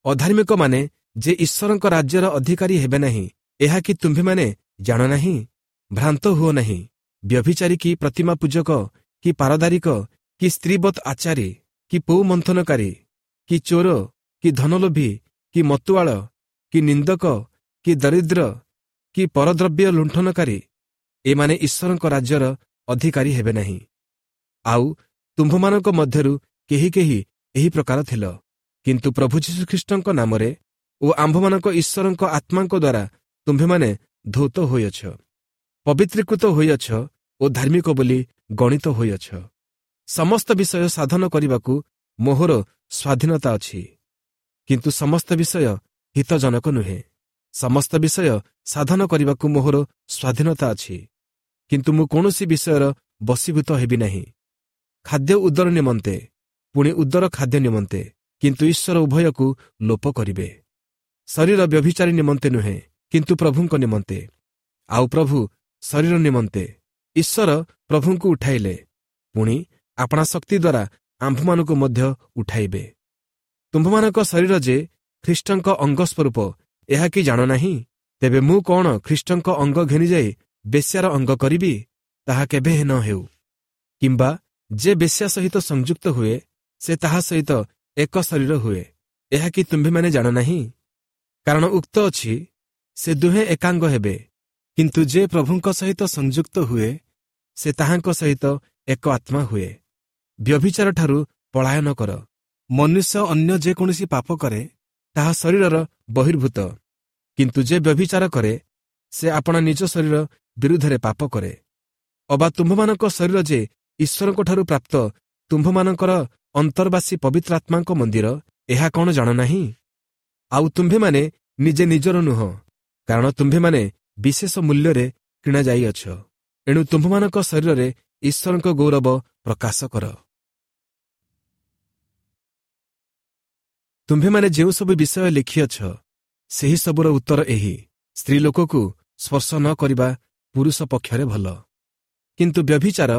ଅଧାର୍ମିକମାନେ ଯେ ଈଶ୍ୱରଙ୍କ ରାଜ୍ୟର ଅଧିକାରୀ ହେବେ ନାହିଁ, ଏହା କି ତୁମ୍ଭେମାନେ ଜାଣ ନାହିଁ? ଭ୍ରାନ୍ତ ହୁଅ ନାହିଁ। ବ୍ୟଭିଚାରୀ କି ପ୍ରତିମା ପୂଜକ କି ପାରଦାରିକ କି ସ୍ତ୍ରୀବତ୍ ଆଚାରୀ କି ପୌ ମନ୍ଥନକାରୀ କି ଚୋର କି ଧନଲୋଭୀ କି ମତୁଆଳ କି ନିନ୍ଦକ କି ଦରିଦ୍ର କି ପରଦ୍ରବ୍ୟ ଲୁଣ୍ଠନକାରୀ, ଏମାନେ ଈଶ୍ୱରଙ୍କ ରାଜ୍ୟର ଅଧିକାରୀ ହେବେ ନାହିଁ। ଆଉ ତୁମ୍ଭମାନଙ୍କ ମଧ୍ୟରୁ କେହି କେହି ଏହି ପ୍ରକାର ଥିଲ, କିନ୍ତୁ ପ୍ରଭୁ ଯୀଶୁଖ୍ରୀଷ୍ଟଙ୍କ ନାମରେ ଓ ଆମ୍ଭମାନଙ୍କ ଈଶ୍ୱରଙ୍କ ଆତ୍ମାଙ୍କ ଦ୍ୱାରା ତୁମ୍ଭେମାନେ ଧୌତ ହୋଇଅଛ, ପବିତ୍ରୀକୃତ ହୋଇଅଛ ଓ ଧାର୍ମିକ ବୋଲି ଗଣିତ ହୋଇଅଛ। ସମସ୍ତ ବିଷୟ ସାଧନ କରିବାକୁ ମୋହର ସ୍ୱାଧୀନତା ଅଛି, କିନ୍ତୁ ସମସ୍ତ ବିଷୟ ହିତଜନକ ନୁହେଁ। ସମସ୍ତ ବିଷୟ ସାଧନ କରିବାକୁ ମୋହର ସ୍ୱାଧୀନତା ଅଛି, କିନ୍ତୁ ମୁଁ କୌଣସି ବିଷୟର ବଶୀଭୂତ ହେବି ନାହିଁ। ଖାଦ୍ୟ ଉଦର ନିମନ୍ତେ, ପୁଣି ଉଦର ଖାଦ୍ୟ ନିମନ୍ତେ, କିନ୍ତୁ ଈଶ୍ୱର ଉଭୟକୁ ଲୋପ କରିବେ। ଶରୀର ବ୍ୟଭିଚାରୀ ନିମନ୍ତେ ନୁହେଁ, କିନ୍ତୁ ପ୍ରଭୁଙ୍କ ନିମନ୍ତେ, ଆଉ ପ୍ରଭୁ ଶରୀର ନିମନ୍ତେ। ଈଶ୍ୱର ପ୍ରଭୁଙ୍କୁ ଉଠାଇଲେ, ପୁଣି ଆପଣା ଶକ୍ତି ଦ୍ୱାରା ଆମ୍ଭମାନଙ୍କୁ ମଧ୍ୟ ଉଠାଇବେ। ତୁମ୍ଭମାନଙ୍କ ଶରୀର ଯେ ଖ୍ରୀଷ୍ଟଙ୍କ ଅଙ୍ଗ ସ୍ୱରୂପ, ଏହା କି ଜାଣ ନାହିଁ? ତେବେ ମୁଁ କ'ଣ ଖ୍ରୀଷ୍ଟଙ୍କ ଅଙ୍ଗ ଘେନିଯାଇ ବେଶ୍ୟାର ଅଙ୍ଗ କରିବି? ତାହା କେବେ ନ ହେଉ। କିମ୍ବା ଯେ ବେଶ୍ୟା ସହିତ ସଂଯୁକ୍ତ ହୁଏ, ସେ ତାହା ସହିତ ଏକ ଶରୀର ହୁଏ, ଏହା କି ତୁମ୍ଭେମାନେ ଜାଣ ନାହିଁ? କାରଣ ଉକ୍ତ ଅଛି, ସେ ଦୁହେଁ ଏକାଙ୍ଗ ହେବେ। କିନ୍ତୁ ଯେ ପ୍ରଭୁଙ୍କ ସହିତ ସଂଯୁକ୍ତ ହୁଏ, ସେ ତାହାଙ୍କ ସହିତ ଏକ ଆତ୍ମା ହୁଏ। ବ୍ୟଭିଚାରଠାରୁ ପଳାୟନ କର। ମନୁଷ୍ୟ ଅନ୍ୟ ଯେକୌଣସି ପାପ କରେ, ତାହା ଶରୀରର ବହିର୍ଭୂତ, କିନ୍ତୁ ଯେ ବ୍ୟଭିଚାର କରେ, ସେ ଆପଣା ନିଜ ଶରୀର ବିରୁଦ୍ଧରେ ପାପ କରେ। ଅବା ତୁମ୍ଭମାନଙ୍କ ଶରୀର ଯେ ଈଶ୍ୱରଙ୍କଠାରୁ ପ୍ରାପ୍ତ ତୁମ୍ଭମାନଙ୍କର ଅନ୍ତର୍ବାସୀ ପବିତ୍ର ଆତ୍ମାଙ୍କ ମନ୍ଦିର, ଏହା କ'ଣ ଜାଣ ନାହିଁ? ଆଉ ତୁମ୍ଭେମାନେ ନିଜେ ନିଜର ନୁହଁ, କାରଣ ତୁମ୍ଭେମାନେ ବିଶେଷ ମୂଲ୍ୟରେ କିଣାଯାଇଅଛ। ଏଣୁ ତୁମ୍ଭମାନଙ୍କ ଶରୀରରେ ଈଶ୍ୱରଙ୍କ ଗୌରବ ପ୍ରକାଶ କର। ତୁମ୍ଭେମାନେ ଯେଉଁସବୁ ବିଷୟ ଲେଖିଅଛ, ସେହି ସବୁର ଉତ୍ତର ଏହି: ସ୍ତ୍ରୀ ଲୋକକୁ ସ୍ପର୍ଶ ନ କରିବା ପୁରୁଷ ପକ୍ଷରେ ଭଲ, କିନ୍ତୁ ବ୍ୟଭିଚାର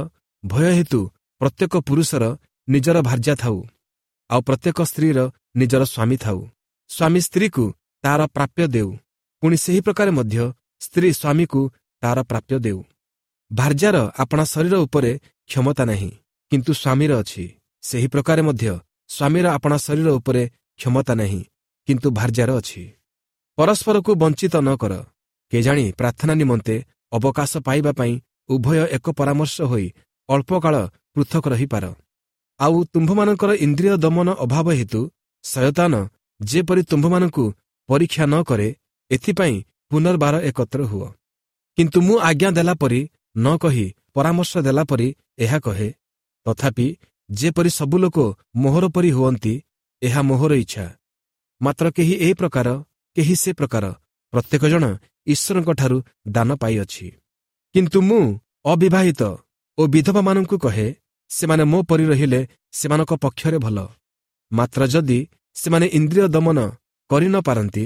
ଭୟ ହେତୁ ପ୍ରତ୍ୟେକ ପୁରୁଷର ନିଜର ଭାର୍ଯ୍ୟା ଥାଉ, ଆଉ ପ୍ରତ୍ୟେକ ସ୍ତ୍ରୀର ନିଜର ସ୍ୱାମୀ ଥାଉ। ସ୍ୱାମୀ ସ୍ତ୍ରୀକୁ ତାର ପ୍ରାପ୍ୟ ଦେଉ, ପୁଣି ସେହି ପ୍ରକାରେ ମଧ୍ୟ ସ୍ତ୍ରୀ ସ୍ୱାମୀକୁ ତାର ପ୍ରାପ୍ୟ ଦେଉ। ଭାର୍ଯ୍ୟାର ଆପଣା ଶରୀର ଉପରେ କ୍ଷମତା ନାହିଁ, କିନ୍ତୁ ସ୍ୱାମୀର ଅଛି। ସେହି ପ୍ରକାରେ ମଧ୍ୟ ସ୍ୱାମୀର ଆପଣା ଶରୀର ଉପରେ କ୍ଷମତା ନାହିଁ, କିନ୍ତୁ ଭାର୍ଯ୍ୟାର ଅଛି। ପରସ୍ପରକୁ ବଞ୍ଚିତ ନ କର। କେଜାଣି ପ୍ରାର୍ଥନା ନିମନ୍ତେ ଅବକାଶ ପାଇବା ପାଇଁ ଉଭୟ ଏକ ପରାମର୍ଶ ହୋଇ ଅଳ୍ପକାଳ ପୃଥକ ରହିପାର। ଆଉ ତୁମ୍ଭମାନଙ୍କର ଇନ୍ଦ୍ରିୟ ଦମନ ଅଭାବ ହେତୁ ଶୟତାନ ଯେପରି ତୁମ୍ଭମାନଙ୍କୁ ପରୀକ୍ଷା ନ କରେ, ଏଥିପାଇଁ ପୁନର୍ବାର ଏକତ୍ର ହୁଅ। କିନ୍ତୁ ମୁଁ ଆଜ୍ଞା ଦେଲା ପରି ନ କହି ପରାମର୍ଶ ଦେଲା ପରି ଏହା କହେ। ତଥାପି ଯେପରି ସବୁ ଲୋକ ମୋହର ପରି ହୁଅନ୍ତି, ଏହା ମୋହର ଇଚ୍ଛା। ମାତ୍ର କେହି ଏହି ପ୍ରକାର, କେହି ସେ ପ୍ରକାର, ପ୍ରତ୍ୟେକ ଜଣ ଈଶ୍ୱରଙ୍କଠାରୁ ଦାନ ପାଇଅଛି। କିନ୍ତୁ ମୁଁ ଅବିବାହିତ ଓ ବିଧବାମାନଙ୍କୁ କହେ, ସେମାନେ ମୋ ପରି ରହିଲେ ସେମାନଙ୍କ ପକ୍ଷରେ ଭଲ। ମାତ୍ର ଯଦି ସେମାନେ ଇନ୍ଦ୍ରିୟ ଦମନ କରି ନ ପାରନ୍ତି,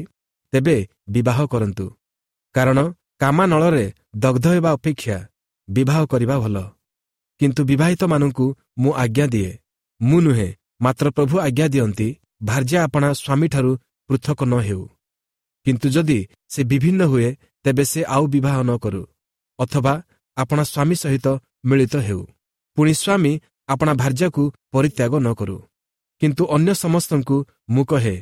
ତେବେ ବିବାହ କରନ୍ତୁ। କାରଣ କାମାନଳରେ ଦଗ୍ଧ ହେବା ଅପେକ୍ଷା ବିବାହ କରିବା ଭଲ। କିନ୍ତୁ ବିବାହିତମାନଙ୍କୁ ମୁଁ ଆଜ୍ଞା ଦିଏ, ମୁଁ ନୁହେଁ, ମାତ୍ର ପ୍ରଭୁ ଆଜ୍ଞା ଦିଅନ୍ତି, ଭାର୍ଯ୍ୟା ଆପଣା ସ୍ୱାମୀଠାରୁ ପୃଥକ ନ ହେଉ। କିନ୍ତୁ ଯଦି ସେ ବିଭିନ୍ନ ହୁଏ, ତେବେ ସେ ଆଉ ବିବାହ ନ କରୁ, ଅଥବା ଆପଣା ସ୍ୱାମୀ ସହିତ ମିଳିତ ହେଉ। ପୁଣି ସ୍ୱାମୀ ଆପଣା ଭାର୍ଯ୍ୟାକୁ ପରିତ୍ୟାଗ ନ କରୁ। କିନ୍ତୁ ଅନ୍ୟ ସମସ୍ତଙ୍କୁ ମୁଁ କହେ,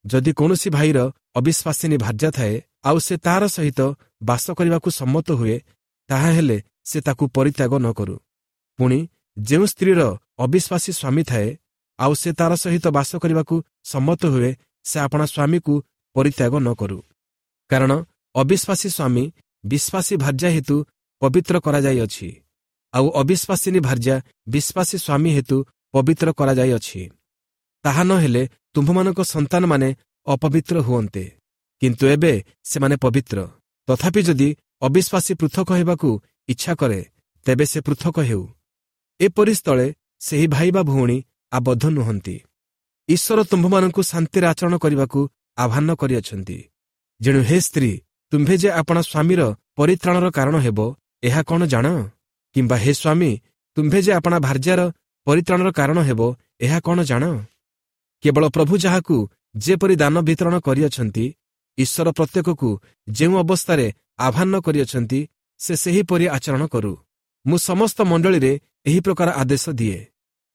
ଯଦି କୌଣସି ଭାଇର ଅବିଶ୍ୱାସିନୀ ଭାର୍ଯ୍ୟା ଥାଏ, ଆଉ ସେ ତାର ସହିତ ବାସ କରିବାକୁ ସମ୍ମତ ହୁଏ, ତାହାହେଲେ ସେ ତାକୁ ପରିତ୍ୟାଗ ନ କରୁ। ପୁଣି ଯେଉଁ ସ୍ତ୍ରୀର ଅବିଶ୍ୱାସୀ ସ୍ୱାମୀ ଥାଏ, ଆଉ ସେ ତାର ସହିତ ବାସ କରିବାକୁ ସମ୍ମତ ହୁଏ, ସେ ଆପଣା ସ୍ୱାମୀକୁ ପରିତ୍ୟାଗ ନ କରୁ। କାରଣ ଅବିଶ୍ୱାସୀ ସ୍ୱାମୀ ବିଶ୍ୱାସୀ ଭାର୍ଯ୍ୟା ହେତୁ ପବିତ୍ର କରାଯାଇଅଛି, ଆଉ ଅବିଶ୍ୱାସିନୀ ଭାର୍ଯ୍ୟା ବିଶ୍ୱାସୀ ସ୍ୱାମୀ ହେତୁ ପବିତ୍ର କରାଯାଇଅଛି। ତାହା ନ ହେଲେ ତୁମ୍ଭମାନଙ୍କ ସନ୍ତାନମାନେ ଅପବିତ୍ର ହୁଅନ୍ତେ, କିନ୍ତୁ ଏବେ ସେମାନେ ପବିତ୍ର। ତଥାପି ଯଦି ଅବିଶ୍ୱାସୀ ପୃଥକ ହେବାକୁ ଇଚ୍ଛା କରେ, ତେବେ ସେ ପୃଥକ ହେଉ। ଏପରି ସ୍ଥଳେ ସେହି ଭାଇ ବା ଭଉଣୀ ଆବଦ୍ଧ ନୁହନ୍ତି। ଈଶ୍ୱର ତୁମ୍ଭମାନଙ୍କୁ ଶାନ୍ତିରେ ଆଚରଣ କରିବାକୁ ଆହ୍ୱାନ କରିଅଛନ୍ତି। ଯେଣୁ ହେ ସ୍ତ୍ରୀ, ତୁମ୍ଭେ ଯେ ଆପଣା ସ୍ୱାମୀର ପରିତ୍ରାଣର କାରଣ ହେବ, ଏହା କ'ଣ ଜାଣ? କିମ୍ବା ହେ ସ୍ୱାମୀ, ତୁମ୍ଭେ ଯେ ଆପଣା ଭାର୍ଯ୍ୟାର ପରିତ୍ରାଣର କାରଣ ହେବ, ଏହା କ'ଣ ଜାଣ? କେବଳ ପ୍ରଭୁ ଯାହାକୁ ଯେପରି ଦାନ ବିତରଣ କରିଅଛନ୍ତି, ଈଶ୍ୱର ପ୍ରତ୍ୟେକକୁ ଯେଉଁ ଅବସ୍ଥାରେ ଆହ୍ୱାନ କରିଅଛନ୍ତି, ସେ ସେହିପରି ଆଚରଣ କରୁ। ମୁଁ ସମସ୍ତ ମଣ୍ଡଳୀରେ ଏହି ପ୍ରକାର ଆଦେଶ ଦିଏ।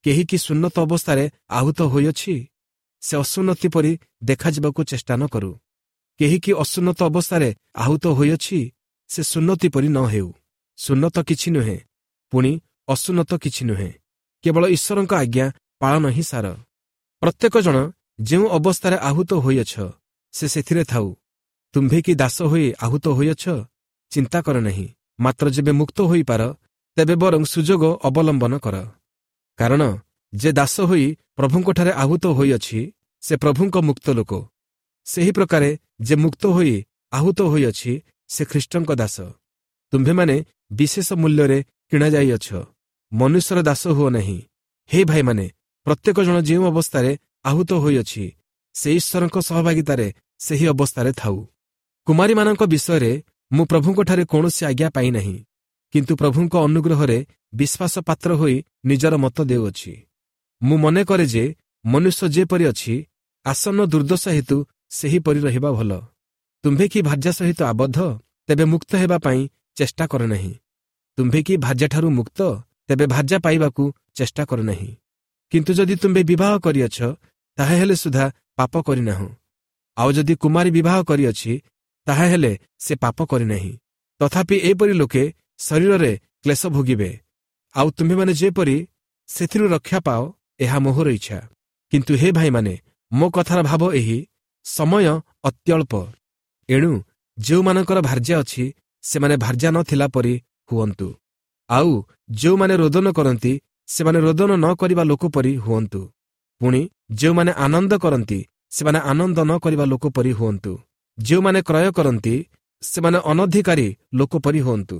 କେହି କି ସୁନ୍ନତ ଅବସ୍ଥାରେ ଆହୁତ ହୋଇଅଛି? ସେ ଅସୁନ୍ନତି ପରି ଦେଖାଯିବାକୁ ଚେଷ୍ଟା ନ କରୁ। କେହି କି ଅସୁନ୍ନତ ଅବସ୍ଥାରେ ଆହୁତ ହୋଇଅଛି? ସେ ସୁନ୍ନତି ପରି ନ ହେଉ। ସୁନ୍ନତ କିଛି ନୁହେଁ, ପୁଣି ଅସୁନ୍ନତ କିଛି ନୁହେଁ, କେବଳ ଈଶ୍ୱରଙ୍କ ଆଜ୍ଞା ପାଳନ ହିଁ ସାର। ପ୍ରତ୍ୟେକ ଜଣ ଯେଉଁ ଅବସ୍ଥାରେ ଆହୁତ ହୋଇଅଛ, ସେ ସେଥିରେ ଥାଉ। ତୁମ୍ଭେ କି ଦାସ ହୋଇ ଆହୁତ ହୋଇଅଛ? ଚିନ୍ତା କର ନାହିଁ। ମାତ୍ର ଯେବେ ମୁକ୍ତ ହୋଇପାର, ତେବେ ବରଂ ସୁଯୋଗ ଅବଲମ୍ବନ କର। କାରଣ ଯେ ଦାସ ହୋଇ ପ୍ରଭୁଙ୍କଠାରେ ଆହୁତ ହୋଇଅଛି, ସେ ପ୍ରଭୁଙ୍କ ମୁକ୍ତ ଲୋକ। ସେହି ପ୍ରକାରେ ଯେ ମୁକ୍ତ ହୋଇ ଆହୁତ ହୋଇଅଛି, ସେ ଖ୍ରୀଷ୍ଟଙ୍କ ଦାସ। ତୁମ୍ଭେମାନେ ବିଶେଷ ମୂଲ୍ୟରେ କିଣାଯାଇଅଛ, ମନୁଷ୍ୟର ଦାସ ହୁଅ ନାହିଁ। ହେ ଭାଇମାନେ, ପ୍ରତ୍ୟେକ ଜଣ ଯେଉଁ ଅବସ୍ଥାରେ ଆହୁତ ହୋଇଅଛି, ସେ ଈଶ୍ୱରଙ୍କ ସହଭାଗିତାରେ ସେହି ଅବସ୍ଥାରେ ଥାଉ। କୁମାରୀମାନଙ୍କ ବିଷୟରେ ମୁଁ ପ୍ରଭୁଙ୍କଠାରେ କୌଣସି ଆଜ୍ଞା ପାଇନାହିଁ, କିନ୍ତୁ ପ୍ରଭୁଙ୍କ ଅନୁଗ୍ରହରେ ବିଶ୍ୱାସ ପାତ୍ର ହୋଇ ନିଜର ମତ ଦେଉଅଛି। ମୁଁ ମନେ କରେ ଯେ ମନୁଷ୍ୟ ଯେପରି ଅଛି, ଆସନ୍ନ ଦୁର୍ଦ୍ଦଶା ହେତୁ ସେହିପରି ରହିବା ଭଲ। ତୁମ୍ଭେ କି ଭାର୍ଯ୍ୟା ସହିତ ଆବଦ୍ଧ? ତେବେ ମୁକ୍ତ ହେବା ପାଇଁ ଚେଷ୍ଟା କର ନାହିଁ। ତୁମ୍ଭେ କି ଭାର୍ଯ୍ୟାଠାରୁ ମୁକ୍ତ? ତେବେ ଭାର୍ଯ୍ୟା ପାଇବାକୁ ଚେଷ୍ଟା କର ନାହିଁ। କିନ୍ତୁ ଯଦି ତୁମ୍ଭେ ବିବାହ କରିଅଛ, ତାହାହେଲେ ସୁଦ୍ଧା ପାପ କରିନାହୁଁ। ଆଉ ଯଦି କୁମାରୀ ବିବାହ କରିଅଛି, ତାହାହେଲେ ସେ ପାପ କରିନାହିଁ। ତଥାପି ଏପରି ଲୋକେ ଶରୀରରେ କ୍ଲେଶ ଭୋଗିବେ, ଆଉ ତୁମ୍ଭେମାନେ ଯେପରି ସେଥିରୁ ରକ୍ଷା ପାଅ, ଏହା ମୋହର ଇଚ୍ଛା। କିନ୍ତୁ ହେ ଭାଇମାନେ, ମୋ କଥାର ଭାବ ଏହି, ସମୟ ଅତ୍ୟଳ୍ପ। ଏଣୁ ଯେଉଁମାନଙ୍କର ଭାର୍ଯ୍ୟା ଅଛି, ସେମାନେ ଭାର୍ଯ୍ୟା ନଥିଲା ପରି ହୁଅନ୍ତୁ। ଆଉ ଯେଉଁମାନେ ରୋଦନ କରନ୍ତି, ସେମାନେ ରୋଦନ ନ କରିବା ଲୋକ ପରି ହୁଅନ୍ତୁ। ପୁଣି ଯେଉଁମାନେ ଆନନ୍ଦ କରନ୍ତି, ସେମାନେ ଆନନ୍ଦ ନ କରିବା ଲୋକ ପରି ହୁଅନ୍ତୁ। ଯେଉଁମାନେ କ୍ରୟ କରନ୍ତି, ସେମାନେ ଅନଧିକାରୀ ଲୋକ ପରି ହୁଅନ୍ତୁ।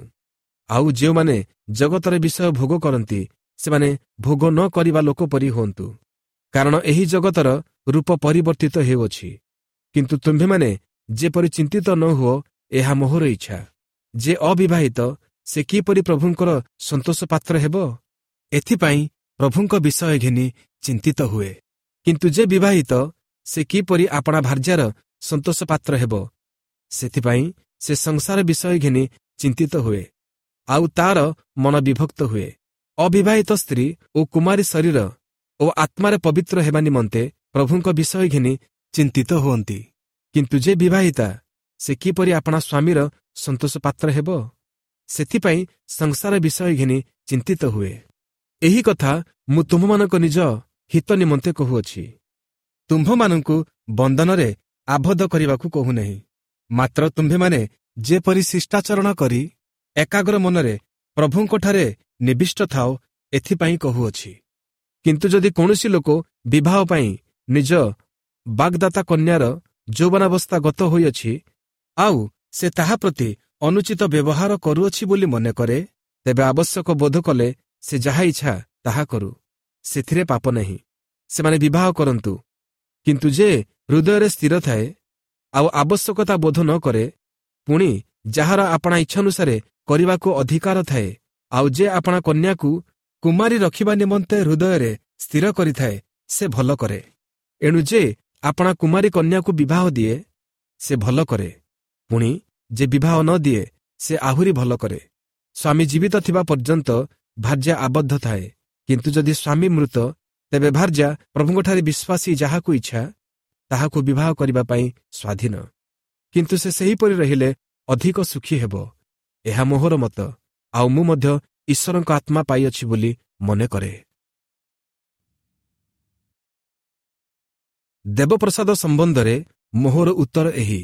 ଆଉ ଯେଉଁମାନେ ଜଗତର ବିଷୟ ଭୋଗ କରନ୍ତି, ସେମାନେ ଭୋଗ ନ କରିବା ଲୋକ ପରି ହୁଅନ୍ତୁ। କାରଣ ଏହି ଜଗତର ରୂପ ପରିବର୍ତ୍ତିତ ହେଉଅଛି। କିନ୍ତୁ ତୁମ୍ଭେମାନେ ଯେପରି ଚିନ୍ତିତ ନ ହୁଅ, ଏହା ମୋହର ଇଚ୍ଛା। ଯେ ଅବିବାହିତ, ସେ କିପରି ପ୍ରଭୁଙ୍କର ସନ୍ତୋଷ ପାତ୍ର ହେବ? ଏଥିପାଇଁ ପ୍ରଭୁଙ୍କ ବିଷୟ ଘେନି ଚିନ୍ତିତ ହୁଏ। କିନ୍ତୁ ଯେ ବିବାହିତ, ସେ କିପରି ଆପଣା ଭାର୍ଯ୍ୟାର ସନ୍ତୋଷ ପାତ୍ର ହେବ, ସେଥିପାଇଁ ସେ ସଂସାର ବିଷୟ ଘେନି ଚିନ୍ତିତ ହୁଏ, ଆଉ ତାର ମନ ବିଭକ୍ତ ହୁଏ। ଅବିବାହିତ ସ୍ତ୍ରୀ ଓ କୁମାରୀ ଶରୀର ଓ ଆତ୍ମାରେ ପବିତ୍ର ହେବା ନିମନ୍ତେ ପ୍ରଭୁଙ୍କ ବିଷୟ ଘେନି ଚିନ୍ତିତ ହୁଅନ୍ତି। କିନ୍ତୁ ଯେ ବିବାହିତା, ସେ କିପରି ଆପଣା ସ୍ୱାମୀର ସନ୍ତୋଷ ପାତ୍ର ହେବ, ସେଥିପାଇଁ ସଂସାର ବିଷୟ ଘେନି ଚିନ୍ତିତ ହୁଏ। ଏହି କଥା ମୁଁ ତୁମ୍ଭମାନଙ୍କ ନିଜ ହିତ ନିମନ୍ତେ କହୁଅଛି, ତୁମ୍ଭମାନଙ୍କୁ ବନ୍ଧନରେ ଆବଦ୍ଧ କରିବାକୁ କହୁନାହିଁ। ମାତ୍ର ତୁମ୍ଭେମାନେ ଯେପରି ଶିଷ୍ଟାଚରଣ କରି ଏକାଗ୍ର ମନରେ ପ୍ରଭୁଙ୍କଠାରେ ନିବିଷ୍ଟ ଥାଅ, ଏଥିପାଇଁ କହୁଅଛି। କିନ୍ତୁ ଯଦି କୌଣସି ଲୋକ ବିବାହ ପାଇଁ ନିଜ ବାଗ୍ଦାତା କନ୍ୟାର ଯୌବନାବସ୍ଥା ଗତ ହୋଇଅଛି, ଆଉ ସେ ତାହା ପ୍ରତି ଅନୁଚିତ ବ୍ୟବହାର କରୁଅଛି ବୋଲି ମନେ କରେ, ତେବେ ଆବଶ୍ୟକ ବୋଧ କଲେ ସେ ଯାହା ଇଚ୍ଛା ତାହା କରୁ, ସେଥିରେ ପାପ ନାହିଁ। ସେମାନେ ବିବାହ କରନ୍ତୁ। କିନ୍ତୁ ଯେ ହୃଦୟରେ ସ୍ଥିର ଥାଏ ଆଉ ଆବଶ୍ୟକତା ବୋଧ ନ କରେ, ପୁଣି ଯାହାର ଆପଣା ଇଚ୍ଛାନୁସାରେ କରିବାକୁ ଅଧିକାର ଥାଏ, ଆଉ ଯେ ଆପଣା କନ୍ୟାକୁ କୁମାରୀ ରଖିବା ନିମନ୍ତେ ହୃଦୟରେ ସ୍ଥିର କରିଥାଏ, ସେ ଭଲ କରେ। ଏଣୁ ଯେ ଆପଣା କୁମାରୀ କନ୍ୟାକୁ ବିବାହ ଦିଏ, ସେ ଭଲ କରେ। ପୁଣି ଯେ ବିବାହ ନ ଦିଏ, ସେ ଆହୁରି ଭଲ କରେ। ସ୍ୱାମୀ ଜୀବିତ ଥିବା ପର୍ଯ୍ୟନ୍ତ ଭାର୍ଯ୍ୟା ଆବଦ୍ଧ ଥାଏ, କିନ୍ତୁ ଯଦି ସ୍ୱାମୀ ମୃତ, ତେବେ ଭାର୍ଯ୍ୟା ପ୍ରଭୁଙ୍କଠାରେ ବିଶ୍ୱାସୀ ଯାହାକୁ ଇଚ୍ଛା ତାହାକୁ ବିବାହ କରିବା ପାଇଁ ସ୍ୱାଧୀନ। କିନ୍ତୁ ସେ ସେହିପରି ରହିଲେ ଅଧିକ ସୁଖୀ ହେବ। ଏହା ମୋହର ମତ, ଆଉ ମୁଁ ମଧ୍ୟ ଈଶ୍ୱରଙ୍କ ଆତ୍ମା ପାଇଅଛି ବୋଲି ମନେ କରେ। ଦେବପ୍ରସାଦ ସମ୍ବନ୍ଧରେ ମୋହର ଉତ୍ତର ଏହି: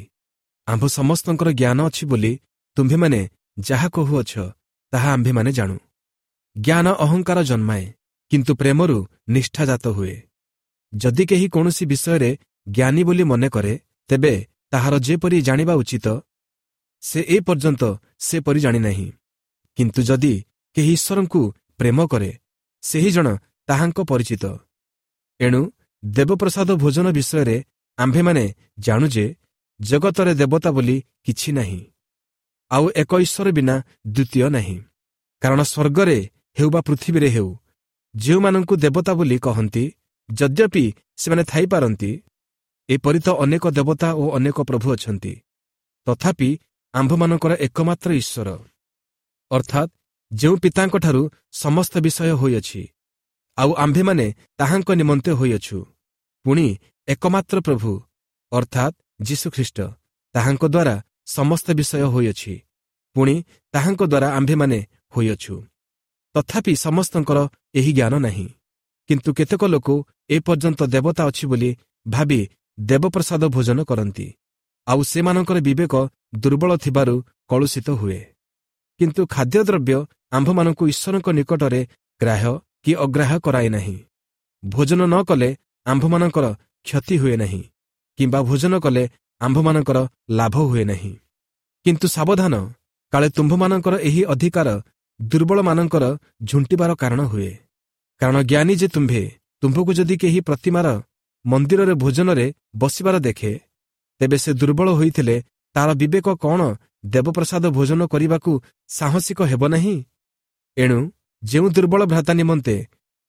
ଆମ୍ଭ ସମସ୍ତଙ୍କର ଜ୍ଞାନ ଅଛି ବୋଲି ତୁମ୍ଭେମାନେ ଯାହା କହୁଅଛ, ତାହା ଆମ୍ଭେମାନେ ଜାଣୁ। ଜ୍ଞାନ ଅହଙ୍କାର ଜନ୍ମାଏ, କିନ୍ତୁ ପ୍ରେମରୁ ନିଷ୍ଠାଜାତ ହୁଏ। ଯଦି କେହି କୌଣସି ବିଷୟରେ ଜ୍ଞାନୀ ବୋଲି ମନେ କରେ, ତେବେ ତାହାର ଯେପରି ଜାଣିବା ଉଚିତ, ସେ ଏ ପର୍ଯ୍ୟନ୍ତ ସେପରି ଜାଣିନାହିଁ। କିନ୍ତୁ ଯଦି କେହି ଈଶ୍ୱରଙ୍କୁ ପ୍ରେମ କରେ, ସେହି ଜଣ ତାହାଙ୍କ ପରିଚିତ। ଏଣୁ ଦେବପ୍ରସାଦ ଭୋଜନ ବିଷୟରେ ଆମ୍ଭେମାନେ ଜାଣୁ ଯେ ଜଗତରେ ଦେବତା ବୋଲି କିଛି ନାହିଁ, ଆଉ ଏକ ଈଶ୍ୱର ବିନା ଦ୍ୱିତୀୟ ନାହିଁ। କାରଣ ସ୍ୱର୍ଗରେ ହେଉ ବା ପୃଥିବୀରେ ହେଉ, ଯେଉଁମାନଙ୍କୁ ଦେବତା ବୋଲି କହନ୍ତି, ଯଦ୍ୟପି ସେମାନେ ଥାଇପାରନ୍ତି, ଏପରି ତ ଅନେକ ଦେବତା ଓ ଅନେକ ପ୍ରଭୁ ଅଛନ୍ତି, ତଥାପି ଆମ୍ଭମାନଙ୍କର ଏକମାତ୍ର ଈଶ୍ୱର, ଅର୍ଥାତ୍ ଯେଉଁ ପିତାଙ୍କଠାରୁ ସମସ୍ତ ବିଷୟ ହୋଇଅଛି, ଆଉ ଆମ୍ଭେମାନେ ତାହାଙ୍କ ନିମନ୍ତେ ହୋଇଅଛୁ, ପୁଣି ଏକମାତ୍ର ପ୍ରଭୁ, ଅର୍ଥାତ୍ ଯୀଶୁଖ୍ରୀଷ୍ଟ, ତାହାଙ୍କ ଦ୍ୱାରା ସମସ୍ତ ବିଷୟ ହୋଇଅଛି, ପୁଣି ତାହାଙ୍କ ଦ୍ୱାରା ଆମ୍ଭେମାନେ ହୋଇଅଛୁ। ତଥାପି ସମସ୍ତଙ୍କର ଏହି ଜ୍ଞାନ ନାହିଁ। କିନ୍ତୁ କେତେକ ଲୋକ ଏପର୍ଯ୍ୟନ୍ତ ଦେବତା ଅଛି ବୋଲି ଭାବି ଦେବପ୍ରସାଦ ଭୋଜନ କରନ୍ତି, ଆଉ ସେମାନଙ୍କର ବିବେକ ଦୁର୍ବଳ ଥିବାରୁ କଳୁଷିତ ହୁଏ। କିନ୍ତୁ ଖାଦ୍ୟଦ୍ରବ୍ୟ ଆମ୍ଭମାନଙ୍କୁ ଈଶ୍ୱରଙ୍କ ନିକଟରେ ଗ୍ରାହ୍ୟ କି ଅଗ୍ରାହ୍ୟ କରାଏ ନାହିଁ। ଭୋଜନ ନ କଲେ ଆମ୍ଭମାନଙ୍କର କ୍ଷତି ହୁଏ ନାହିଁ, କିମ୍ବା ଭୋଜନ କଲେ ଆମ୍ଭମାନଙ୍କର ଲାଭ ହୁଏ ନାହିଁ। କିନ୍ତୁ ସାବଧାନ, କାଳେ ତୁମ୍ଭମାନଙ୍କର ଏହି ଅଧିକାର ଦୁର୍ବଳମାନଙ୍କର ଝୁଣ୍ଟିବାର କାରଣ ହୁଏ। କାରଣ ଜ୍ଞାନୀ ଯେ ତୁମ୍ଭେ, ତୁମ୍ଭକୁ ଯଦି କେହି ପ୍ରତିମାର ମନ୍ଦିରରେ ଭୋଜନରେ ବସିବାର ଦେଖେ, ତେବେ ସେ ଦୁର୍ବଳ ହୋଇଥିଲେ ତାର ବିବେକ କ'ଣ ଦେବପ୍ରସାଦ ଭୋଜନ କରିବାକୁ ସାହସିକ ହେବ ନାହିଁ? ଏଣୁ ଯେଉଁ ଦୁର୍ବଳ ଭ୍ରାତା ନିମନ୍ତେ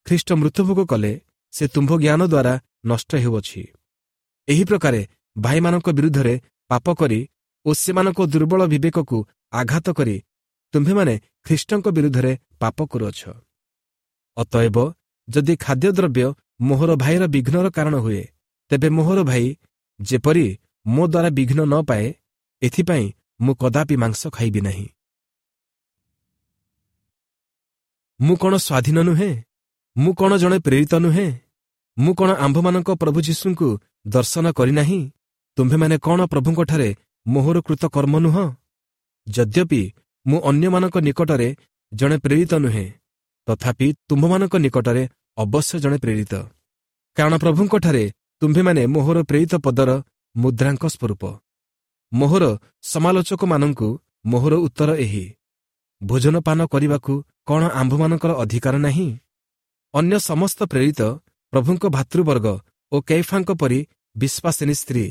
ଖ୍ରୀଷ୍ଟ ମୃତ୍ୟୁଭୋଗ କଲେ, ସେ ତୁମ୍ଭ ଜ୍ଞାନ ଦ୍ୱାରା ନଷ୍ଟ ହେଉଅଛି। ଏହି ପ୍ରକାରେ ଭାଇମାନଙ୍କ ବିରୁଦ୍ଧରେ ପାପ କରି ଓ ସେମାନଙ୍କ ଦୁର୍ବଳ ବିବେକକୁ ଆଘାତ କରି ତୁମ୍ଭେମାନେ ଖ୍ରୀଷ୍ଟଙ୍କ ବିରୁଦ୍ଧରେ ପାପ କରୁଅଛ। ଅତଏବ ଯଦି ଖାଦ୍ୟଦ୍ରବ୍ୟ ମୋହର ଭାଇର ବିଘ୍ନର କାରଣ ହୁଏ, ତେବେ ମୋହର ଭାଇ ଯେପରି ମୋ ଦ୍ୱାରା ବିଘ୍ନ ନ ପାଏ, ଏଥିପାଇଁ ମୁଁ କଦାପି ମାଂସ ଖାଇବି ନାହିଁ। ମୁଁ କ'ଣ ସ୍ୱାଧୀନ ନୁହେଁ? ମୁଁ କ'ଣ ଜଣେ ପ୍ରେରିତ ନୁହେଁ? ମୁଁ କ'ଣ ଆମ୍ଭମାନଙ୍କ ପ୍ରଭୁ ଯୀଶୁଙ୍କୁ ଦର୍ଶନ କରିନାହିଁ? ତୁମ୍ଭେମାନେ କ'ଣ ପ୍ରଭୁଙ୍କଠାରେ ମୋହର କୃତ କର୍ମ ନୁହଁ? ଯଦ୍ୟପି ମୁଁ ଅନ୍ୟମାନଙ୍କ ନିକଟରେ ଜଣେ ପ୍ରେରିତ ନୁହେଁ, ତଥାପି ତୁମ୍ଭମାନଙ୍କ ନିକଟରେ ଅବଶ୍ୟ ଜଣେ ପ୍ରେରିତ। କାରଣ ପ୍ରଭୁଙ୍କଠାରେ ତୁମ୍ଭେମାନେ ମୋହର ପ୍ରେରିତ ପଦର ମୁଦ୍ରାଙ୍କ ସ୍ୱରୂପ। ମୋହର ସମାଲୋଚକମାନଙ୍କୁ ମୋହର ଉତ୍ତର ଏହି: ଭୋଜନପାନ କରିବାକୁ କ'ଣ ଆମ୍ଭମାନଙ୍କର ଅଧିକାର ନାହିଁ? ଅନ୍ୟ ସମସ୍ତ ପ୍ରେରିତ ପ୍ରଭୁଙ୍କ ଭାତୃବର୍ଗ ଓ କୈଫାଙ୍କ ପରି ବିଶ୍ୱାସିନୀ ସ୍ତ୍ରୀ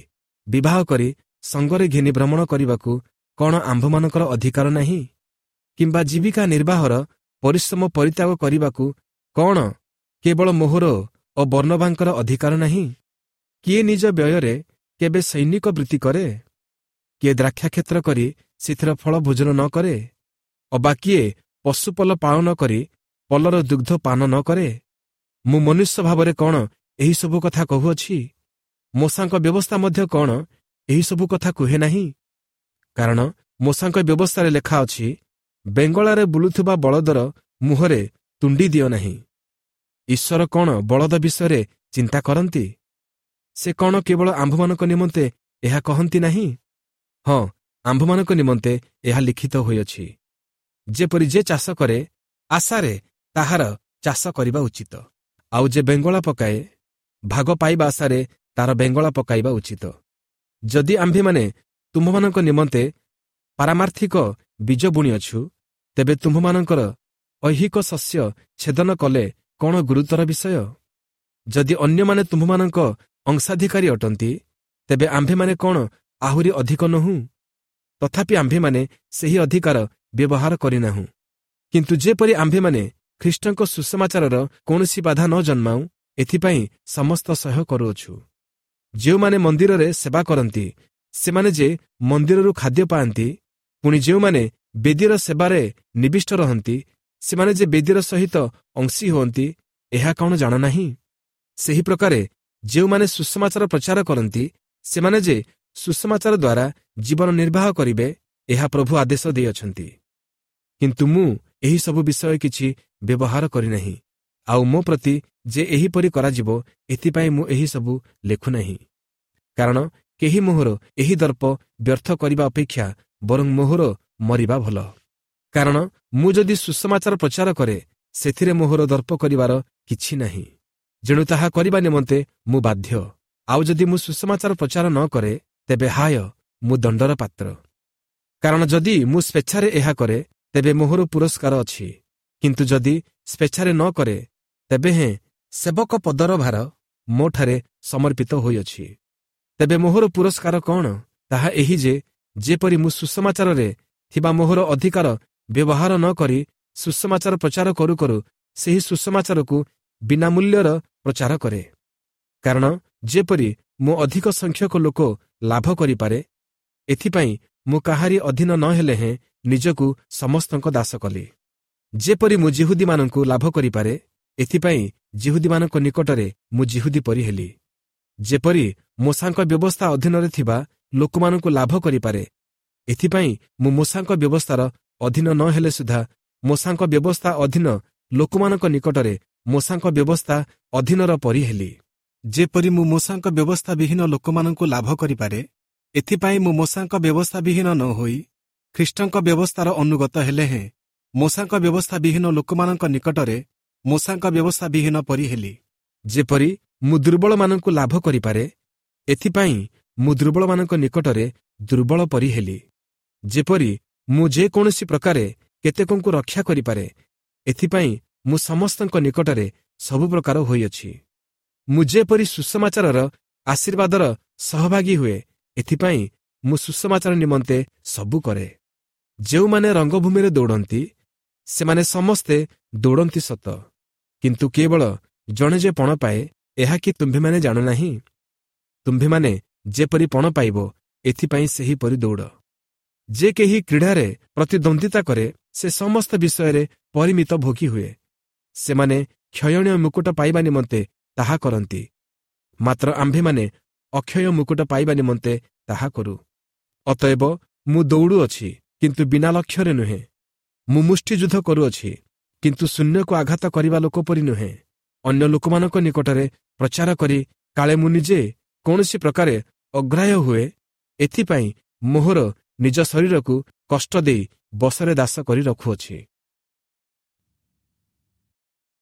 ବିବାହ କରି ସଙ୍ଗରେ ଘେନି ଭ୍ରମଣ କରିବାକୁ କ'ଣ ଆମ୍ଭମାନଙ୍କର ଅଧିକାର ନାହିଁ? କିମ୍ବା ଜୀବିକା ନିର୍ବାହର ପରିଶ୍ରମ ପରିତ୍ୟାଗ କରିବାକୁ କ'ଣ କେବଳ ମୋହର ଓ ବର୍ଣ୍ଣବାଙ୍କର ଅଧିକାର ନାହିଁ? କିଏ ନିଜ ବ୍ୟୟରେ କେବେ ସୈନିକ ବୃତ୍ତି କରେ? କିଏ ଦ୍ରାକ୍ଷାକ୍ଷେତ୍ର କରି ସେଥିର ଫଳ ଭୋଜନ ନ କରେ? ଅବା କିଏ ପଶୁପଲ ପାଳନ କରି ପଲର ଦୁଗ୍ଧ ପାନ ନ କରେ? ମୁଁ ମନୁଷ୍ୟ ଭାବରେ କ'ଣ ଏହିସବୁ କଥା କହୁଅଛି? ମୋଶାଙ୍କ ବ୍ୟବସ୍ଥା ମଧ୍ୟ କ'ଣ ଏହିସବୁ କଥା କୁହେ ନାହିଁ? କାରଣ ମୋଶାଙ୍କ ବ୍ୟବସ୍ଥାରେ ଲେଖା ଅଛି, ବେଙ୍ଗଳାରେ ବୁଲୁଥିବା ବଳଦର ମୁହଁରେ ତୁଣ୍ଡି ଦିଅ ନାହିଁ। ଈଶ୍ୱର କ'ଣ ବଳଦ ବିଷୟରେ ଚିନ୍ତା କରନ୍ତି? ସେ କ'ଣ କେବଳ ଆମ୍ଭମାନଙ୍କ ନିମନ୍ତେ ଏହା କହନ୍ତି ନାହିଁ? ହଁ, ଆମ୍ଭମାନଙ୍କ ନିମନ୍ତେ ଏହା ଲିଖିତ ହୋଇଅଛି, ଯେପରି ଯେ ଚାଷ କରେ ଆଶାରେ ତାହାର ଚାଷ କରିବା ଉଚିତ, ଆଉ ଯେ ବେଙ୍ଗଳା ପକାଏ ଭାଗ ପାଇବା ଆଶାରେ ତାର ବେଙ୍ଗଳା ପକାଇବା ଉଚିତ। ଯଦି ଆମ୍ଭେମାନେ ତୁମ୍ଭମାନଙ୍କ ନିମନ୍ତେ ପାରମାର୍ଥିକ ବୀଜ ବୁଣିଅଛୁ, ତେବେ ତୁମ୍ଭମାନଙ୍କର ଐହିକ ଶସ୍ୟ ଛେଦନ କଲେ କ'ଣ ଗୁରୁତର ବିଷୟ? ଯଦି ଅନ୍ୟମାନେ ତୁମ୍ଭମାନଙ୍କ ଅଂଶାଧିକାରୀ ଅଟନ୍ତି, ତେବେ ଆମ୍ଭେମାନେ କ'ଣ ଆହୁରି ଅଧିକ ନୋହୁଁ? ତଥାପି ଆମ୍ଭେମାନେ ସେହି ଅଧିକାର ବ୍ୟବହାର କରିନାହୁଁ, କିନ୍ତୁ ଯେପରି ଆମ୍ଭେମାନେ ଖ୍ରୀଷ୍ଟଙ୍କ ସୁସମାଚାରର କୌଣସି ବାଧା ନ ଜନ୍ମାଉ, ଏଥିପାଇଁ ସମସ୍ତ ସହ୍ୟ କରୁଅଛୁ। ଯେଉଁମାନେ ମନ୍ଦିରରେ ସେବା କରନ୍ତି, ସେମାନେ ଯେ ମନ୍ଦିରରୁ ଖାଦ୍ୟ ପାଆନ୍ତି, ପୁଣି ଯେଉଁମାନେ ବେଦୀର ସେବାରେ ନିବିଷ୍ଟ ରହନ୍ତି, ସେମାନେ ଯେ ବେଦୀର ସହିତ ଅଂଶୀ ହୁଅନ୍ତି, ଏହା କ'ଣ ଜାଣ ନାହିଁ? ସେହି ପ୍ରକାରେ ଯେଉଁମାନେ ସୁସମାଚାର ପ୍ରଚାର କରନ୍ତି, ସେମାନେ ଯେ ସୁସମାଚାର ଦ୍ୱାରା ଜୀବନ ନିର୍ବାହ କରିବେ, ଏହା ପ୍ରଭୁ ଆଦେଶ ଦେଇଅଛନ୍ତି। କିନ୍ତୁ ମୁଁ ଏହିସବୁ ବିଷୟ କିଛି ବ୍ୟବହାର କରିନାହିଁ, ଆଉ ମୋ ପ୍ରତି ଯେ ଏହିପରି କରାଯିବ, ଏଥିପାଇଁ ମୁଁ ଏହିସବୁ ଲେଖୁନାହିଁ। କାରଣ କେହି ମୋହର ଏହି ଦର୍ପ ବ୍ୟର୍ଥ କରିବା ଅପେକ୍ଷା ବରଂ ମୋହର ମରିବା ଭଲ। କାରଣ ମୁଁ ଯଦି ସୁସମାଚାର ପ୍ରଚାର କରେ, ସେଥିରେ ମୋହର ଦର୍ପ କରିବାର କିଛି ନାହିଁ, ଯେଣୁ ତାହା କରିବା ନିମନ୍ତେ ମୁଁ ବାଧ୍ୟ। ଆଉ ଯଦି ମୁଁ ସୁସମାଚାର ପ୍ରଚାର ନ କରେ, ତେବେ ହାୟ, ମୁଁ ଦଣ୍ଡର ପାତ୍ର। କାରଣ ଯଦି ମୁଁ ସ୍ୱେଚ୍ଛାରେ ଏହା କରେ, ତେବେ ମୋହର ପୁରସ୍କାର ଅଛି, କିନ୍ତୁ ଯଦି ସ୍ୱେଚ୍ଛାରେ ନ କରେ, ତେବେ ହେଁ ସେବକ ପଦର ଭାର ମୋଠାରେ ସମର୍ପିତ ହୋଇଅଛି। ତେବେ ମୋହର ପୁରସ୍କାର କ'ଣ? ତାହା ଏହି ଯେ, ଯେପରି ମୁଁ ସୁସମାଚାରରେ ଥିବା ମୋହର ଅଧିକାର ବ୍ୟବହାର ନ କରି ସୁସମାଚାର ପ୍ରଚାର କରୁ କରୁ ସେହି ସୁସମାଚାରକୁ ବିନା ମୂଲ୍ୟର ପ୍ରଚାର କରେ। କାରଣ ଯେପରି ମୁଁ ଅଧିକ ସଂଖ୍ୟକ ଲୋକ ଲାଭ କରିପାରେ, ଏଥିପାଇଁ ମୁଁ କାହାରି ଅଧୀନ ନ ହେଲେ ହେଁ ନିଜକୁ ସମସ୍ତଙ୍କ ଦାସ କଲି। ଯେପରି ମୁଁ ଜିହୁଦୀମାନଙ୍କୁ ଲାଭ କରିପାରେ, ଏଥିପାଇଁ ଜିହୁଦୀମାନଙ୍କ ନିକଟରେ ମୁଁ ଜିହୁଦୀ ପରି ହେଲି। ଯେପରି ମୋଶାଙ୍କ ବ୍ୟବସ୍ଥା ଅଧୀନରେ ଥିବା ଲୋକମାନଙ୍କୁ ଲାଭ କରିପାରେ, ଏଥିପାଇଁ ମୁଁ ମୋଶାଙ୍କ ବ୍ୟବସ୍ଥାର ଅଧୀନ ନ ହେଲେ ସୁଦ୍ଧା ମୋଶାଙ୍କ ବ୍ୟବସ୍ଥା ଅଧୀନ ଲୋକମାନଙ୍କ ନିକଟରେ ମୋଶାଙ୍କ ବ୍ୟବସ୍ଥା ଅଧୀନର ପରି ହେଲି। ଯେପରି ମୁଁ ମୋଶାଙ୍କ ବ୍ୟବସ୍ଥା ବିହୀନ ଲୋକମାନଙ୍କୁ ଲାଭ କରିପାରେ, ଏଥିପାଇଁ ମୁଁ ମୋଶାଙ୍କ ବ୍ୟବସ୍ଥା ବିହୀନ ନ ହୋଇ ଖ୍ରୀଷ୍ଟଙ୍କ ବ୍ୟବସ୍ଥାର ଅନୁଗତ ହେଲେ ହେଁ ମୋଶାଙ୍କ ବ୍ୟବସ୍ଥା ବିହୀନ ଲୋକମାନଙ୍କ ନିକଟରେ ମୋଶାଙ୍କ ବ୍ୟବସ୍ଥା ବିହୀନ ପରି ହେଲି। ଯେପରି ମୁଁ ଦୁର୍ବଳମାନଙ୍କୁ ଲାଭ କରିପାରେ, ଏଥିପାଇଁ ମୁଁ ଦୁର୍ବଳମାନଙ୍କ ନିକଟରେ ଦୁର୍ବଳ ପରି ହେଲି। ଯେପରି ମୁଁ ଯେକୌଣସି ପ୍ରକାରେ କେତେକଙ୍କୁ ରକ୍ଷା କରିପାରେ, ଏଥିପାଇଁ ମୁଁ ସମସ୍ତଙ୍କ ନିକଟରେ ସବୁ ପ୍ରକାର ହୋଇଅଛି। ମୁଁ ଯେପରି ସୁସମାଚାରର ଆଶୀର୍ବାଦର ସହଭାଗୀ ହୁଏ, ଏଥିପାଇଁ ମୁଁ ସୁସମାଚାର ନିମନ୍ତେ ସବୁ କରେ। ଯେଉଁମାନେ ରଙ୍ଗଭୂମିରେ ଦୌଡ଼ନ୍ତି, ସେମାନେ ସମସ୍ତେ ଦୌଡ଼ନ୍ତି ସତ, କିନ୍ତୁ କେବଳ ଜଣେ ଯେ ପଣ ପାଏ, ଏହା କି ତୁମ୍ଭେମାନେ ଜାଣ ନାହିଁ? ତୁମ୍ଭେମାନେ ଯେପରି ପଣ ପାଇବ, ଏଥିପାଇଁ ସେହିପରି ଦୌଡ଼। ଯେ କେହି କ୍ରୀଡ଼ାରେ ପ୍ରତିଦ୍ୱନ୍ଦ୍ୱିତା କରେ, ସେ ସମସ୍ତ ବିଷୟରେ ପରିମିତ ଭୋଗୀ ହୁଏ। ସେମାନେ କ୍ଷୟଣୀୟ ମୁକୁଟ ପାଇବା ନିମନ୍ତେ ତାହା କରନ୍ତି, ମାତ୍ର ଆମ୍ଭେମାନେ ଅକ୍ଷୟ ମୁକୁଟ ପାଇବା ନିମନ୍ତେ ତାହା କରୁ। ଅତଏବ ମୁଁ ଦୌଡ଼ୁଅଛି, କିନ୍ତୁ ବିନା ଲକ୍ଷ୍ୟରେ ନୁହେଁ। ମୁଁ ମୁଷ୍ଟିଯୁଦ୍ଧ କରୁଅଛି, କିନ୍ତୁ ଶୂନ୍ୟକୁ ଆଘାତ କରିବା ଲୋକ ପରି ନୁହେଁ। ଅନ୍ୟ ଲୋକମାନଙ୍କ ନିକଟରେ ପ୍ରଚାର କରି କାଳେ ମୁଁ ନିଜେ କୌଣସି ପ୍ରକାରେ ଅଗ୍ରାହ୍ୟ ହୁଏ, ଏଥିପାଇଁ ମୋହର ନିଜ ଶରୀରକୁ କଷ୍ଟ ଦେଇ ବଶରେ ଦାସ କରି ରଖୁଅଛି।